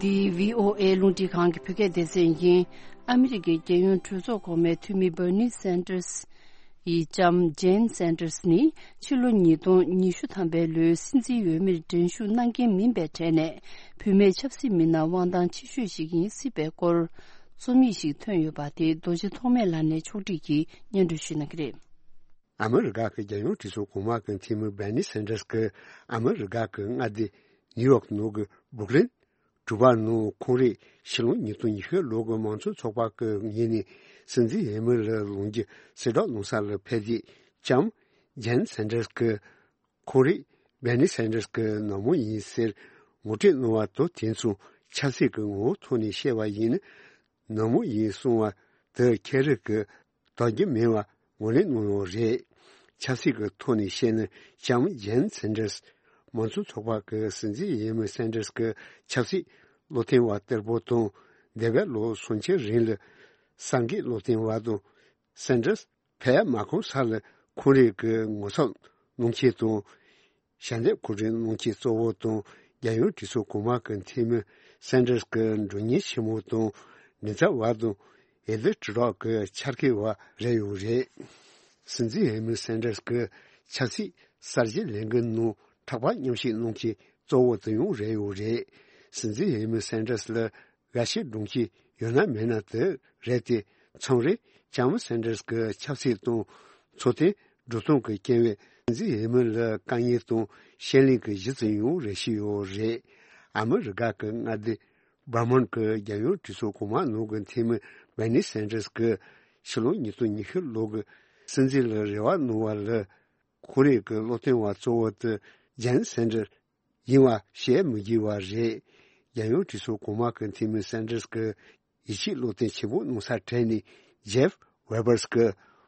འདི་བྷི་ཨོ་ཨེ་རླུང་འཕྲིན་ཁང་གི་བོད་སྐད་སྡེ་ཚན་ཡིན། ཨ་མི་རི་ཀའི་རྒྱལ་ཡོངས་གྲོས་ཚོགས་གོང་མའི་འཐུས་མི་Bernie Sanders ཡི་ལྕམ་Jane Sanders ནི་ཕྱི་ལོ་ཉིས་སྟོང་ཉི་ཤུ་ཐམ་པའི་ལོའི་སྲིད་འཛིན་འོས་མིར་འགྲན་ཞུགས་གནང་མཁན་མིན་པའི་གྲས་ནས། བུད་མེད་ཆབ་སྲིད་མི་སྣར་དབང་ཐང་ཆེ་ཤོས་ཤིག་ཡིན་སྲིད་པའི་སྐོར། རྩོམ་ཡིག་ཞིག་ཐོན་ཡོད་པ་དེ་རྡོ་རྗེ་ཐོགས་མེད་ལགས་ནས་ཕྱོགས་སྒྲིག་གིས་སྙན་སྒྲོན་ཞུ་གནང་གི་རེད། ཨ་མི་རི་ཀ་གི་རྒྱལ་ཡོངས་གྲོས་ཚོགས་གོང་མ་གི་འཐུས་མི་Bernie Sanders གིས་ཨ་མི་རི་ཀ་གི་མངའ་སྡེ་ནིའུ་ཡོག་ནང་གི་Brooklyn གྲུ་པ་ནང་ཁོང་རའི་ཕྱི་ལོ་ཉིས་སྟོང་ཉི་ཤུ་ལོ་གི་མང་གཙོ་ཚོགས་པ་གི་ངོས་ནས་སྲིད་འཛིན་འོས་མི་ལ་ལངས་རྒྱུ་གསལ་བསྒྲགས་གནང་ས་ལ་ཕེབས་ཏེ། ལྕམ་Jane Sanders གིས་ཁོང་རའི་Bernie Sanders གི་ནུ་མོ་ཡིན་ཟེར་ངོ་སྤྲོད་གནང་བ་དང་། དེ་མཚུངས་ཆབ་སྲིད་ཀྱི་ངོ་བོ་ཐོག་ནས་བཤད་པ་ཡིན་ན། ནུ་མོ་ཡིན་གསུང་བ་དེ་ཁྱེད་རང་གིས་དོགས་རྒྱུ་མེད་པ་ངོས་ལེན་གནང་ཡོད་རེད། ཆབ་སྲིད་ཀྱི་ཐོག་ནས་བཤད་ན། ལྕམ་Jane Sanders མང་གཙོ་ཚོགས་པ་གི་སྲིད་འཛིན་འོས་མི་Sanders གི་ཆབ་སྲིད་བློ་མཐུན་པ་གཏེར་པོ་དང་། འདས་པའི་ལོ་སུམ་ཅུ་རིང་ལ་གསར་འགོད་བློ་མཐུན་པ་དང་། Sanders ཕེབས་མ་ཁོམ་ས་ལ་ཁོང་རང་གི་ངོ་ཚབ་གནང་མཁན་དང་། ཞལ་འདེབས་གོ་སྒྲིག་གནང་མཁན་གཙོ་བོ་དང་། རྒྱལ་ཡོངས་གྲོས་ཚོགས་གོང་མ་གི་འཐུས་མི་Sanders གི་མགྲོན་གཉེར་ཆེན་མོ་དང་། མགྲིན་ཚབ་པ་དང་། འོས་བསྡུ་དྲིལ་སྒྲོག་གི་འཆར་ཀའི་བ་རེད་ཡོད་རེད། སྲིད་འཛིན་འོས་མི་Sanders གི་ཆབ་སྲིད་གསར་བརྗེ་ལས་འགུལ་ནང་ཕྲག་པར་མཉམ་ཞུགས་གནང་མཁན་གཙོ་བོ་དེ་ཡང་རེད་ཡོད་རེད། སྲིད་འཛིན་འོས་མི་Sanders ལ་དགའ་ཞེན་སྒྲོན་མཁན་ཡོད་ན་མེད་ན་དེ་རེད་དེ། མཚམས་རེ་ལྕམ་Sanders གི་ཆབ་སྲིད་དང་འཚོ་རྟེན་འགྲོ་སྟངས་ཀྱི་རྐྱེན་པས་སྲིད་འཛིན་འོས་མི་ལ་དཀའ་ངལ་དང་ཞན་ལེན་གྱི་གཞི་ཚུལ་ཡང་རེ་ཞིག་ཡོད་རེད། ཨ་མི་རི་ཀ་གི་མངའ་སྡེ་Vermont གི་རྒྱལ་ཡོངས་གྲོས་ཚོགས་གོང་མ་ནང་གི་འཐུས་མི་Bernie Sanders གིས་ཕྱི་ལོ་ཉིས་སྟོང་ཉི་ཤུ་ལོ་གི་སྲིད་འཛིན་ལ་རེ་བ་གནང་བ་ལ། ཁོང་རང་གི་བློ་མཐུན་པ་གཙོ་བོ་དེ་Jane Sanders ཡིན་པ་བཤད་མི་དགོས་པ་རེད། རྒྱལ་ཡོངས་གྲོས་ཚོགས་གོང་མ་གི་འཐུས་མི་Sanders གི་ཡིད་ཆེས་བློ་མཐུན་ཆེན་པོ་གནང་ས་གྲས་ནས་Jeff Webers གི་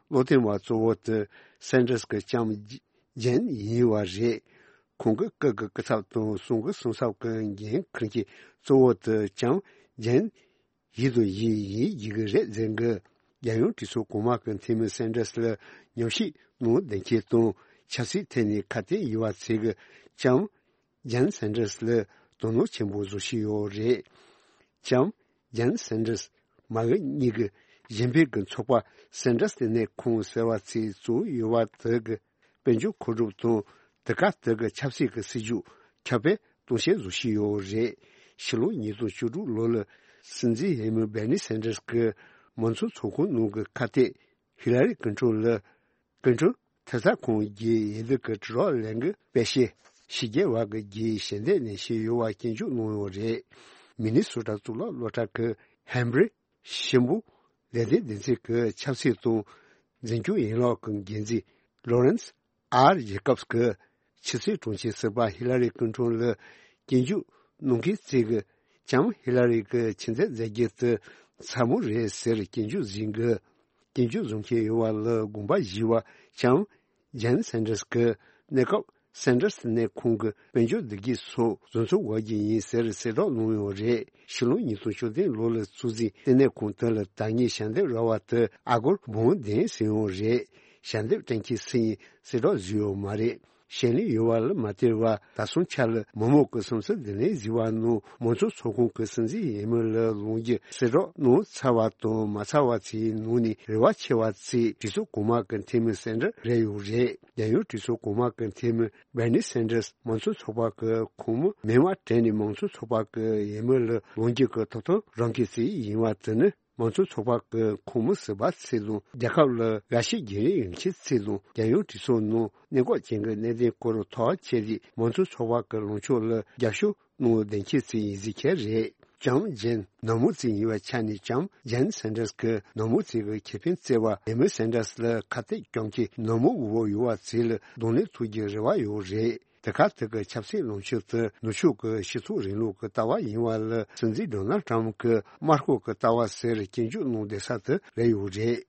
བློ་མཐུན་པ་གཙོ་བོ་དེ་Sanders གི་ལྕམ་Jane ཡིན་པ་རེད། ཁོང་གི་སྐུ་གི་སྐུ་ཚབ་དང་གསུང་གི་གསུང་ཚབ་ཀྱི་འགན་འཁུར་མཁན་གཙོ་བོ་དེ་ལྕམ་Jane ཡིན་དང་ཡིན་ཡིན་ཡིན་གྱི་རེད་ཟེར་གི། རྒྱལ་ཡོངས་གྲོས་ཚོགས་གོང་མ་གི་འཐུས་མི་Sanders ལ་ཉམས་ཞིབ་གནང་བསྡད་མཁན་དང་ཆབ་སྲིད་ཐད་ནས་ཁ་གཏད་ཡིན་པ་ཚོས་གི་ལྕམ་Jane Sanders ལ་དོ་སྣང་ཆེན་པོ་བཟོ་བཞིན་ཡོད་རེད། ལྕམ་Jane Sanders མ་འོངས་གཉིས་ཀྱི་གཞན་ཕན་གྱི་ཚོགས་པ་Sanders International ཟེར་བ་ཚོས་བཙུགས་ཡོད་པ་དེ་གི་དཔལ་འབྱོར་མཁོ་སྒྲུབ་དང་དེ་ག་དེ་གི་ཆབ་སྲིད་ཀྱི་སྲིད་ཇུས་ཁྱབ་སྤེལ་གཏོང་བྱེད་བཟོ་བཞིན་ཡོད་རེད། ཕྱི་ལོ་ཉིས་སྟོང་བཅུ་དྲུག་ལོ་ལ་སྲིད་འཛིན་འོས་མི་བྷར་ནི་སན་ཌར་སི་གིས་མང་གཙོ་ཚོགས་ཁོངས་ནང་གི་ཁ་གཏད་ཧི་ལ་རི་ཀིན་ཊོན་ལ་ཀིན་ཊོན་ཐེབས་རྩ་ཁང་གི་འོས་བསྡུ་གི་དྲིལ་སྒྲོག་ལས་འགུལ་སྤེལ་ཆེད་ཕྱི་རྒྱལ་བ་གི་རྒྱའི་ཞལ་འདེབས་ནས་ཕྱིར་ཡོང་བ་སྐྱོན་བརྗོད་གནང་ཡོད་རེད། མི་ནི་སོ་ཊ་གཙུག་ལག་སློབ་གྲྭ་གི་ཧན་བྷི་རི་ཤིན་པོ་ལེགས་སྡུད་སྡེ་ཚན་གྱི་ཆབ་སྲིད་དང་འཛིན་སྐྱོང་ཡན་ལག་གི་འགན་འཛིན་ལོ་རེན་སི་ཨར་ཇེ་ཀབ་སི་གིས་ཕྱི་སྲིད་དྲུང་ཆེ་ཟུར་པ་ཧི་ལ་རི་ཀིན་ཊོན་ལ་སྐྱོན་བརྗོད་གནང་མཁན་ཚོས་ཀྱང་ཧི་ལ་རི་གི་ཆེས་མཛད་མཛད་རྗེས་དེ་ཚ་མོ་རེད་ཟེར་སྐྱོན་བརྗོད་བཟོས་འདུག་སྐྱོན་བརྗོད་བཟོ་མཁན་ཡོད་པ་ལ་དགོངས་པ་བཞེས་པ་ཙམ། ཇན་སན་ཌར་སི་གིས་གནས་སྐབས་སན་ཌར་སི་ལྟེ་གནས་ཁང་གི་དཔལ་འབྱོར་བདེ་སྐྱིད་སོགས་བཟོ་འཚོང་བྱེད་རྒྱུ་ཡིན་ཟེར་གསལ་བསྒྲགས་གནང་ཡོད་རེད། ཕྱི་ལོ་ཉིས་སྟོང་བཅུ་བདུན་ལོ་ལ་བཙུགས་ཟིན་ལྟེ་གནས་ཁང་དེ་ལ་ད་སྔའི་ཞལ་འདེབས་ར་བ་དེ་ཨ་སྒོར་འབུམ་བདུན་ཟིན་ཡོད་རེད། ཞལ་འདེབས་དྲན་གྱི་སུ་ཡིན་གསལ་བསྒྲགས་བཟོས་ཡོད་མ་རེད། ཞལ་ལས་ཡོད་པ་ལ་མ་བལྟས་པར་ད་སོང་ཆ་ལ་མི་མང་གི་སེམས་གསོ་བདེ་ལེགས་ཟེར་བ་ནང་མང་གཙོ་ཚོགས་ཁོངས་ཀྱི་སྲིད་འཛིན་འོས་མི་ལ་ལངས་རྒྱུ་གསལ་བསྒྲགས་གནང་ཚར་བ་དང་མ་ཚར་བ་ཚོའི་ནང་ནས་རེ་བ་ཆེ་བ་ཚོས་གྲོས་ཚོགས་གོང་མ་གི་འཐུས་མི་སན་ཌར་སི་རེད་ཡོད་རེད། རྒྱལ་ཡོངས་གྲོས་ཚོགས་གོང་མ་གི་འཐུས་མི་བྷར་ནི་སན་ཌར་སི་མང་གཙོ་ཚོགས་པ་གི་ཁོངས་མི་མིང་མ་དྲན་ནས་མང་གཙོ་ཚོགས་པ་གི་འོས་མི་ལ་ལངས་རྒྱུ་གི་ཐོབ་ཐང་རག་མཁན་ཞིག་ཡིན་པ་དེ་ནི། མང་གཙོ་ཚོགས་པ་གི་ཁོངས་མི་ཟུར་པ་ཚོ་དང་རྒྱལ་ཁབ་ལ་དགའ་ཤོས་རྒྱུན་རིང་ཡོད་མཁན་ཚོ་དང་རྒྱལ་ཡོངས་གྲོས་ཚོགས་ནང་གནས་སྐབས་ཅན་གྱི་གནད་དོན་སྐོར་ཐག་བཅད་དེ་མང་གཙོ་ཚོགས་པ་གི་ལངས་ཕྱོགས་ལ་རྒྱབ་སྐྱོར་གནང་བསྡད་མཁན་ཚོ་ཡིན་ཟེར་མཁན་རེད། ལྕམ་ཇན་ནག་མོ་ཚོ་ཡིན་པའི་ཆ་ནས་ལྕམ་ཇན་སན་ཌར་སི་གིས་ནག་མོ་ཚོ་གི་ཁེ་ཕན་བརྩི་བར་འོས་མི་སན་ཌར་སི་ལ་ཁ་གཏད་གཅོག་མཁན་ནག་མོ་འོས་འབབ་ཡོད་པ་ཚོ་ལ་གདོང་ལེན་ཐུབ་རྒྱུའི་རེ་བ་ཡོད་རེད། དེ་ག་དེ་གི་ཆབ་སྲིད་ལངས་ཕྱོགས་དེ་ནུབ་ཕྱོགས་ཀྱི་སྤྱི་ཚོགས་རིང་ལུགས་ཀྱི་ལྟ་བ་ཡིན་པ་ལ་སྲིད་འཛིན་ཌོ་ནལ་ཊམ་གྱི་དམར་ཤོག་གི་ལྟ་བ་ཟེར་སྐྱོན་བརྗོད་གནང་བསྡད་ས་དེ་རེད་ཡོད་རེད།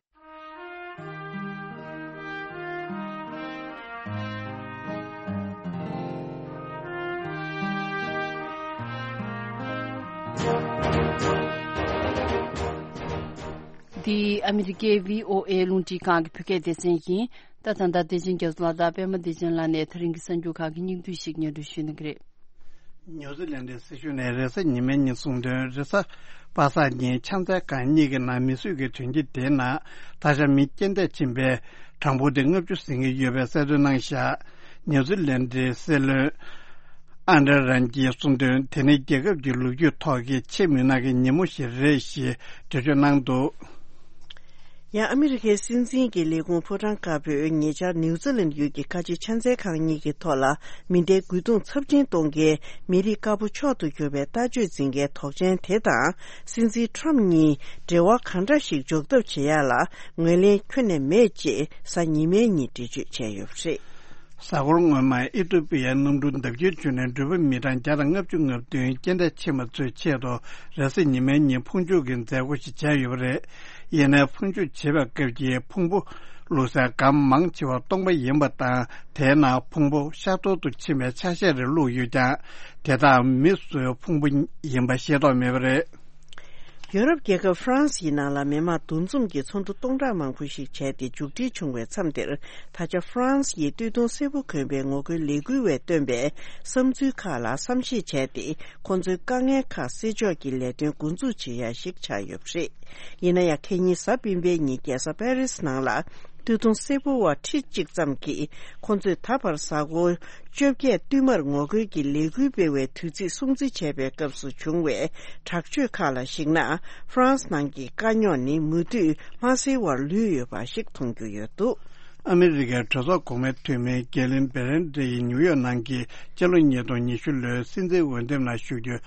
འདི་ཨ་མི་རི་ཀའི་བྷི་ཨོ་ཨེ་རླུང་འཕྲིན་ཁང་གི་བོད་སྐད་སྡེ་ཚན་ཡིན། ད་ད་ལྟ་བདེ་ཆེན་རྒྱ་མཚོ་ལགས་དང་པད་མ་བདེ་ཆེན་ལགས་ནས་ད་རིང་གི་གསར་འགྱུར་ཁག་གི་སྙིང་བསྡུས་ཤིག་སྙན་སྒྲོན་ཞུ་གནང་གི་རེད། ཉུའུ་ཛི་ལན་ཌའི་སྲིད་གཞུང་ནས་རེས་གཟའ་ཉི་མའི་ཉིན་གསུངས་དོན། རེས་གཟའ་པ་སངས་ཉིན་ཕྱག་འཚལ་ཁང་གཉིས་ཀྱི་ནང་མི་གསོད་ཀྱི་དོན་རྐྱེན་དེའི་ནང་ད་ཆ་མི་རྐྱེན་འདས་ཕྱིན་པའི་གྲངས་འབོར་དེ་ལྔ་བཅུ་ཟིན་གྱི་ཡོད་པའི་གསལ་སྟོན་གནང་བཞག་ཉུའུ་ཛི་ལན་ཌའི་སྲིད་བློན་ཨན་ཌྲེ་རན་གྱིས་གསུངས་དོན། དེ་ནི་རྒྱལ་ཁབ་ཀྱི་ལོ་རྒྱུས་ཐོག་གི་ཆེས་མུན་ནག་གི་ཉིན་མོ་ཞིག་རེད་ཞེས་འགྲེལ་བརྗོད་གནང་འདུག་ཡང་ཨ་མི་རི་ཀའི་སྲིད་འཛིན་གྱི་ལས་ཁུངས་ཕོ་བྲང་དཀར་པོས་ཉེ་ཆར་ནིའུ་ཛི་ལན་ཡུལ་གྱི་ཁ་ཆེ་ཕྱག་འཚལ་ཁང་གཉིས་ཀྱི་ཐོག་ལ་མེ་མདའི་རྒོལ་རྡུང་ཚབས་ཆེན་གཏོང་མཁན་མི་རིགས་དཀར་པོ་མཆོག་ཏུ་གྱུར་པའི་ལྟ་སྤྱོད་འཛིན་མཁན་དོགས་ཅན་དེ་དང་སྲིད་འཛིན་ཊམ་གཉིས་འབྲེལ་བ་གང་འདྲ་ཞིག་འཇོག་ཐབས་བྱེད་ཡག་ལ་ངོས་ལེན་ཁྱོན་ནས་མེད་ཅེས་གཟའ་ཉི་མའི་ཉིན་འགྲེལ་བརྗོད་བྱས་ཡོད་པ་རེད། གཟའ་འཁོར་སྔོན་མ་ཨི་ཐོ་པི་ཡའི་གནམ་གྲུ་འདབ་ཆགས་བྱུང་ནས་འགྲུལ་པ་མི་གྲངས་བརྒྱ་དང་ལྔ་བཅུ་ང་བདུན་རྐྱེན་འདས་ཕྱིན་པ་ཚོའི་ཆེད་དུ་རེས་གཟའ་ཉི་མའི་ཉིན་ཕུང་མཆོད་ཀྱི་མཛད་སྒོ་ཞིག་བྱས་ཡོད་པ་རེད། ཡིན་ནའི་ཕུང་མཆོད་བྱེད་པའི་སྐབས་ཀྱི་ཕུང་པོ་བླུགས་སའི་སྒམ་མང་ཆེ་བ་སྟོང་པ་ཡིན་པ་དང་དེའི་ནང་ཕུང་པོ་ཤ་སྟོར་དུ་ཕྱིན་པའི་ཆ་ཤས་རེ་བླུགས་ཡོད་ཀྱང་དེ་དག་མི་སུའི་ཕུང་པོ་ཡིན་པ་ཤེས་རྟོགས་མེད་པ་རེད། ཡོ་རོབ་རྒྱལ་ཁབ་ཧྥ་རན་སིའི་ནང་ལ་མི་མང་འདུ་འཛོམས་ཀྱི་ཚོགས་འདུ་སྟོང་ཕྲག་མང་པོ་ཞིག་བྱས་ཏེ་མཇུག་སྒྲིལ་བྱུང་བའི་མཚམས་འདིར། ད་ཆ་ཧྥ་རན་སི་ཡི་སྟོད་ཐུང་སེར་པོ་གོན་པའི་ངོ་རྒོལ་ལས་འགུལ་བས་བཏོན་པའི་བསམ་ཚུལ་ཁག་ལ་བསམ་ཤེས་བྱས་ཏེ་ཁོང་ཚོའི་དཀའ་ངལ་ཁག་སེལ་ཕྱོགས་ཀྱི་ལས་དོན་འགོ་འཛུགས་བྱེད་ཡ་ཞིག་ཆགས་ཡོད་པ་རེད། ཡིན་ན་ཡང་ཁེ་ཉིན་གཟའ་སྤེན་པའི་ཉིན་རྒྱལ་ས་པེ་རིས་ནང་ལ་སྟོད་ཐུང་སེར་པོ་བ་ཁྲི་གཅིག་ཙམ་གྱིས་ཁོང་ཚོས་ད་བར་གཟའ་འཁོར་བཅོ་བརྒྱད་བསྟུད་མར་ངོ་རྒོལ་གྱི་ལས་འགུལ་སྤེལ་བའི་དུས་ཚིགས་སྲུང་བརྩི་བྱས་པའི་སྐབས་སུ་བྱུང་བའི་དྲག་སྤྱོད་ཁག་ལ་གཞིགས་ན། ཧྥ་རན་སི་ནང་གི་དཀའ་རྙོག་ནི་མུ་མཐུད་མ་སེལ་བར་ལུས་ཡོད་པ་ཞིག་མཐོང་རྒྱུ་ཡོད་འདུག་ཨ་མི་རི་ཀའི་གྲོས་ཚོགས་གོང་མའི་འཐུས་མི་ཀེ་ལིན་བེ་རེན་ཌེ་ཡིས་ནིའུ་ཡོག་ནང་གི་སྤྱི་ལོ་ཉིས་སྟོང་ཉི་ཤུ་ལོའི་སྲིད་འཛིན་འོས་འདེམས་ནང་ཞུགས་རྒྱུའི་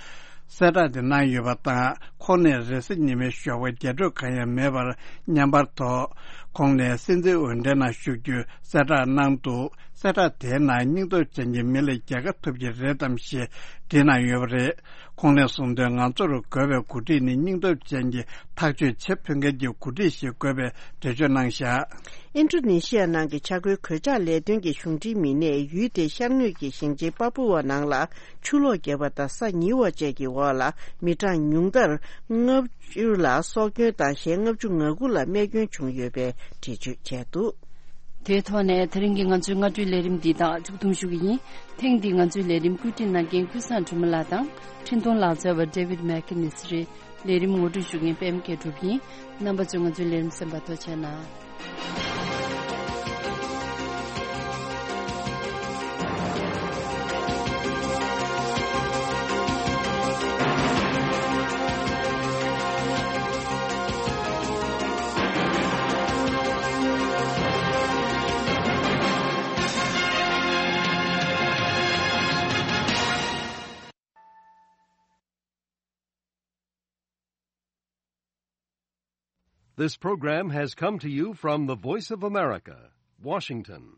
གསལ་བསྒྲགས་དེ་གནང་ཡོད་པ་དང་། ཁོང་ནས་རེས་གཟའ་ཉི་མའི་ཞོགས་པ་རྒྱ་སྤྲོད་གང་ཡང་མེད་པར་མཉམ་པར་དུ་ཁོང་ནས་སྲིད་འཛིན་འོས་འདེམས་ནང་ཞུགས་རྒྱུའི་གསལ་བསྒྲགས་གནང་འདུག་གསལ་བསྒྲགས་དེའི་ནང་སྙིང་སྟོབས་ཅན་གྱི་མི་ལ་རྒྱལ་ཁ་ཐོབ་ཀྱི་རེད་དམ་ཞེས་འདྲི་གནང་ཡོད་པ་རེད། ཁོང་ནས་གསུངས་དོན། ང་ཚོར་དགོས་པའི་འགོ་ཁྲིད་ནི་སྙིང་སྟོབས་ཅན་གྱི་ཐག་གཅོད་བྱེད་ཕོད་མཁན་གྱི་འགོ་ཁྲིད་ཞིག་དགོས་པའི་འགྲེལ་བརྗོད་གནང་བཞག་ཨིན་ཌོ་ནེ་ཤི་ཡ་ནང་གི་ཆ་བགོས་གོད་ཆག་ལས་དོན་གྱི་གཞུང་འབྲེལ་མི་སྣས་ཡུལ་དེའི་ཤར་ངོས་ཀྱི་ཞིང་ཆེན་པ་པུ་ཝ་ནང་ལ་ཆུ་ལོག་བརྒྱབ་པ་དང་ས་ཉིལ་བ་བཅས་ཀྱི་འོག་ལ་མི་གྲངས་ཉུང་མཐར་ལྔ་བཅུ་ལ་སྲོག་སྐྱོན་དང་གཞན་ལྔ་བཅུ་ང་དགུ་ལ་རྨས་སྐྱོན་བྱུང་ཡོད་པའི་འགྲེལ་བརྗོད་བྱས་འདུག་དེའི་ཐོག་ནས་དེ་རིང་གི་ང་ཚོའི་སྔ་དྲོའི་ལས་རིམ་འདི་དག་མཇུག་བསྡོམས་ཞུ་གི་ཡིན། ཐེངས་འདིའི་ང་ཚོའི་ལས་རིམ་བཀོད་སྒྲིག་གནང་མཁན་ཀུན་བཟང་སྒྲོལ་མ་ལགས་དང་འཕྲིན་གཏོང་ལག་རྩལ་བ་ཌེ་ཝིད་མེག་ཀི་ནིས་རེད། ལས་རིམ་ངོ་སྤྲོད་ཞུ་མཁན་པད་མ་མཁས་གྲུབ་ཡིན། རྣམ་པ་ཚོས་ང་ཚོའི་ལས་རིམ་གསན་པར་ཐུགས་རྗེ་གནང་། This program has come to you from the Voice of America, Washington.